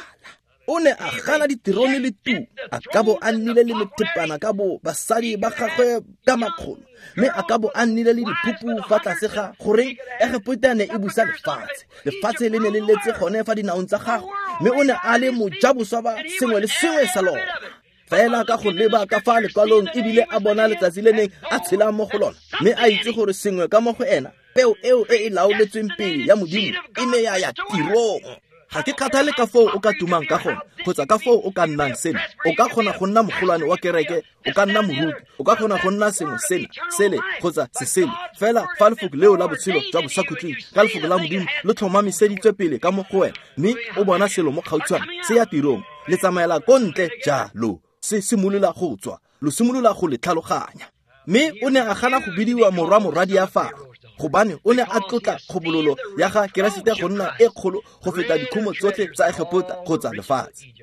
O ne a gana diterone le tu, a ka bo a nnile le methepana ka bo basadi ba gagwe ka makgolo, mme a ka bo a nnile le diphupu fa tlase ga goreng Egepeta ne e busa lefatshe. Lefatshe le ne le letse gone fa dinaong tsa gagwe, mme o ne a le mojaboswa ba sengwe le sengwe sa lona. Fela ka go leba ka fa lekwalong ebile a bona letsatsi le neng a tshela mo go lona, mme a itse gore sengwe ka mo go ena, peo eo e e laoletsweng pele ya Modimo e ne ya ya tirong. Ga ke kgathale ka foo o ka tumang ka gone, kgotsa ka foo o ka nnang sena. O ka kgona go nna mogolwane wa kereke, o ka nna moruti, o ka kgona go nna sengwe sena, sele, kgotsa sesele. Fela fa lefoko leo la botshelo jwa bosakhutleng ka lefoko la Modimo le tlhomamiseditswe pele ka mo go wena, mme o bona selo mo gautshwane se ya tirong, le tsamaela ko ntle jalo, se simolola go tswa. Lo simolola go le tlhaloganya. Mme o ne a gana go bidiwa morwa morwadi ya Faro, gobane o ne a tlotla kgobololo ya ga Keresete go nna e kgolo go feta dikhumo tsotlhe tsa Egepeta kgotsa lefatshe.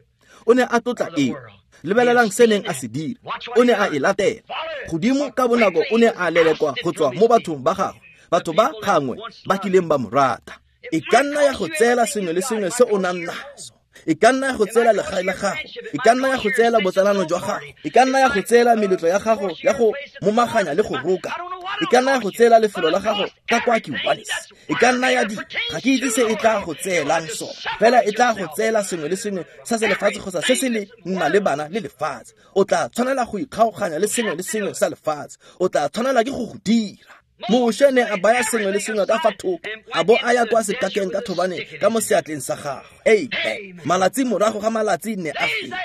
O ne a tlotla eo. Lebelelang se neng a se dira. O ne a e latela. Godimo ka bonako o ne a lelekwa go tswa mo bathong ba gagwe, batho ba gangwe ba kileng ba mo rata. E ka nna ya go tseela sengwe le sengwe se o nang naso. E ka nna ya go tseela legae la gago. E ka nna ya go tseela botsalano jwa gago. E ka nna ya go tseela meletlo ya gago ya go momaganya le go roka. E ka nna ya go tseela lefelo la gago ka kwa Kiwanis. E ka nna ya di ga ke itse se e tla go tseelang sone, fela e tla go tseela sengwe le sengwe sa se lefatshe kgotsa se se le nna le bana le lefatshe. O tla tshwanela go ikgaoganya le sengwe le sengwe sa lefatshe. O tla tshwanela ke go dira. Moshe ne a baya sengwe le sengwe ka fa thoko, a bo a ya kwa sekakeng ka thobane ka mo seatleng sa gagwe. Amen. Malatsi morago ga malatsi ne a feta,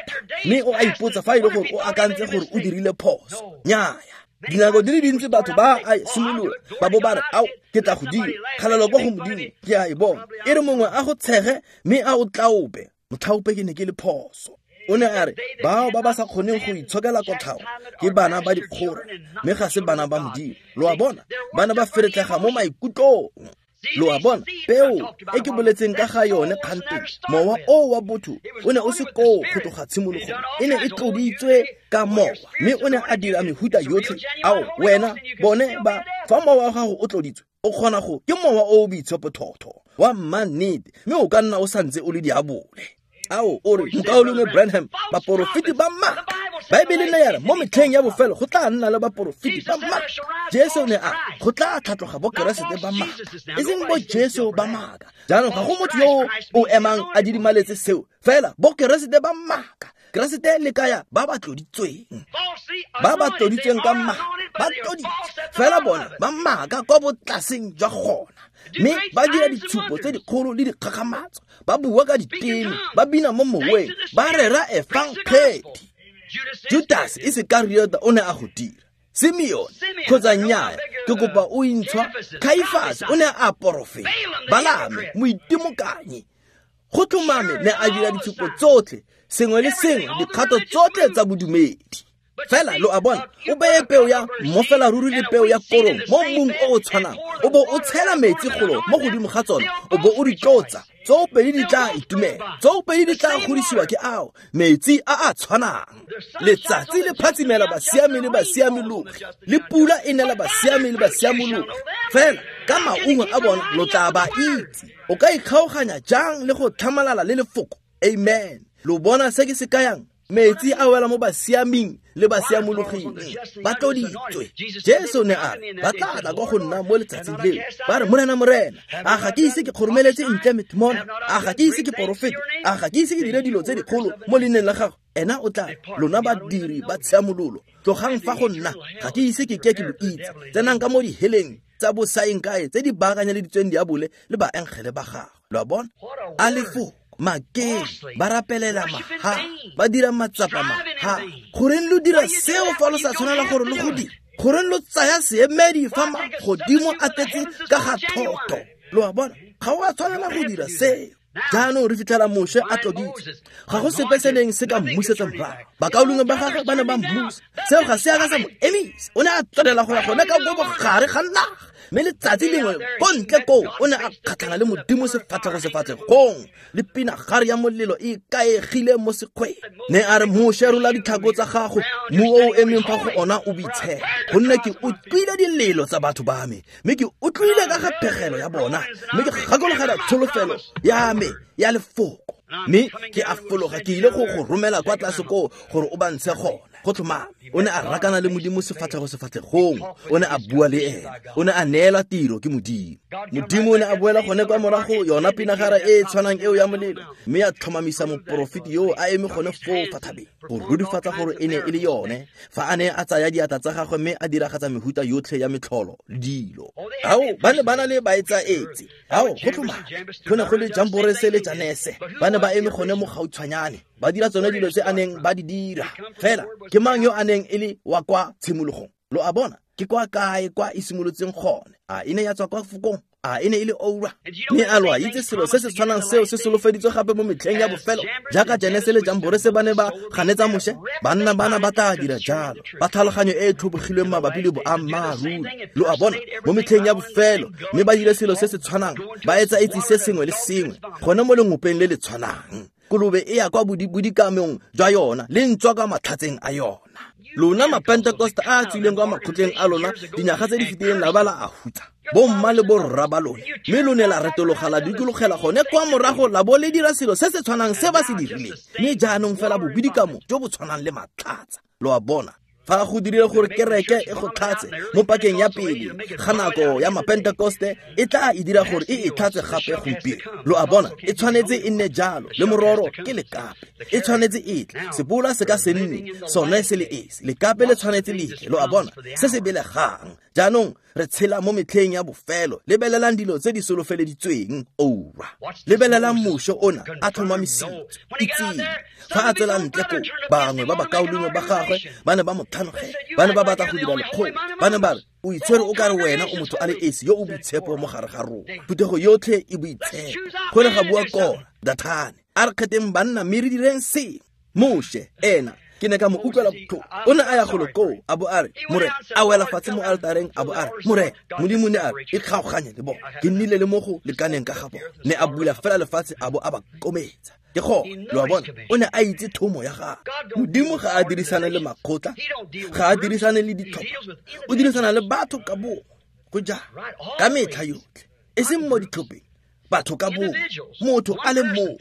mme o a ipotsa fa e le gore o akantse gore o dirile phoso. Nnyaya. Dinako di le dintsi batho ba a simolola ba bo ba re, ao, ke tla go dira, kgalelo kwa go Modimo, ke a e bona. E re mongwe a go tshege mme a o tlaope, motlhaope ke ne ke le phoso. O ne a re, bao ba ba sa kgoneng go itshokela kotlhao ke bana ba dikgora, mme ga se bana ba Modimo. Lo a bona, bana ba feretlega mo maikutlong. Lo a bona, peo e ke boletseng ka ga yone kganteng, mowa o wa botho o ne o se koo go tloga tshimologong, e ne e tloditswe ka mowa, mme o ne a dira mehuta yotlhe. Ao, wena, bone ba, fa mowa wa gago o tloditswe, o kgona go, ke mowa o o boitshepo thotho wa mmannete, mme o ka nna o santse o le diabole. Ao, o re, mokaulengwe Branham, baporofeti ba maaka. Baebele ne ya re mo metlheng ya bofelo go tla nna le baporofeti ba maaka. Jesu ne a go tla tlhatloga bo Keresete ba maaka, e seng bo Jesu ba maaka. Jaanong ga go motho yo o emang a didimaletse seo, fela bo Keresete ba maaka. Keresete le kaya ba ba tloditsweng, ba ba tloditsweng ka maaka, ba tloditswe fela bona ba maaka kwa botlaseng jwa gona, mme ba dira ditshupo tse dikgolo le dikgakgamatso, ba bua ka diteme, ba bina mo moweng, ba rera efangedi. Judas Iskariota o ne a go dira. Simeon kgotsa nnyaya, ke kopa o intshwa. Kaifas o ne a porofeta. Balame moitimokanyi go tlhomame ne a dira ditshupo tsotlhe, sengwe le sengwe, dikgato tsotlhe tsa bodumedi. Fela lo a bona, o beye peo ya mmofela ruri le peo ya korong mo mmung o o tshwanang, o bo o tshela metsi golo mo godimo ga tsona, o bo o di tlotsa, tsoopedi di tla itumela, tsoopedi di tla godisiwa ke ao metsi a a tshwanang. Letsatsi le phatsimela basiami le basiamologi, le pula e nela basiami le basiamologi. Fela ka maungo a bona lo tla ba itse. O ka ikgaoganya jang le go tlhamalala le lefoko? Amen. Lo bona se ke se kayang? Metsi a wela mo basiaming le basiamologing, ba tloditswe. Jesu ne a re ba tla tla kwa go nna mo letsatsing leo, ba re, Morena, Morena, a ga ke ise ke kgoromeletse ntle metimona? A ga ke ise ke porofete? A ga ke ise ke dire dilo tse dikgolo mo leineng la gago? Ena o tla, lona badiri ba tshiamololo, tlogang fa go nna, ga ke ise ke ke lo itse. Tsenang ka mo diheleng tsa bosaeng kae tse di baakanyeleditsweng diabole le baengele ba gagwe. Lo a bona? A lefoko makeng, ba rapelela maha, ba dira matsapa maha. Goreng lo dira seo fa lo sa tshwanela gore lo go dira? Goreng lo tsaya seemedi fa magodimo a tletse ka ga thoto? Lo a bona, ga o a tshwanela go dira seo. Jaanong re fitlhela Moshe a tloditswe. Ga go sepe se neng se ka mmusetsa morago. Bakaulengwe ba gagwe ba ne ba mmusa. Seo ga se a ka sa mo emisa. O ne a tswelela go ya gone ka bo bogare ga naga. Mme letsatsi lengwe ko ntle koo o ne a kgatlhana le Modimo sefatlhego sefatlhegong, le pinagare ya molelo e ikaegile mo sekgweng. Ne a re, Moshe, rola ditlhako tsa gago, mmu o o emeng fa go ona o boitshepo, gonne ke utlwile dilelo tsa batho ba me, mme ke utlwile ka ga phegelo ya bona, mme ke gakologela tsholofelo ya me ya lefoko, mme ke a fologa ke ile go go romela kwa tlase koo gore o ba ntshe gona. Go tlhomame o ne a rakana le Modimo sefatlhego sefatlhegong, o ne a bua le ene, o ne a neelwa tiro ke Modimo. Modimo o ne a boela gone kwa morago yona pinagara e e tshwanang eo ya molelo, mme ya tlhomamisa moporofeti yo a eme gone foo fa thabeng go rurifatsa gore e ne e le yone, fa a ne a tsaya diatla tsa gagwe mme a diragatsa mehuta yotlhe ya metlholo le dilo. Ao, ba ne ba na le baetsaetse. Ao, go tlhomame go ne go le Jamborese le Janese, ba ne ba eme gone mo gautshwanyane, ba dira tsone dilo tse a neng ba di dira. Fela ke mang yo a neng e le wa kwa tshimologong? Lo a bona, ke kwa kae kwa e simolotseng gone? A e ne ya tswa kwa fokong? A e ne e le oura? Mme a lo a itse selo se se tshwanang seo se solofeditswe gape mo metlheng ya bofelo, jaaka Janese le Jamborese ba ne ba ganetsa Moshe? Banna bana ba tla dira jalo, ba tlhaloganyo e e tlhobogilweng mabapi le boammaaruri, lo a bona, mo metlheng ya bofelo, mme ba dire selo se se tshwanang, ba etsa itse se sengwe le sengwe gone mo lengopeng le le tshwanang. Kolobe e ya kwa bodikamong jwa yona le ntswa kwa matlhatseng a yona. Lona mapentekoste a a tswileng kwa makgotleng a lona dinyaga tse di fetileng la ba la a hutsa bomma le borra ba lona, mme lo ne la retologa la dikologela gone kwa morago la bo le dira selo se se tshwanang se ba se dirileng, mme jaanong fela bobidikamo jo bo tshwanang le matlhatsa. Lo a bona, fa go dirile gore kereke e go tlhatse mo pakeng ya pele ga nako ya mapentekoste, e tla e dira gore e e tlhatse gape gompieno. Lo a bona, e tshwanetse e nne jalo, le mororo ke lekape, e tshwanetse e tle. Sebola se ka se nne sone se le esi, lekape le tshwanetse le tle. Lo a bona, se se belegang. Jaanong re tshela mo metlheng ya bofelo. Lebelelang dilo tse di solofeleditsweng oura. Lebelelang Moshe ona a tlhomamisitswe. Itseng fa a tswela ntle ko, bangwe ba bakaulengwe ba gagwe ba ne ba mo tlhanogela, ba ne ba batla go dira lekgolo, ba ne ba re, o itshwere o kare wena o motho a le esi yo o boitshepo mo gare ga rona, phuthego yotlhe e boitshepo. Go ne ga bua Kora, Dathane, a re kgetheng banna mme re direng sengwe. Moshe ena ke ne ka mo utlwela botlhoko, o ne a ya golo koo a bo a re, Morena, a wela fatshe mo altareng a bo a re, Morena Modimo ne a re, ikgaoganye le bona, ke nnile le mo go lekaneng ka ga bona. Ne a bula fela lefatshe a bo a ba kometsa. Ke gone, lo a bona, o ne a itse thomo ya gagwe. Modimo ga a dirisane le makgotla, ga a dirisane le ditlhopha, o dirisana le batho ka bongwe. Go jang ka metlha yotlhe, e seng mo ditlhopheng, batho ka bongwe, motho a le mongwe.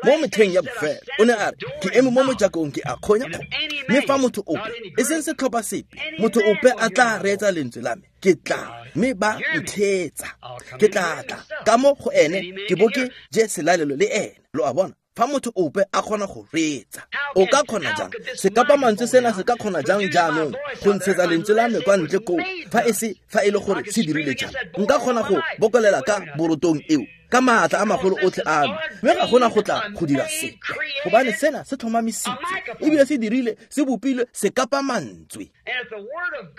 Mo metlheng ya bofelo o ne a re, ke eme mo mojakong ke a kgonya kgonya, mme fa motho ope, e seng setlhopha sepe, motho ope a tla reetsa lentswe la me, ke tla mme ba ntheetsa, ke tla tla ka mo go ene ke bo ke je selalelo le ene. Lo a bona, fa motho ope a kgona go reetsa, o ka kgona jang? Sekapamantswe sena se ka kgona jang jaanong go ntshetsa lentswe la me kwa ntle koo, fa e se fa e le gore se dirile jang? Nka kgona go bokolela ka borotong eo ka maatla a magolo otlhe a me, mme ga gona go tla go dira sepe, gobane sena se tlhomamisitswe ebile se dirile, se bopilwe sekapamantswe.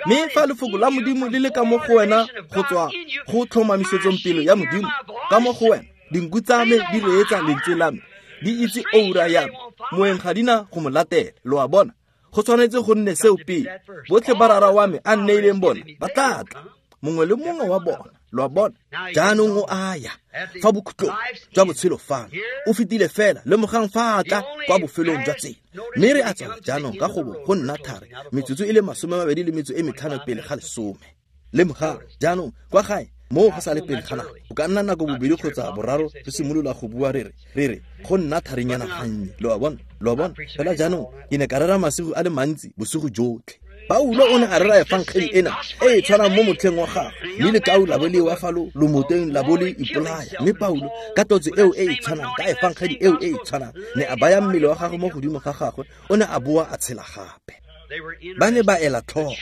Mme fa lefoko la Modimo le le ka mo go wena go tswa go tlhomamisetsong pelo ya Modimo ka mo go wena, dinku tsa me di reetsa lentswe la me, di itse oura ya me, moeng ga di na go mo latela. Lo a bona, go tshwanetse go nne seo pele. Botlhe ba Rara wa me a nneileng bona ba tla tla, mongwe le mongwe wa bona. Lo a bona, jaanong o a ya fa bokhutlong jwa botshelo fano, o fetile fela, lemogang fa a tla kwa bofelong jwa tsela. Mme re a tswala jaanong ka gobo go nna thari, metsotso e le 25 pele ga 10. Lemogang jaanong kwa gae moo go sa le pele ga nako, o ka nna nako bobedi kgotsa boraro re simolola go bua re re go nna tharinyana gannye. Lo a bona, lo a bona. Fela jaanong ke ne ka rera masigo a le mantsi bosigo jotlhe. Paulo o ne a rera efangeli ena e e tshwanang mo motlheng wa gagwe, mme lekau la bo le wa fa lo lomoteng la bo le ipolaya. Mme Paulo ka tlotso eo e e tshwanang, ka efangeli eo e e tshwanang, ne a baya mmele wa gagwe mo godimo ga gagwe, o ne a boa a tshela gape. Ba ne ba ela tlhoko,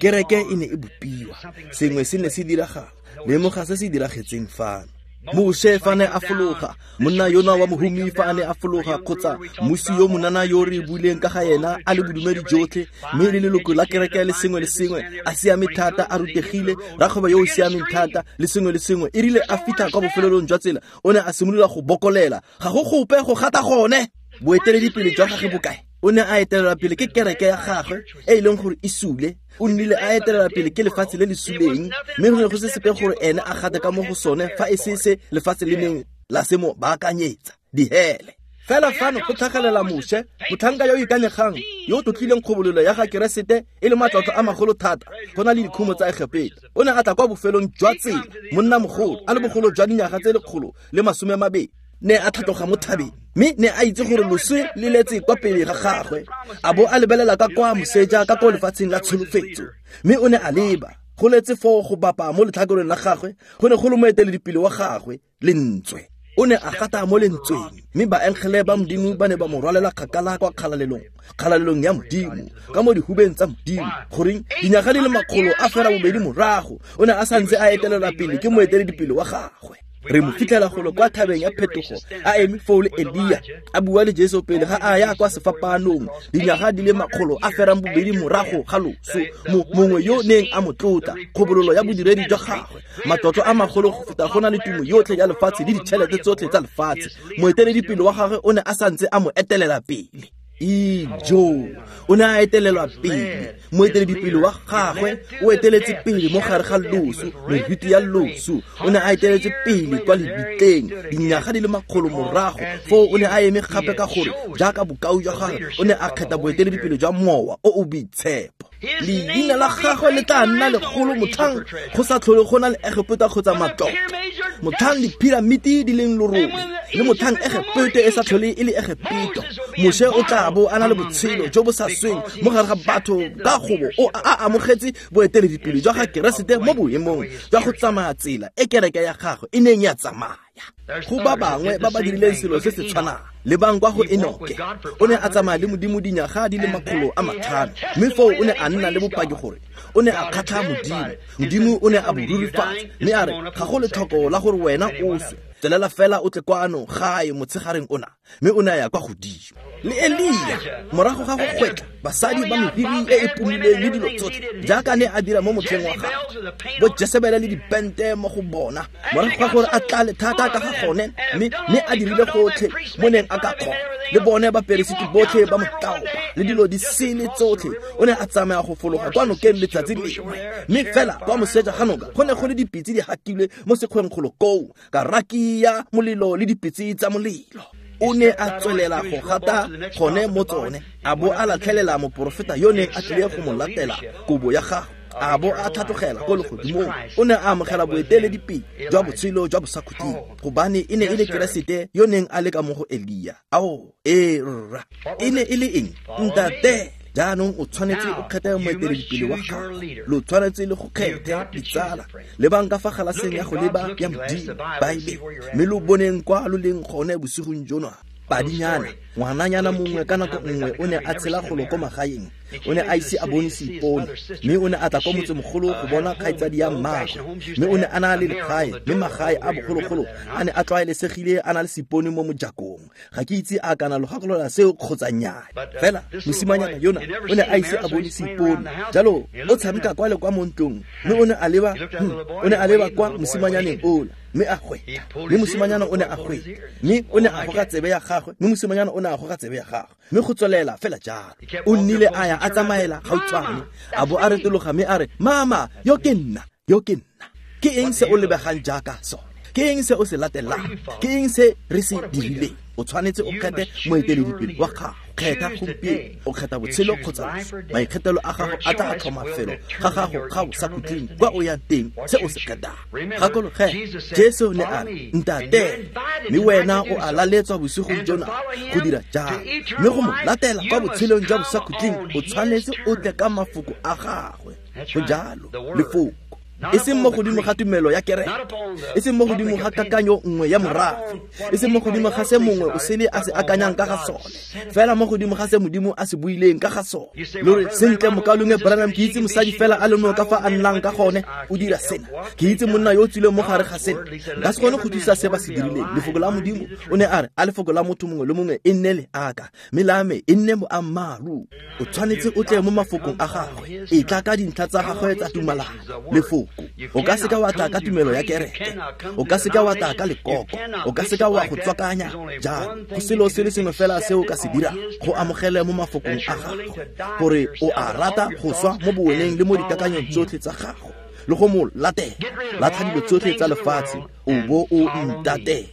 kereke e ne e bopiwa, sengwe se ne se diragala. Lemoga se se diragetseng fano. Moshe fa ne a fologa, monna yona wa mohumi fa a ne a fologa, kgotsa mmusi yo monana yo re buileng ka ga yena a le bodumedi jotlhe, mme le leloko la kereke le sengwe le sengwe, a siame thata, a rutegile, rakgwebo yo o siameng thata le sengwe le sengwe, e rile a fitlha kwa bofelelong jwa tsela, o ne a simolola go bokolela, ga go gope go gata gone. Boeteledipele jwa gagwe bokae? O ne a etelela pele ke kereke ya gagwe e e leng gore e sule. O nnile a etelela pele ke lefatshe le le suleng, mme go ne go se sepe gore ene a gate ka mo go sone fa e se se lefatshe le neng la se mo baakanyetsa, dihele. Fela fano go tlhagelela Moshe, motlhanka yo o ikanyegang, yo o tlotlileng kgobololo ya ga Keresete e le matlotlo a magolo thata go na le dikhumo tsa Egepeta. O ne a tla kwa bofelong jwa tsela, monna mogolo, a le bogolo jwa dinyaga tse 120, ne a tlhatloga mo thabeng, mme ne a itse gore loswe le letse kwa pele ga gagwe, a bo a lebelela ka kwa moseja ka kwa lefatsheng la tsholofetso, mme o ne a leba go letse foo go bapa mo letlhakoreng la gagwe, go ne go le moeteledipele wa gagwe, lentswe. O ne a gata mo lentsweng, mme baengele ba Modimo ba ne ba mo rwalela kgakala kwa kgalalelong, kgalalelong ya Modimo, ka mo dihubeng tsa Modimo. Goreng, dinyaga di le 182 morago, o ne a santse a etelelwa pele ke moeteledipele wa gagwe. Re mo fitlhela golo kwa thabeng ya phetogo a eme foo le Elia a bua le Jesu pele ga a ya kwa sefapanong dinyaga di le 280 morago ga loso, mongwe yo neng a mo tlotla, kgobololo ya bodiredi jwa gagwe, matlotlo a magolo go feta go na le tumo yotlhe ya lefatshe le ditšhelete tsotlhe tsa lefatshe. Moeteledipele wa gagwe o ne a santse a mo etelela pele. Ijo, o ne a etelelwa pele. Moeteledipele wa gagwe o eteletse pele mo gare ga loso, meriti ya loso. O ne a eteletse pele kwa lebitleng dinyaga di le 100 morago. Foo o ne a eme gape ka gore jaaka bokao jwa gagwe o ne a kgetha boeteledipele jwa mowa o o boitshepo. Leina la gagwe le tla nna legolo motlhang go sa tlhole go na le Egepeta kgotsa matlotlo, motlhang diphiramiti di leng lorole, le motlhang Egepete e sa tlhole e le Egepeto. Moshe o tla bo a na le botshelo jo bo sa sweng mo gare ga batho ka gobo o a amogetse boeteledipele jwa ga Keresete mo boemong jwa go tsamaya tsela e kereke ya gagwe e neng ya tsamaya. Go ba bangwe ba ba dirileng selo se se tshwanang, lebang kwa go Enoke. O ne a tsamaya le Modimo dinyaga di le 500, mme foo o ne a nna le bopaki gore o ne a kgatlha Modimo. Modimo o ne a bo rurifatsa mme a re ga go letlhoko la gore wena o swe, tswelela fela o tle kwano gae motshegareng ona. Mme o ne a ya kwa godimo. Le Elia morago ga go kgwetla basadi ba meriri e e pomileng le dilo tsotlhe jaaka ne a dira mo motlheng wa gagwe, bo Jesebele le dipente mo go bona, morago ga gore a tlale thata ka ga gone, mme a dirile gotlhe mo neng a ka kgona, le bone baperesiti botlhe ba mo tlaopa le dilo di sele tsotlhe, o ne a tsamaya go fologa kwa nokeng letsatsi lengwe. Mme fela kwa moseja ga noka go ne go le dipitse di hakilwe mo sekgweng kgolo koo, ka raki ya molelo le dipitse tsa molelo. O ne a tswelela go gata gone mo tsone, a bo a latlhelela moporofeta yo neng a tlile go mo latela kobo ya gagwe, a bo a tlhatlogela ko legodimong. O ne a amogela boeteledipele jwa botshelo jwa bosakhutleng, gobane e ne e le Keresete yo neng a le ka mo go Elia. Ao, ee rra, e ne e le eng? Ntate. Jaanong o tshwanetse o kgethe moeteledipele wa gago, lo tshwanetse le go kgethe ditsala. Lebang ka fa galaseng ya go leba ya Modimo, Baebele, mme lo boneng kwa lo leng gone bosigong jono. Padinyana, ngwananyana mongwe ka nako nngwe o ne a tshela golo ko magaeng, o ne a ise a bone seipone, mme o ne a tla kwa motsemogolo go bona kgaitsadi ya mmagwe, mme o ne a na le legae, mme magae a bogologolo a ne a tlwaelesegile a na le seipone mo mojakong. Ga ke itse a kana lo gakolola seo kgotsa nnyaa, fela mosimanyana yona o ne a ise a bone seipone, jalo o tshameka kwa le kwa mo ntlong, mme o ne a leba o ne a leba kwa mosimanyaneng ola, mme a gweta, mme mosimanyana o ne a gweta, mme o ne a goga tsebe ya gagwe, mme mosimanyana o ne a goga tsebe ya gagwe, mme go tswelela fela jalo. O nnile a ya a tsamaela gautshwane, a bo a retologa mme a re, mama, yo ke nna, yo ke nna. Ke eng se o lebegang jaaka sone? Ke eng se o se latelang? Ke eng se re se dirileng? O tshwanetse o kgethe moeteledipele wa gago. Kgetha gompieno, o kgetha botshelo kgotsa loso. Maikgethelo a gago a tla tlhoma felo ga gago ga o sa khutleng kwa o yang teng, se o se kgethang. Gakologelwa, Jesu ne a re, ntate, mme wena o a laletswa bosigong jona go dira jalo, mme go mo latela kwa botshelong jwa bosakhutleng o tshwanetse o tle ka mafoko a gagwe. Go jalo, lefoko, e seng mo godimo ga tumelo ya kereke, e seng mo godimo ga kakanyo nngwe ya morafe, e seng mo godimo ga se mongwe o sele a se akanyang ka ga sone, fela mo godimo ga se Modimo a se buileng ka ga sone. Lo re, sentle, mokaulengwe Branham, ke itse mosadi fela a le mongwe ka fa a nnang ka gone, o dira sena. Ke itse monna yo o tswileng mo gare ga sena. Nka se kgone go thusa se ba se dirileng. Lefoko la Modimo o ne a re, a lefoko la motho mongwe le mongwe e nne le aka, mme la me e nne boammaaruri. O tshwanetse o tle mo mafokong a gagwe, e tla ka dintlha tsa gagwe tsa tumalano. Lefoko, o ka seka wa tla ka tumelo ya kereke, o ka seka wa tla ka lekoko, o ka seka wa go tswakanya jalo. Go selo se le sengwe fela se o ka se dirang, go amogele mo mafokong a gagwe, gore o a rata go swa mo boweneng le mo dikakanyong tsotlhe tsa gago, le go mo latela. Latlha dilo tsotlhe tsa lefatshe, o bo o ntatela.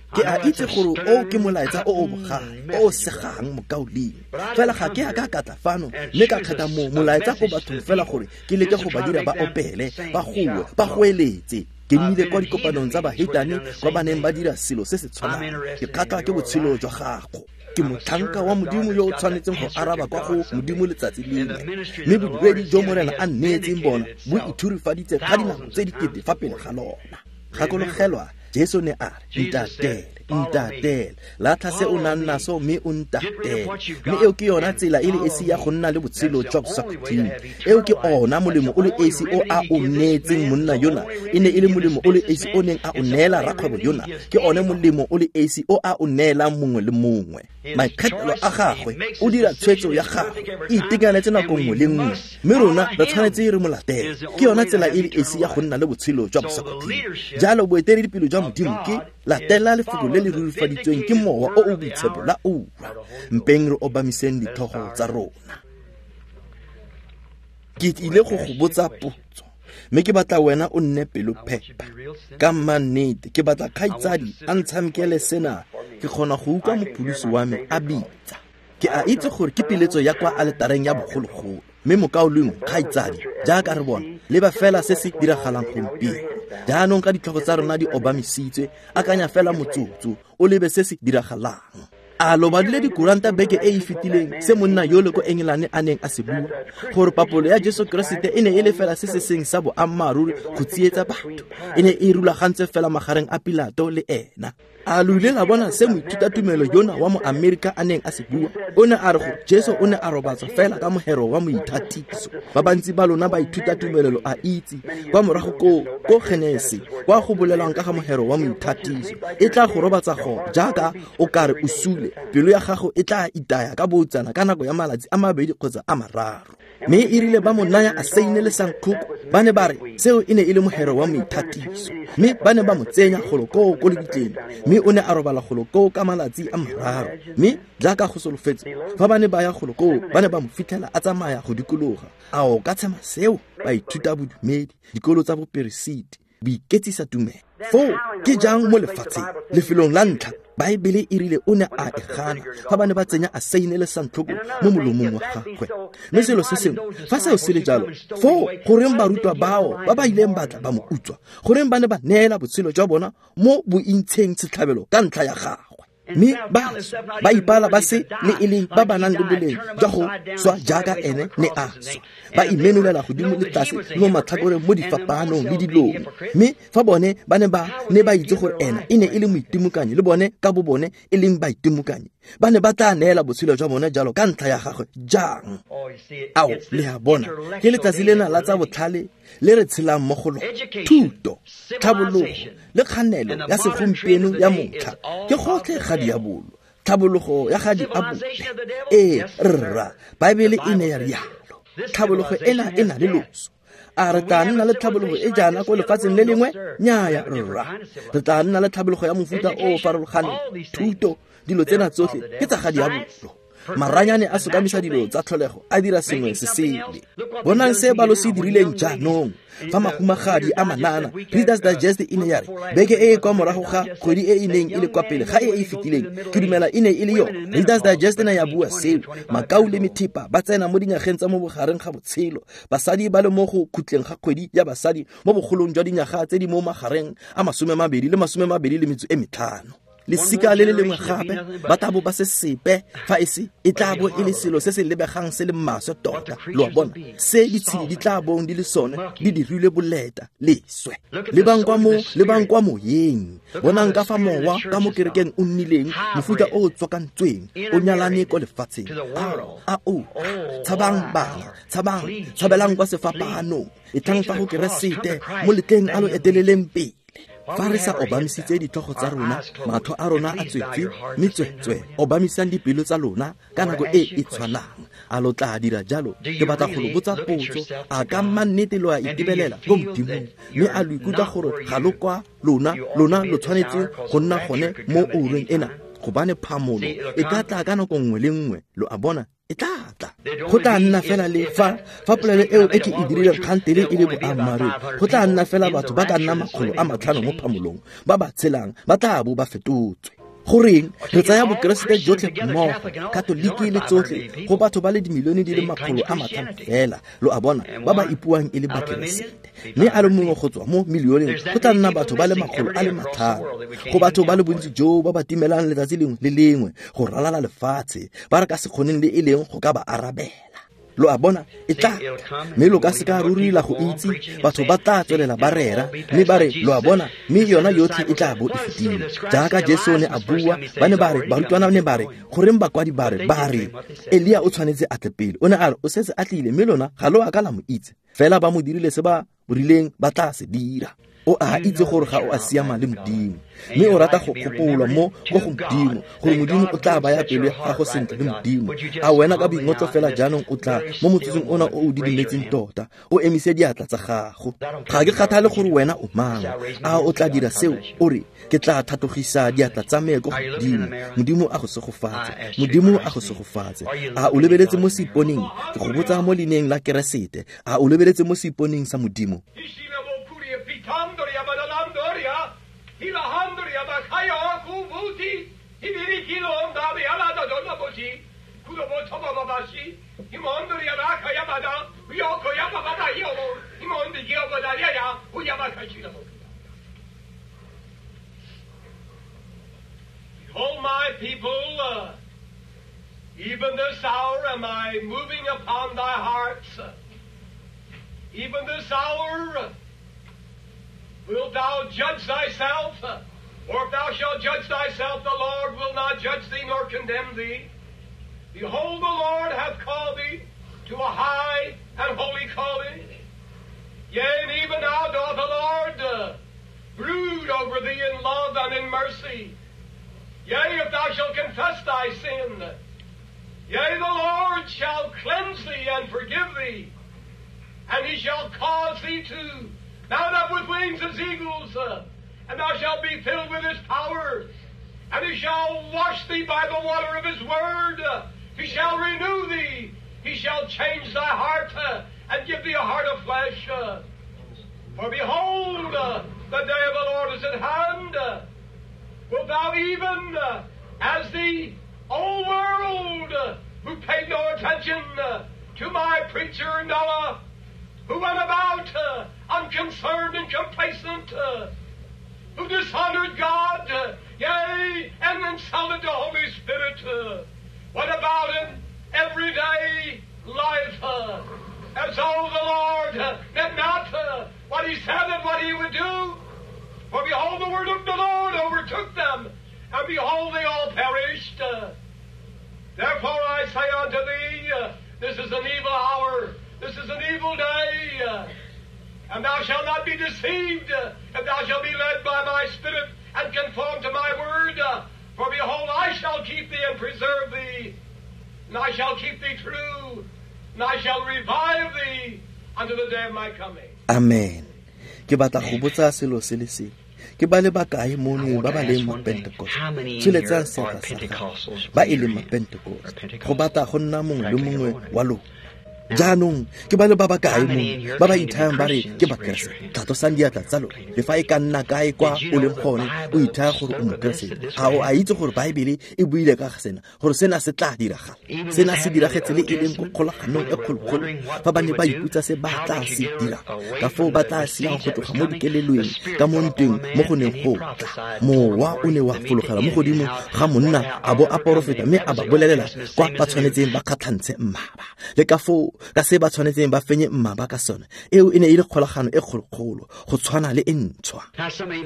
Ke a itse gore o ke molaetsa o o bogale, o o segang mokaulengwe, fela ga ke a ka ka tla fano mme ka kgetha mo molaetsa go bathong fela gore ke leke go ba dira ba opele, ba goe, ba goeletse. Ke nnile kwa dikopanong tsa bahetane kwa ba neng ba dira selo se se tshwanang. Ke kgatlhwa ke botshelo jwa gago. Ke motlhanka wa Modimo yo o tshwanetseng go araba kwa go Modimo letsatsi lengwe, mme bodiredi jo Morena a nneetseng bona bo ithurifaditse ka dinako tse dikete fa pele ga lona. Gakologelwa, Jesu ne a re, ntatele. Ntatele, latlha se o nang naso mme o ntatele. Mme eo ke yona tsela e le esi ya go nna le botshelo jwa bosakhutleng. Eo ke ona molemo o le esi o a o neetseng monna yona. E ne e le molemo o le esi o neng a o neela rakgwebo yona. Ke one molemo o le esi o a o neelang mongwe le mongwe. Maikgethelo a gagwe, o dira tshwetso ya gagwe, e itekanetse nako nngwe le nngwe, mme rona re tshwanetse re mo latele. Ke yona tsela e le esi ya go nna le botshelo jwa bosakhutleng. Jalo boeteledipele jwa Modimo ke latela lefoko le le rurifaditsweng ke Mowa o o Boitshepo la ura. Mpeng re obamiseng ditlhogo tsa rona. Ke ile go go botsa potso, mme ke batla wena o nne pelophepa. Ka mannete, ke batla kgaitsadi a ntshamekele sena. Ke kgona go utlwa mopholosi wa me a bitsa. Ke a itse gore ke piletso ya kwa aletareng ya bogologolo, mme mokaulengwe, kgaitsadi, jaaka re bona, leba fela se se diragalang gompieno. Jaanong ka ditlhogo tsa rona di obamisitswe, akanya fela motsotso, o lebe se se diragalang. A lo badile dikuranta beke e e fetileng se monna yole ko Engelane a neng a se bua, gore papolo ya Jesu Keresete e ne e le fela se se seng sa boammaaruri go tsietsa batho, e ne e rulagantse fela magareng a Pilato le ena. A lo ile la bona se moithutatumelo yona wa mo Amerika a neng a se bua? O ne a re gore Jesu o ne a robatswa fela ka mohero wa moithatiso. Ba bantsi ba lona ba ithutatumelo lo a itse, kwa morago ko Genese, kwa go bolelwang ka ga mohero wa moithatiso, e tla go robatsa go jaaka o kare o sule, pelo ya gago e tla itaya ka boutsana ka nako ya malatsi a mabedi kgotsa a mararo. Mme e rile ba mo naya a saine le sankgoko, ba ne ba re seo e ne e le mohero wa moithatiso, mme ba ne ba mo tsenya golo koo ko lebitleng, mme o ne a robala golo koo ka malatsi a mararo. Mme jaaka go solofetse, fa ba ne ba ya golo koo, ba ne ba mo fitlhela a tsamaya go dikologa. A o ka tshema seo? Baithuta bodumedi, dikolo tsa boperesiti, boiketsisa tumelo. Foo ke jang mo lefatsheng, lefelong la ntlha, Baebele e rile o ne a e gana fa ba ne ba tsenya a saine le santlhoko mo molomong wa gagwe. Mme selo se sengwe, fa seo se le jalo, foo goreng barutwa bao ba ba ileng batla ba mo utswa, goreng ba ne ba neela botshelo jwa bona mo bointsheng setlhabelo ka ntlha ya gagwe? Mme ba ipala ba se le e leng ba ba nang le boleng jwa go swa jaaka ene ne a swa, ba imenolela godimo le tlase le mo matlhakoreng mo difapanong le dilong. Mme fa bone ba ne ba itse gore ena e ne e le moitimokanyi, le bone ka bo bone e leng baitimokanyi, ba ne ba tla neela botshelo jwa bone jalo ka ntlha ya gagwe jang? Ao, le a bona, ke letsatsi lena la tsa botlhale le re tshelang mo go lona. Thuto, tlhabologo le kganelo ya segompieno ya motlha ke gotlhe ga diabolo, tlhabologo ya ga diabolo. Ee, rra, Baebele e ne ya rialo. Tlhabologo ena e na le loso. A re tla nna le tlhabologo e jaana ko lefatsheng le lengwe? Nnyaya, rra. Re tla nna le tlhabologo ya mofuta o o farologaneng. Thuto, dilo tsena tsotlhe ke tsa ga diabolo. Maranyane a sokamisa dilo tsa tlholego, a dira sengwe se sele. Bonang se ba lo se dirileng jaanong. Fa mahumagadi a manana, Reader's Digest e ne ya re beke e e kwa morago ga kgwedi e e neng e le kwa pele ga e e fetileng, ke dumela e ne e le yone. Reader's Digest ne ya bua seo. Makau le methepa ba tsena mo dinyageng tsa mo bogareng ga botshelo, basadi ba le mo go khutleng ga kgwedi ya basadi mo bogolong jwa dinyaga tse di mo magareng a 20 le 25. Lesika le le lengwe gape ba tla bo ba se sepe fa e se e tla bo e le selo se se lebegang se le maswe tota. Lo a bona, se ditshedi di tla bong di le sone di dirilwe boleta leswe. Lebang kwa moyeng, bonang ka fa mowa ka mo kerekeng o nnileng mofuta o o tswakantsweng, o nyalane ko lefatsheng. A o tshabang bana, tshabang, tshabelang kwa sefapanong, e tlang fa go Keresete mo letleng a lo eteleleng pele. Fa re sa obamisitse ditlhogo tsa rona, matlho a rona a tswetswe, mme tswetswe obamisang dipelo tsa lona ka nako e e tshwanang. A lo tla dira jalo? Ke batla go lo botsa potso. A ka mannete lo a itebelela ko Modimong, mme a lo ikutlwa gore ga lo kwa lona lo tshwanetse go nna gone mo oureng ena, gobane phamolo e ka tla ka nako nngwe le nngwe. Lo a bona, e tla tla. Go tla nna fela le fa polelo eo e ke e dirileng kgantele e le boammaaruri, go tla nna fela batho ba ka nna 500 mo phamolong ba ba tshelang ba tla bo ba fetotswe. Goreng re tsaya bokeresete jotlhe mmogo, katoliki le tsotlhe, go batho ba le dimilione di le 500 fela, lo a bona, ba ba ipuang e le bakeresete. Mme a le mongwe go tswa mo milioneng go tla nna batho ba le 500, go batho ba le bontsi jo ba ba timelang letsatsi lengwe le lengwe go ralala lefatshe, ba re ka se kgoneng le e leng go ka ba arabela. Lo a bona, e tla mme lo ka se ka ruri la go itse. Batho ba tla tswelela ba rera mme ba re, lo a bona, mme yona yotlhe e tla bo e fetile. Jaaka Jesu ne a bua, ba ne ba re, barutwana ne ba re, goreng bakwadi ba re Elia o tshwanetse a tle pele. O ne a re o setse a tlile, mme lona ga lo a ka la mo itse. Fela ba mo dirile se ba rileng ba tla se dira. O a itse gore ga o a siama le Modimo, mme o rata go gopolwa mo go Modimo, gore Modimo o tla baya pelo ya gago sentle le Modimo. A wena ka boingotlo fela jaanong o tla mo motsotsong ona o o didimetseng tota, o emise diatla tsa gago. Ga ke kgathale gore wena o mang. A o tla dira seo? O re, ke tla thatogisa diatla tsa me ko Modimo. Modimo a go segofatse. Modimo a go segofatse. A o lebeletse mo seiponeng? Ke go botsa mo leineng la Keresete. A o lebeletse mo seiponeng sa Modimo? Behold, my people, even this hour am I moving upon thy hearts. Even this hour wilt thou judge thyself? Or if thou shalt judge thyself, the Lord will not judge thee nor condemn thee. Behold, the Lord hath called thee to a high and holy calling. Yea, and even now doth the Lord brood over thee in love and in mercy. Yea, if thou shalt confess thy sin, yea, the Lord shall cleanse thee and forgive thee, and he shall cause thee to mount up with wings as eagles, and thou shalt be filled with his power, and he shall wash thee by the water of his word. He shall renew thee. He shall change thy heart, and give thee a heart of flesh. For behold, the day of the Lord is at hand. Wilt thou even, as the old world, who paid no attention to my preacher Noah, who went about unconcerned and complacent, who dishonored God, yea, and insulted the Holy Spirit, went about in everyday life, as though the Lord meant not what he said and what he would do. For behold, the word of the Lord overtook them, and behold, they all perished. Therefore I say unto thee, this is an evil hour, this is an evil day, and thou shalt not be deceived, if thou shalt be led by my Spirit and conform to my word. For behold, I shall keep thee and preserve thee, and I shall keep thee true, and I shall revive thee unto the day of my coming. Amen. Ke batla go botsa selo se le se. Ke ba le bakae mono ba ba leng mo Pentecost? Tsholetsang seatla sa gago. Ba e leng mo Pentecost. Go batla go nna mongwe le mongwe wa lona. Jaanong ke ba le ba bakae mono ba ba ithayang ba re ke Bakeresete? Tlhatlosang diatla tsa lona. Le fa e ka nna kae kwa o leng gone, o ithaya gore o Mokeresete. Ga o a itse gore Baebele e buile ka ga sena, gore sena se tla diragala. Sena se diragetse le e leng ko kgolaganong e kgolokgolo, fa ba ne ba iputsa se ba tla se dira, ka foo ba tla siang go tloga mo dikelelong ka mo ntweng mo go neng go tla. Mowa o ne wa fologela mo godimo ga monna a bo a porofeta, mme a ba bolelela kwa ba tshwanetseng ba kgatlhantshe mmaba, le ka foo ka se ba tshwanetseng ba fenye mmaba ka sone. Eo e ne e le kgolagano e kgolokgolo, go tshwana le e ntšhwa.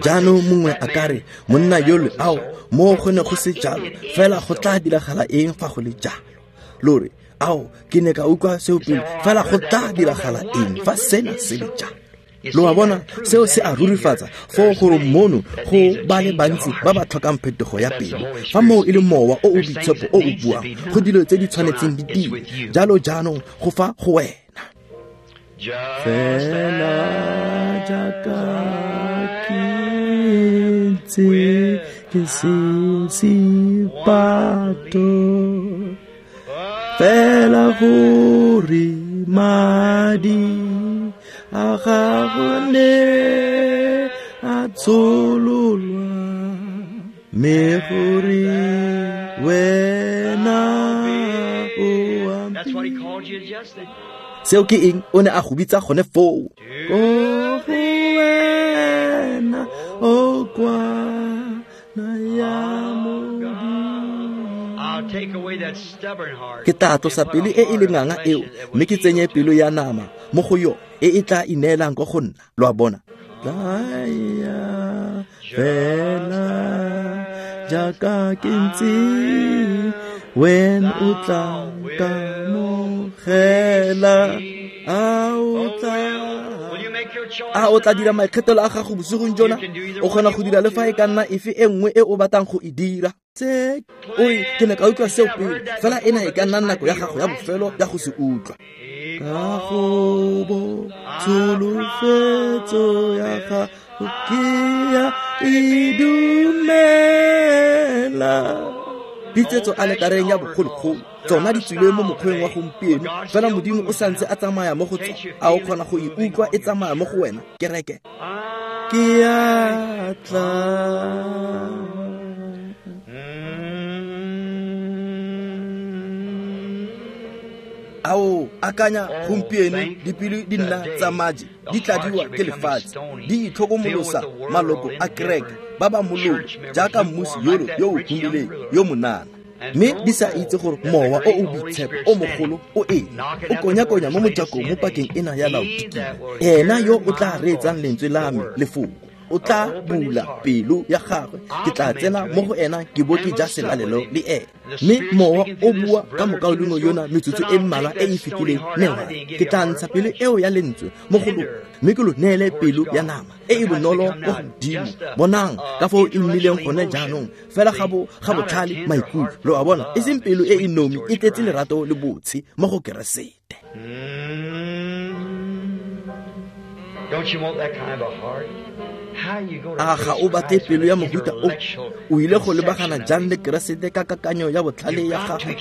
Jaanong mongwe a ka re, monna yole, ao, mo go ne go se jalo, fela go tla diragala eng fa go le jalo? Lo re, ao, ke ne ka utlwa seo pele, fela go tla diragala eng fa sena se le jalo? Lo a bona, seo se a rurifatsa foo gore mono go ba le bantsi ba ba tlhokang phetogo ya pelo. Fa moo e le mowa o o boitshepo o o buang, go dilo tse di tshwanetseng di dire. Jalo jaanong go fa go wena. Fela jaaka ke ntse ke se sepato, fela gore madi a gago ne a tshololwa, mme gore wena o a. Seo ke eng? O ne a go bitsa gone foo. Ko go wena o kwana ya Modimo. Ke tla tlosa pelo e e lenganga eo mme ke tsenye pelo ya nama mo go yo e e tla ineelang ko go nna. Lo a bona? Tlaya fela jaaka ke ntse, wena o tla nkamogela. A o tla dira maikgethelo a gago bosigong jona? O kgona go dira le fa e ka nna efe e nngwe e o batlang go e dira. Tse o re ke ne ka utlwa seo pele, fela ena e ka nna nako ya gago ya bofelo ya go se utlwa. Ka gobo tsholofetso ya gago ke ya e dumela. Pitsetso aletareng ya bogologolo tsona di tswile mo mokgweng wa gompieno, fela Modimo o santse a tsamaya mo go tsona. A o kgona go e utlwa e tsamaya mo go wena, kereke? Ke a tla. Ao akanya gompieno dipelo di nna tsa maje, di tladiwa ke lefatshe, di itlhokomolosa maloko a kereke ba ba mololo jaaka mmusi yolo yo o humileng yo monana, mme di sa itse gore mowa o o boitshepo o mogolo o eng o konya-konya mo mojakong mo pakeng ena ya Laodikia. Ena yo o tla reetsang lentswe la me lefoko o tla bula pelo ya gagwe, ke tla tsena mo go ena ke bo ke ja selalelo le ena. Mme mowa o bua ka mokaulengwe yona metsotso e mmalwa e e fetileng, mme ke tla ntsha pelo eo ya lentswe mo go lona mme ke lo neele pelo ya nama e e bonolo mo godimo. Bonang ka foo e nnileng gone jaanong, fela ga botlhale maikutlo. Lo a bona, e seng pelo e e nomi e tletse lerato le botshe mo go Keresete. A ga o batle pelo ya mohuta o? O ile go lebagana jang le Keresete ka kakanyo ya botlhale ya gago?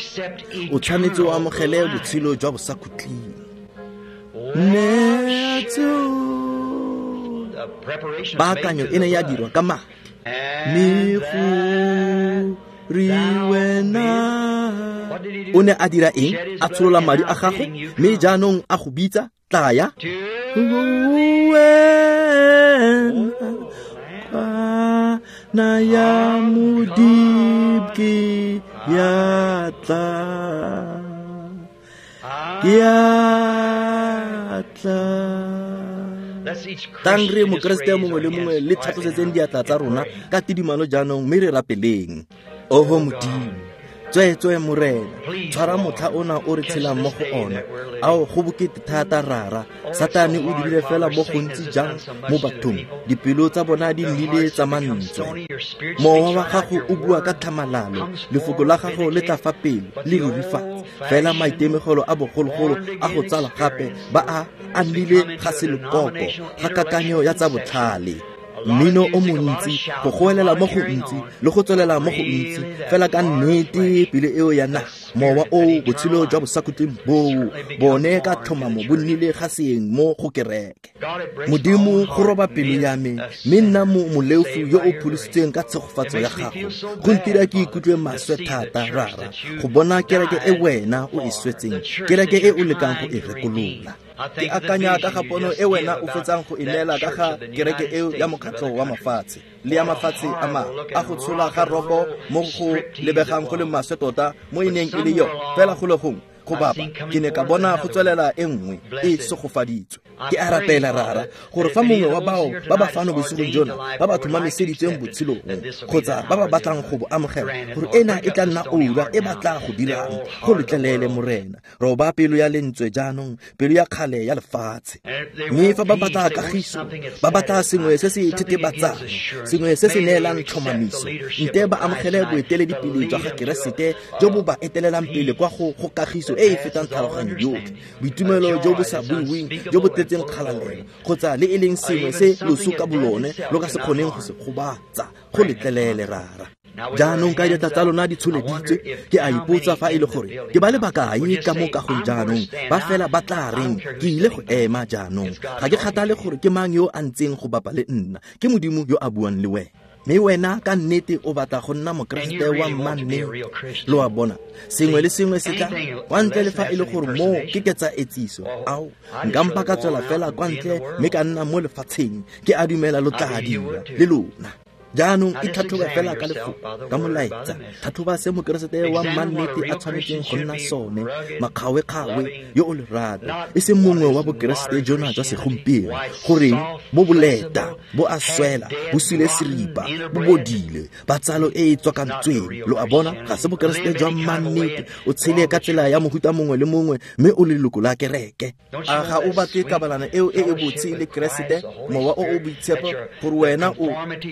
O tshwanetse o amogele botshelo jwa bosakhutleng. Paakanyo e ne ya dirwa ka madi, mme go re wena o ne a dira eng? A tsholola madi a gago, mme jaanong a go bitsa, tlaya kwana ya Modimo ke ya tla, ke ya tla. Tang re mokeresete mongwe le mongwe le tlhatlosetseng diatla tsa rona ka tidimalo jaanong, mme re rapeleng. Oho Modimo, tsweetswe Morena, tshwara motlha ona o re tshelang mo go ona. Ao go bokete thata rara, Satane o dirile fela mo gontsi jang mo bathong, dipelo tsa bona di nnile tsa mantswe. Mowa wa gago o bua ka tlhamalalo, lefoko la gago le tla fa pele le rurifatse. Fela maitemogelo a bogologolo a go tsala gape ba a nnile ga selekoko ga kakanyo ya tsa botlhale. Mmino o montsi, go goelela mo go ntsi le go tswelela mo go ntsi, fela ka nnete pele eo ya naga mowa o botshelo jwa bosakhutleng boo bone ka tlhomamo bo nnile ga seeng mo go kereke. Modimo go roba pelo ya me, mme nna moleofu yo o pholositsweng ka tshegofatso ya gago. Go ntira ke ikutlwe maswe thata rara go bona kereke e wena o e swetseng, kereke e o lekang go e rekolola. Ke akanya ka ga pono e wena o fetsang go e neela ka ga kereke eo ya mokgatlho wa mafatshe le ya mafatshe a mangwe a go tshola ga roko mo go lebegang go le maswe tota mo e neng e le yone, fela go le gongwe go bapa ke ne ka bona go tswelela e nngwe e segofaditswe. Ke a rapela rara gore fa mongwe wa bao ba ba fano bosigong jona ba ba tlhomamiseditsweng botshelong kgotsa ba ba batlang go bo amogela, gore ena e tla nna oura e ba tla go dirang. Go letlelele Morena, roba pelo ya lentswe jaanong, pelo ya kgale ya lefatshe. Mme fa ba batla kagiso, ba batla sengwe se se thetebatsang, sengwe se se neelang tlhomamiso, nte ba amogele boeteledipele jwa ga Keresete jo bo ba etelelang pele kwa go kagiso e e fetang tlhaloganyo yotlhe, boitumelo jo bo sa buiweng jo bo tletseng kgalalelo, kgotsa le e leng sengwe se loso ka bolone lo ka se kgoneng go se gobatsa. Go letlelele rara. Jaanong ka diatla tsa lona di tsholeditswe, ke a ipotsa fa e le gore ke ba le bakae ka mo kagong jaanong ba fela ba tla reng ke ile go ema jaanong. Ga ke kgathale gore ke mang yo a ntseng go bapa le nna, ke Modimo yo a buang le wena. Mme wena ka nnete o batla go nna mokeresete wa mmannete. Lo a bona, sengwe le sengwe se tla kwa ntle le fa e le gore moo ke ketsa etsiso. Ao, nka mpa ka tswela fela kwa ntle mme ka nna mo lefatsheng. Ke a dumela lo tla dira le lona. Jaanong itlhatlhobe fela ka lefoko, ka molaetsa. Tlhatlhoba se mokeresete wa mannete a tshwanetseng go nna sone, makgawekgawe, yo o lerato, e seng mongwe wa bokeresete jona jwa segompieno, goreng bo boleta, bo a swela, bo sule seripa, bo bodile, ba tsalo e e tswakantsweng. Lo a bona, ga se bokeresete jwa mannete. O tshele ka tsela ya mohuta mongwe le mongwe, mme o leloko la kereke. A ga o batle kabalano eo e e botse le Keresete, Mowa o o Boitshepo, gore wena o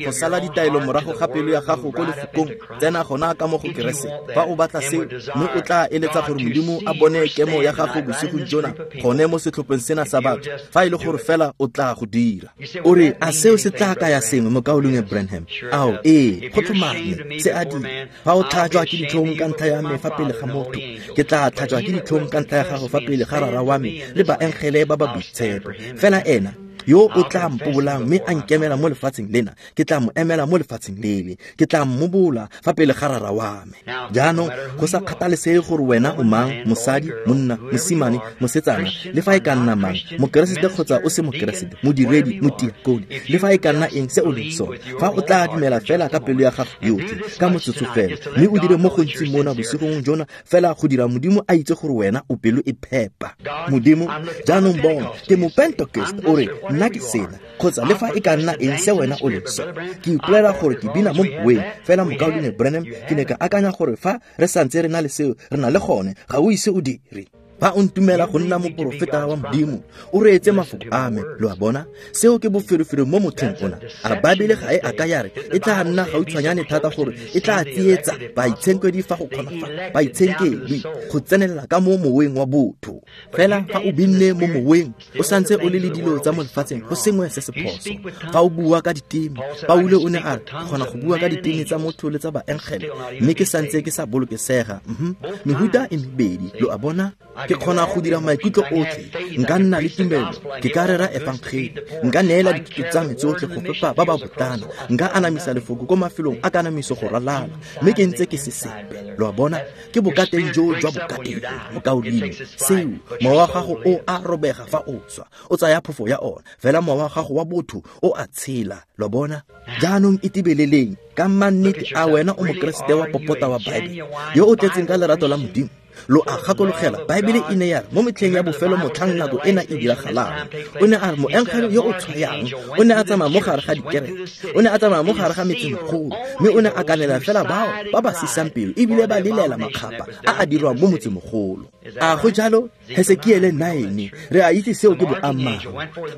go sala ditaelo morago ga pelo ya gago ko lefokong, tsena gona ka mo go Keresete. Fa o batla seo, mme o tla eletsa gore Modimo a bone kemo ya gago bosigong jona, gone mo setlhopheng sena sa batho, fa e le gore fela o tla go dira. O re, a seo se tla kaya sengwe, mokaulengwe Branham? Ao, ee, go tlhomame, se a dira. Fa o tlhajwa ke ditlhong ka ntlha ya me fa pele ga motho, ke tla tlhajwa ke ditlhong ka ntlha ya gago fa pele ga Rara wa me le baengele ba ba boitshepo. Fela ena yo o tla mpobolang mme a nkemela mo lefatsheng lena, ke tla mo emela mo lefatsheng lele, ke tla mmobola fa pele ga Rara wa me. Jaanong go sa kgathalesege gore wena o mang, mosadi, monna, mosimane, mosetsana, le fa e ka nna mang, mokeresete kgotsa o se mokeresete, modiredi, motiakone, le fa e ka nna eng se o leng sone, fa o tla dumela fela ka pelo ya gago yotlhe ka motsotso fela, mme o dire mo gontsi mona bosigong jona fela go dira Modimo a itse gore wena o pelo e phepa. Modimo, jaanong bona, ke mopentekoste, o re nna ke sena, kgotsa le fa e ka nna eng se wena o leng sone. Ke ipolela gore ke bina mo moweng, fela mokaulengwe Branham, ke ne ka akanya gore fa re santse re na le seo, re na le gone, ga o ise o dire. Fa o ntumela go nna moporofeta wa Modimo, o reetse mafoko a me. Lo a bona, seo ke boferefere mo mothong ona. A Baebele ga e a ka ya re e tla nna gautshwanyane thata gore e tla tsietsa baitshenkwedi fa go kgona fa baitshenkedwi go tsenelela ka mo moweng wa botho. Fela fa o binne mo moweng, o santse o le le dilo tsa mo lefatsheng, go sengwe se se phoso. Fa o bua ka diteme, Paulo o ne a re, ke kgona go bua ka diteme tsa motho le tsa baengele, mme ke santse ke sa bolokesega. Mehuta e mebedi, lo a bona. Ke kgona go dira maikutlo otlhe, nka nna le tumelo, ke ka rera efangeli, nka neela dithuto tsa me tsotlhe go fepa ba ba botana, nka anamisa lefoko ko mafelong a kanamiso go ralala, mme ke ntse ke se sepe. Lo a bona, ke bokateng jo jwa bokateng, mokaulengwe. Seo, mowa wa gago o a robega fa o swa, o tsaya phofo ya ona, fela mowa wa gago wa botho o a tshela. Lo a bona? Jaanong itebeleleng ka mannete, a wena o mokeresete wa popota wa Baebele, yo o tletseng ka lerato la Modimo? Lo a gakologela, Baebele e ne ya re mo metlheng ya bofelo motlhang nako ena e diragalang, o ne a re moengele yo o tshwayang o ne a tsamaya mo gare ga dikereke, o ne a tsamaya mo gare ga metsemegolo, mme o ne a kanela fela bao ba ba sisang pelo ebile ba lelela makgapa a a dirwang mo motsemogolo. A go jalo? Hesekiele 9, re a itse seo ke boammaaruri.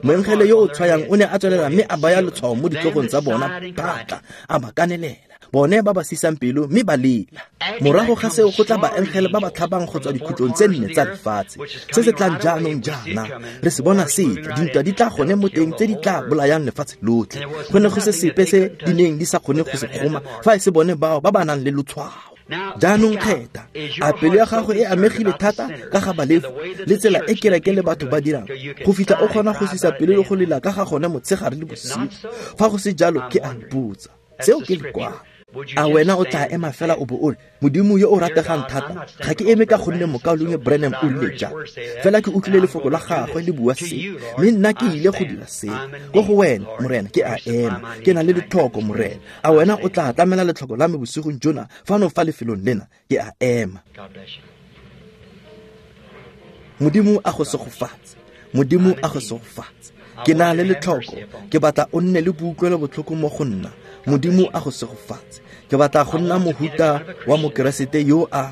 Moengele yo o tshwayang o ne a tswelela mme a baya letshwao mo ditlhogong tsa bona, batla a ba kanelela, bone ba ba sisang pelo mme ba lela. Morago ga seo go tla baengele ba ba tlhabang go tswa dikhutlong tse nne tsa lefatshe. Se se tlang jaanong jaana, re se bona setle, dintwa di tla gone mo teng tse di tla bolayang lefatshe lotlhe. Go ne go se sepe se di neng di sa kgone go se kgoma fa e se bone bao ba ba nang le lotshwao. Jaanong kgetha, a pelo ya gago e amegile thata ka ga balefu le tsela e kereke le batho ba dirang, go fitlha o kgona go sisa pelo le go lela ka ga gone motshegare le bosigo? Fa go se jalo, ke a ipotsa, seo ke lekwalo. A wena o tla ema fela o bo o re, Modimo yo o rategang thata, ga ke eme ka gonne mokaulengwe Branham o rile jang, fela ke utlwile lefoko la gagwe le bua se, mme nna ke ile go dira se. Ko go wena, Morena, ke a ema, ke na le letlhoko, Morena. A wena o tla tlamela letlhoko la me bosigong jona fano fa lefelong lena? Ke a ema. Modimo a go segofatse. Modimo a go segofatse. Ke na le letlhoko, ke batla o nne le boutlwelo botlhoko mo go nna. Modimo a go segofatse. Ke batla go nna mohuta wa mokeresete yo a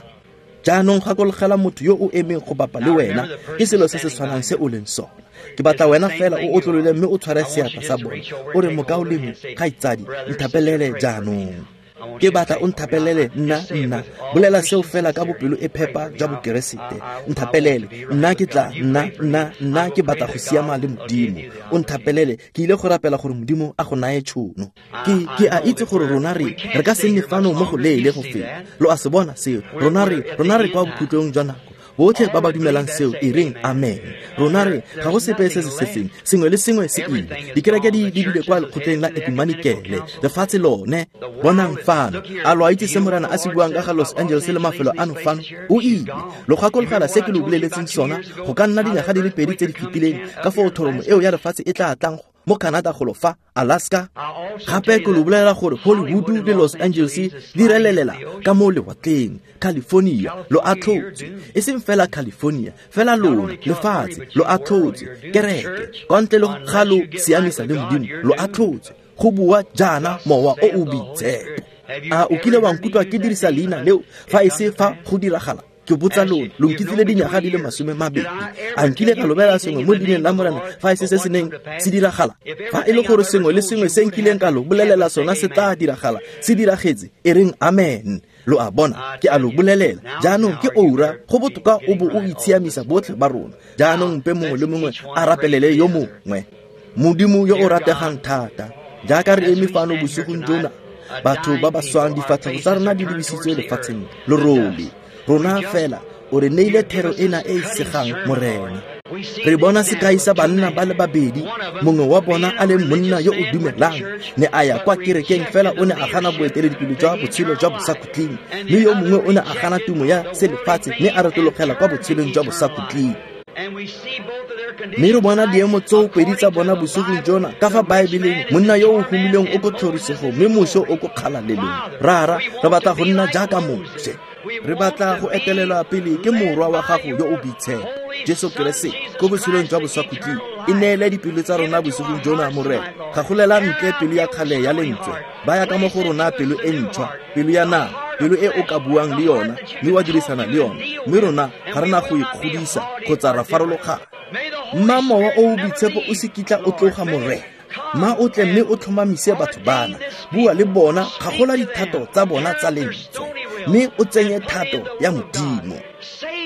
jaanong gakologela motho yo o emeng go bapa le wena ke selo se se tshwanang se o leng sona. Ke batla wena fela o otlolole mme o tshware seatla sa bone, o re, mokaulengwe, kgaitsadi, nthapelele jaanong. Ke batla o nthapelele nna. Bolela seo fela ka bopelo e phepa jwa bokeresete. Nthapelele, nna ke tla, nna ke batla go siama le Modimo. O nthapelele, ke ile go rapela gore Modimo a go naye tšhono. Ke a itse gore rona re ka se nne fano mo go leele go feta. Lo a se bona seo? Rona re kwa bokhutlong jwa nako. Botlhe ba ba dumelang seo, e reng amen. Rona re ga go sepe se se setseng, sengwe le sengwe se ile. Dikereke di lebile kwa lekgotleng la ekumanikele, lefatshe lone. Bonang fano, a lo a itse se Morena a se buang ka ga Los Angeles le mafelo ano fano? O ile. Lo gakologela se ke lo boleletseng sona go ka nna dinyaga di le pedi tse di fetileng, ka foo thoromo eo ya lefatshe e tla tlang mo Canada golo fa, Alaska. Gape ke lo bolelela gore Hollywood le Los Angeles di relelela ka mo lewatleng. California lo atlhotse, e seng fela California, fela lona lefatshe lo atlhotse. Kereke kwa ntle le ga lo siamisa le Modimo lo atlhotse. Go bua jaana Mowa o o Boitshepo. A o kile wa nkutlwa ke dirisa leina leo fa e se fa go diragala? Ke botsa lona, lo nkitsile dinyaga di le 20. A nkile ka lobela sengwe mo leineng la Morena fa e se se se neng se diragala? Fa e le gore sengwe le sengwe se nkileng ka lo bolelela sona se tla diragala, se diragetse, e reng amen. Lo a bona, ke a lo bolelela. Jaanong ke oura, go botoka o bo o itshiamisa botlhe ba rona. Jaanong mpe mongwe le mongwe a rapelele yo mongwe. Modimo yo o rategang thata, jaaka re eme fano bosigong jona, batho ba ba swang difatlhego tsa rona di lebisitswe lefatsheng lorole. Rona fela o re neile thero ena e e segang, Morena. Re bona sekai sa banna ba le babedi, mongwe wa bona a leng monna yo o dumelang, ne a ya kwa kerekeng fela o ne a gana boeteledipele jwa botshelo jwa bosakhutleng, mme yo mongwe o ne a gana tumo ya selefatshe mme a retologela kwa botshelong jwa bosakhutleng. Mme re bona diemo tseo pedi tsa bona bosigong jona ka fa Baebeleng, monna yo o humileng o ko tlhorisegong mme Moshe o ko kgalalelong. Rara, re batla go nna jaaka Moshe. Re batla go etelelwa pele ke Morwa wa gago yo o Boitshepo, Jesu Keresete, ko botshelong jwa bosakhutleng. E neele dipelo tsa rona bosigong jona, Morena. Gagolela ntle pelo ya kgale ya lentswe, baya ka mo go rona pelo e ntšhwa, pelo ya nama, pelo e o ka buang le yona mme wa dirisana le yona, mme rona ga re na go ikgodisa kgotsa ra farologana. Mma Mowa o o Boitshepo o se kitla o tloga, Morena. Ma o tle mme o tlhomamise batho bana, bua le bona, kgagola dithato tsa bona tsa lentswe, mme o tsenye thato ya Modimo.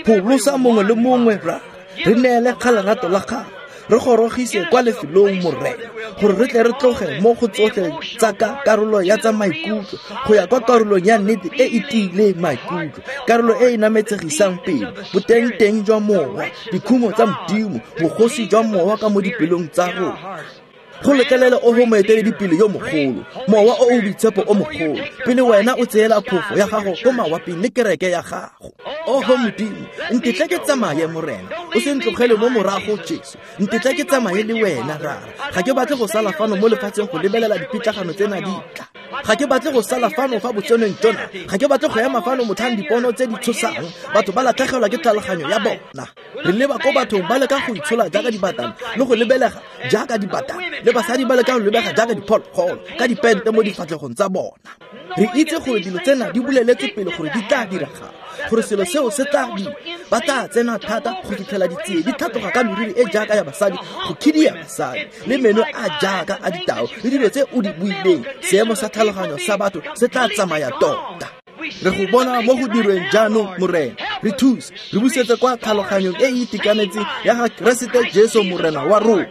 Pholosa mongwe le mongwe, Rra. Re neele kgalerato la gago, re gorogise kwa lefelong, Morena, gore re tle re tloge mo go tsotlhe tsa ka karolo ya tsa maikutlo go ya kwa karolong ya nnete e e tiileng maikutlo, karolo e e nametsegisang pele, boteng-teng jwa mowa, dikhumo tsa Modimo, bogosi jwa mowa ka mo dipelong tsa rona. Go letlelele oho moeteledipele yo mogolo, Mowa o o Boitshepo o mogolo, pele wena o tseela phofo ya gago ko mawaping le kereke ya gago. Oho Modimo, ntetle ke tsamaye, Morena. O se ntlogele mo morago, Jesu. Ntetle ke tsamaye le wena, Rara. Ga ke batle go sala fano mo lefatsheng go lebelela dipitlagano tsena di tla. Ga ke batle go sala fano fa botsenong jona. Ga ke batle go ema fano motlhang dipono tse di tshosang, batho ba latlhegelwa ke tlhaloganyo ya bona. Re leba ko bathong ba leka go itshola jaaka dibatana le go lebelega jaaka dibatana, le basadi ba leka go lebega jaaka diphologolo ka dipente mo difatlhegong tsa bona. Re itse gore dilo tsena di boleletswe pele gore di tla diragala, gore selo seo se tla dira. Ba tla tsena thata go fitlhela ditsie di tlhatloga ka meriri e jaaka ya basadi, go khidia basadi, le meno a jaaka a ditao, le dilo tse o di buileng. Seemo sa tlhaloganyo sa batho se tla tsamaya tota. Re go bona mo go dirweng jaanong, Morena. Re thuse, re busetse kwa tlhaloganyong e e itekanetseng ya ga Keresete Jesu Morena wa rona.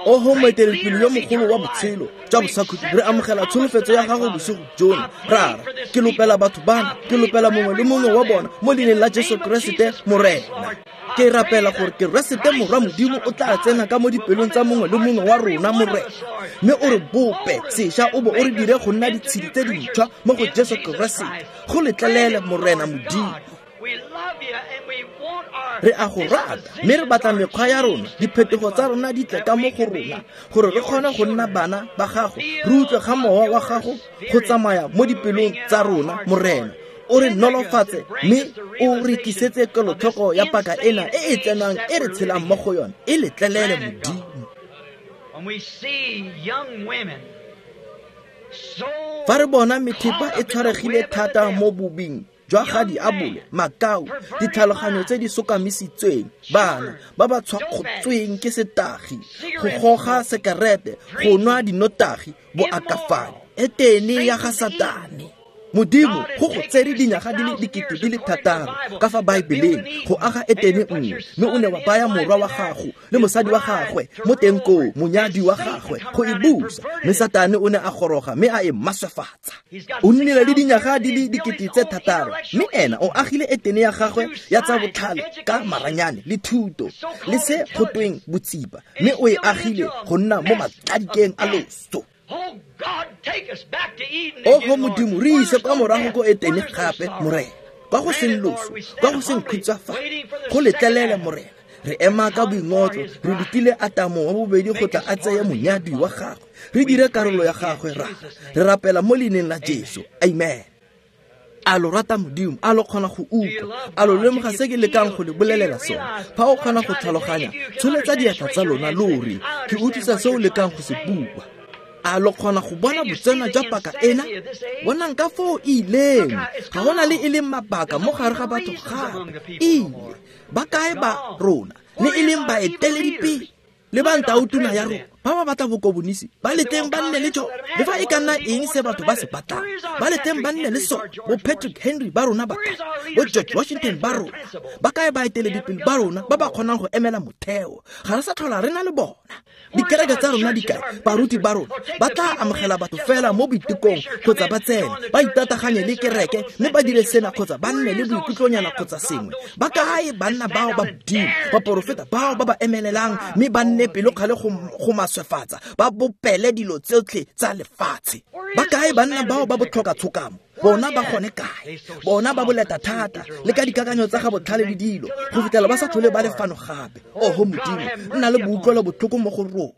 Oho moeteledipele yo mogolo wa botshelo jwa bosakhutleng, re amogela tsholofetso ya gago bosigo jona. Rara, ke lopela batho bana, ke lopela mongwe le mongwe wa bona mo leineng la Jesu Keresete Morena. Ke rapela gore Keresete Morwa Modimo o tla tsena ka mo dipelong tsa mongwe le mongwe wa rona, Morena, mme o re bope sešwa o bo o re dire go nna ditshedi tse dintšhwa mo go Jesu Keresete. Go letlelele, Morena Modimo. Re a go rata mme re batla mekgwa ya rona, diphetogo tsa rona di tle ka mo go rona, gore re kgone go nna bana ba gago, re utlwe ga mowa wa gago go tsamaya mo dipelong tsa rona, Morena. O re nolofatse mme o re tlisetse kelotlhoko ya paka ena e e tsenang e re tshelang mo go yona. E letlelele, Modimo. Fa re bona methepa e tshwaregile thata mo bobing jwa ga diabolo, makau, ditlhaloganyo tse di sokamisitsweng, bana ba ba tshwakgotsweng ke setagi, go goga sekerete, go nwa dinotagi, boakafadi, etene ya ga Satane. Modimo go go tsere dinyaga di le 6000 ka fa Baebeleng go aga etene nngwe, mme o ne wa baya morwa wa gago le mosadi wa gagwe mo teng koo, monyadi wa gagwe, go e busa. Mme Satane o ne a goroga mme a e maswefatsa. O nnile le dinyaga di le 6000, mme ena o agile etene ya gagwe ya tsa botlhale ka maranyane le thuto le se gotweng botsipa, mme o e agile go nna mo matladikeng a loso. Oho Modimo, re ise kwa morago ko etene gape, Morena, kwa go seng loso, kwa go seng khutsafalo. Go letlelele, Morena. Re ema ka boingotlo, re letile Atamo wa bobedi go tla a tseye monyadi wa gagwe, re dire karolo ya gagwe. Rara, re rapela mo leineng la Jesu. Amen. A lo rata Modimo? A lo kgona go utlwa? A lo lemoga se ke lekang go le bolelela sone? Fa o kgona go tlhaloganya, tsholetsa diatla tsa lona lo re, ke utlwisa se o lekang go se bua. A lo kgona go bona botsena jwa paka ena? Bonang ka foo e ileng. Ga gona le e leng mabaka mo gare ga batho gape. Ile ba kae ba rona le e leng baeteledipele le ba ntautuna ya rona ba ba batla bokobonisi? Ba letleng ba nne le jo, le fa e ka nna eng se batho ba se batlang, ba letleng ba nne le sone. Bo Patrick Henry ba rona ba kae? Bo George Washington ba rona ba kae? Baeteledipele ba rona ba ba kgonang go emela motheo, ga re sa tlhola re na le bona. Dikereke tsa rona di kae? Baruti ba rona ba tla amogela batho fela mo boitekong, kgotsa ba tsene ba itataganye le kereke mme ba dire sena, kgotsa ba nne le boikutlonyana kgotsa sengwe. Ba kae banna bao ba Modimo, baporofeta bao ba ba emelelang mme ba nne pelokgale go maswefatsa, ba bopele dilo tsotlhe tsa lefatshe? Ba kae banna bao ba botlhoka tshokamo? Bona ba gone kae? Bona ba boleta thata le ka dikakanyo tsa ga botlhale le dilo, go fitlhela ba sa tlhole ba le fano gape. Oho Modimo, nna le boutlwelo botlhoko mo go rona.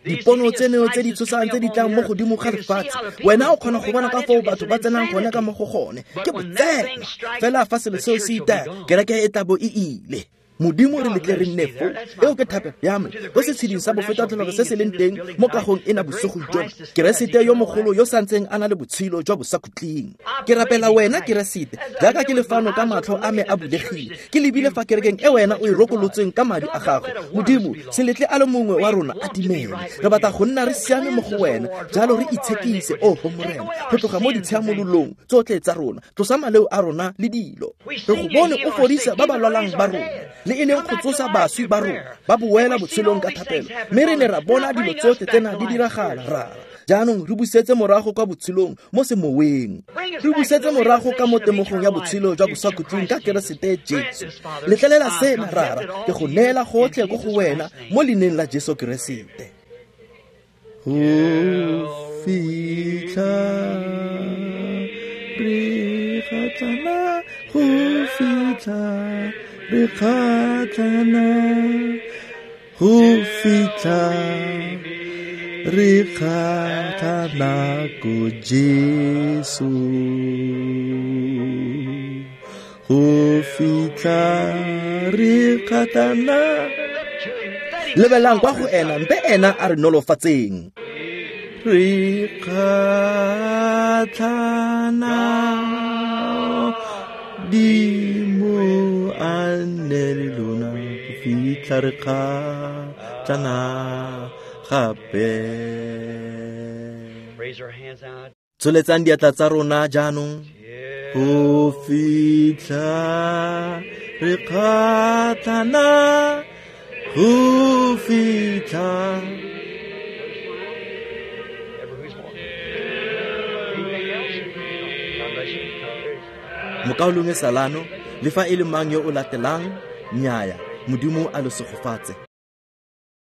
Dipono tseno tse di tshosang tse di tlang mo godimo ga lefatshe, wena o kgona go bona ka foo batho ba tsenang gone ka mo go gone. Ke botsena fela fa selo seo se itaya, kereke e tla bo e ile. Modimo, re letle re nne fo. Eo ke thapelo ya me ko setsheding sa bofetatlholego se se leng teng mo kagong ena bosigo jona, Keresete yo mogolo yo santseng a na le botshelo jwa bosakhutleng. Ke rapela wena Keresete, jaaka ke le fano ka matlho a me a bulegile, ke lebile fa kerekeng e wena o e rokolotseng ka madi a gago. Modimo, se letle a le mongwe wa rona a timele. Re batla go nna re siame mo go wena, jalo re itshekise, oho Morena, go tloga mo ditshiamololong tsotlhe tsa rona. Tlosa maleo a rona le dilo. Re go bone o fodisa ba ba lwalang ba rona, le e leng go tsosa baswi ba rona ba boela botshelong ka thapelo, mme re ne ra bona dilo tsotlhe tsena di diragala. Rara, jaanong re busetse morago kwa botshelong mo semoweng, re busetse morago ka mo temogong ya botshelo jwa bosakhutleng ka Keresete Jesu. Letlelela sena, Rara, ke go neela gotlhe ko go wena mo leineng la Jesu Keresete. Go fitlha re kgatlhana, go fitlha re kgatlhana, go fitlha re kgatlhana ko Jesu, go fitlha re kgatlhana. Lebelang kwa go ena, mpe ena a re nolofatseng. Re kgatlhana, Dimo a nne le lona go fitlha re kgatlhana gape. Tsholetsang diatla tsa rona jaanong. Go fitlha re kgatlhana, go fitlha. Mokaulengwe Salano, le fa e le mang yo o latelang, nnyaya, Modimo a lo segofatse.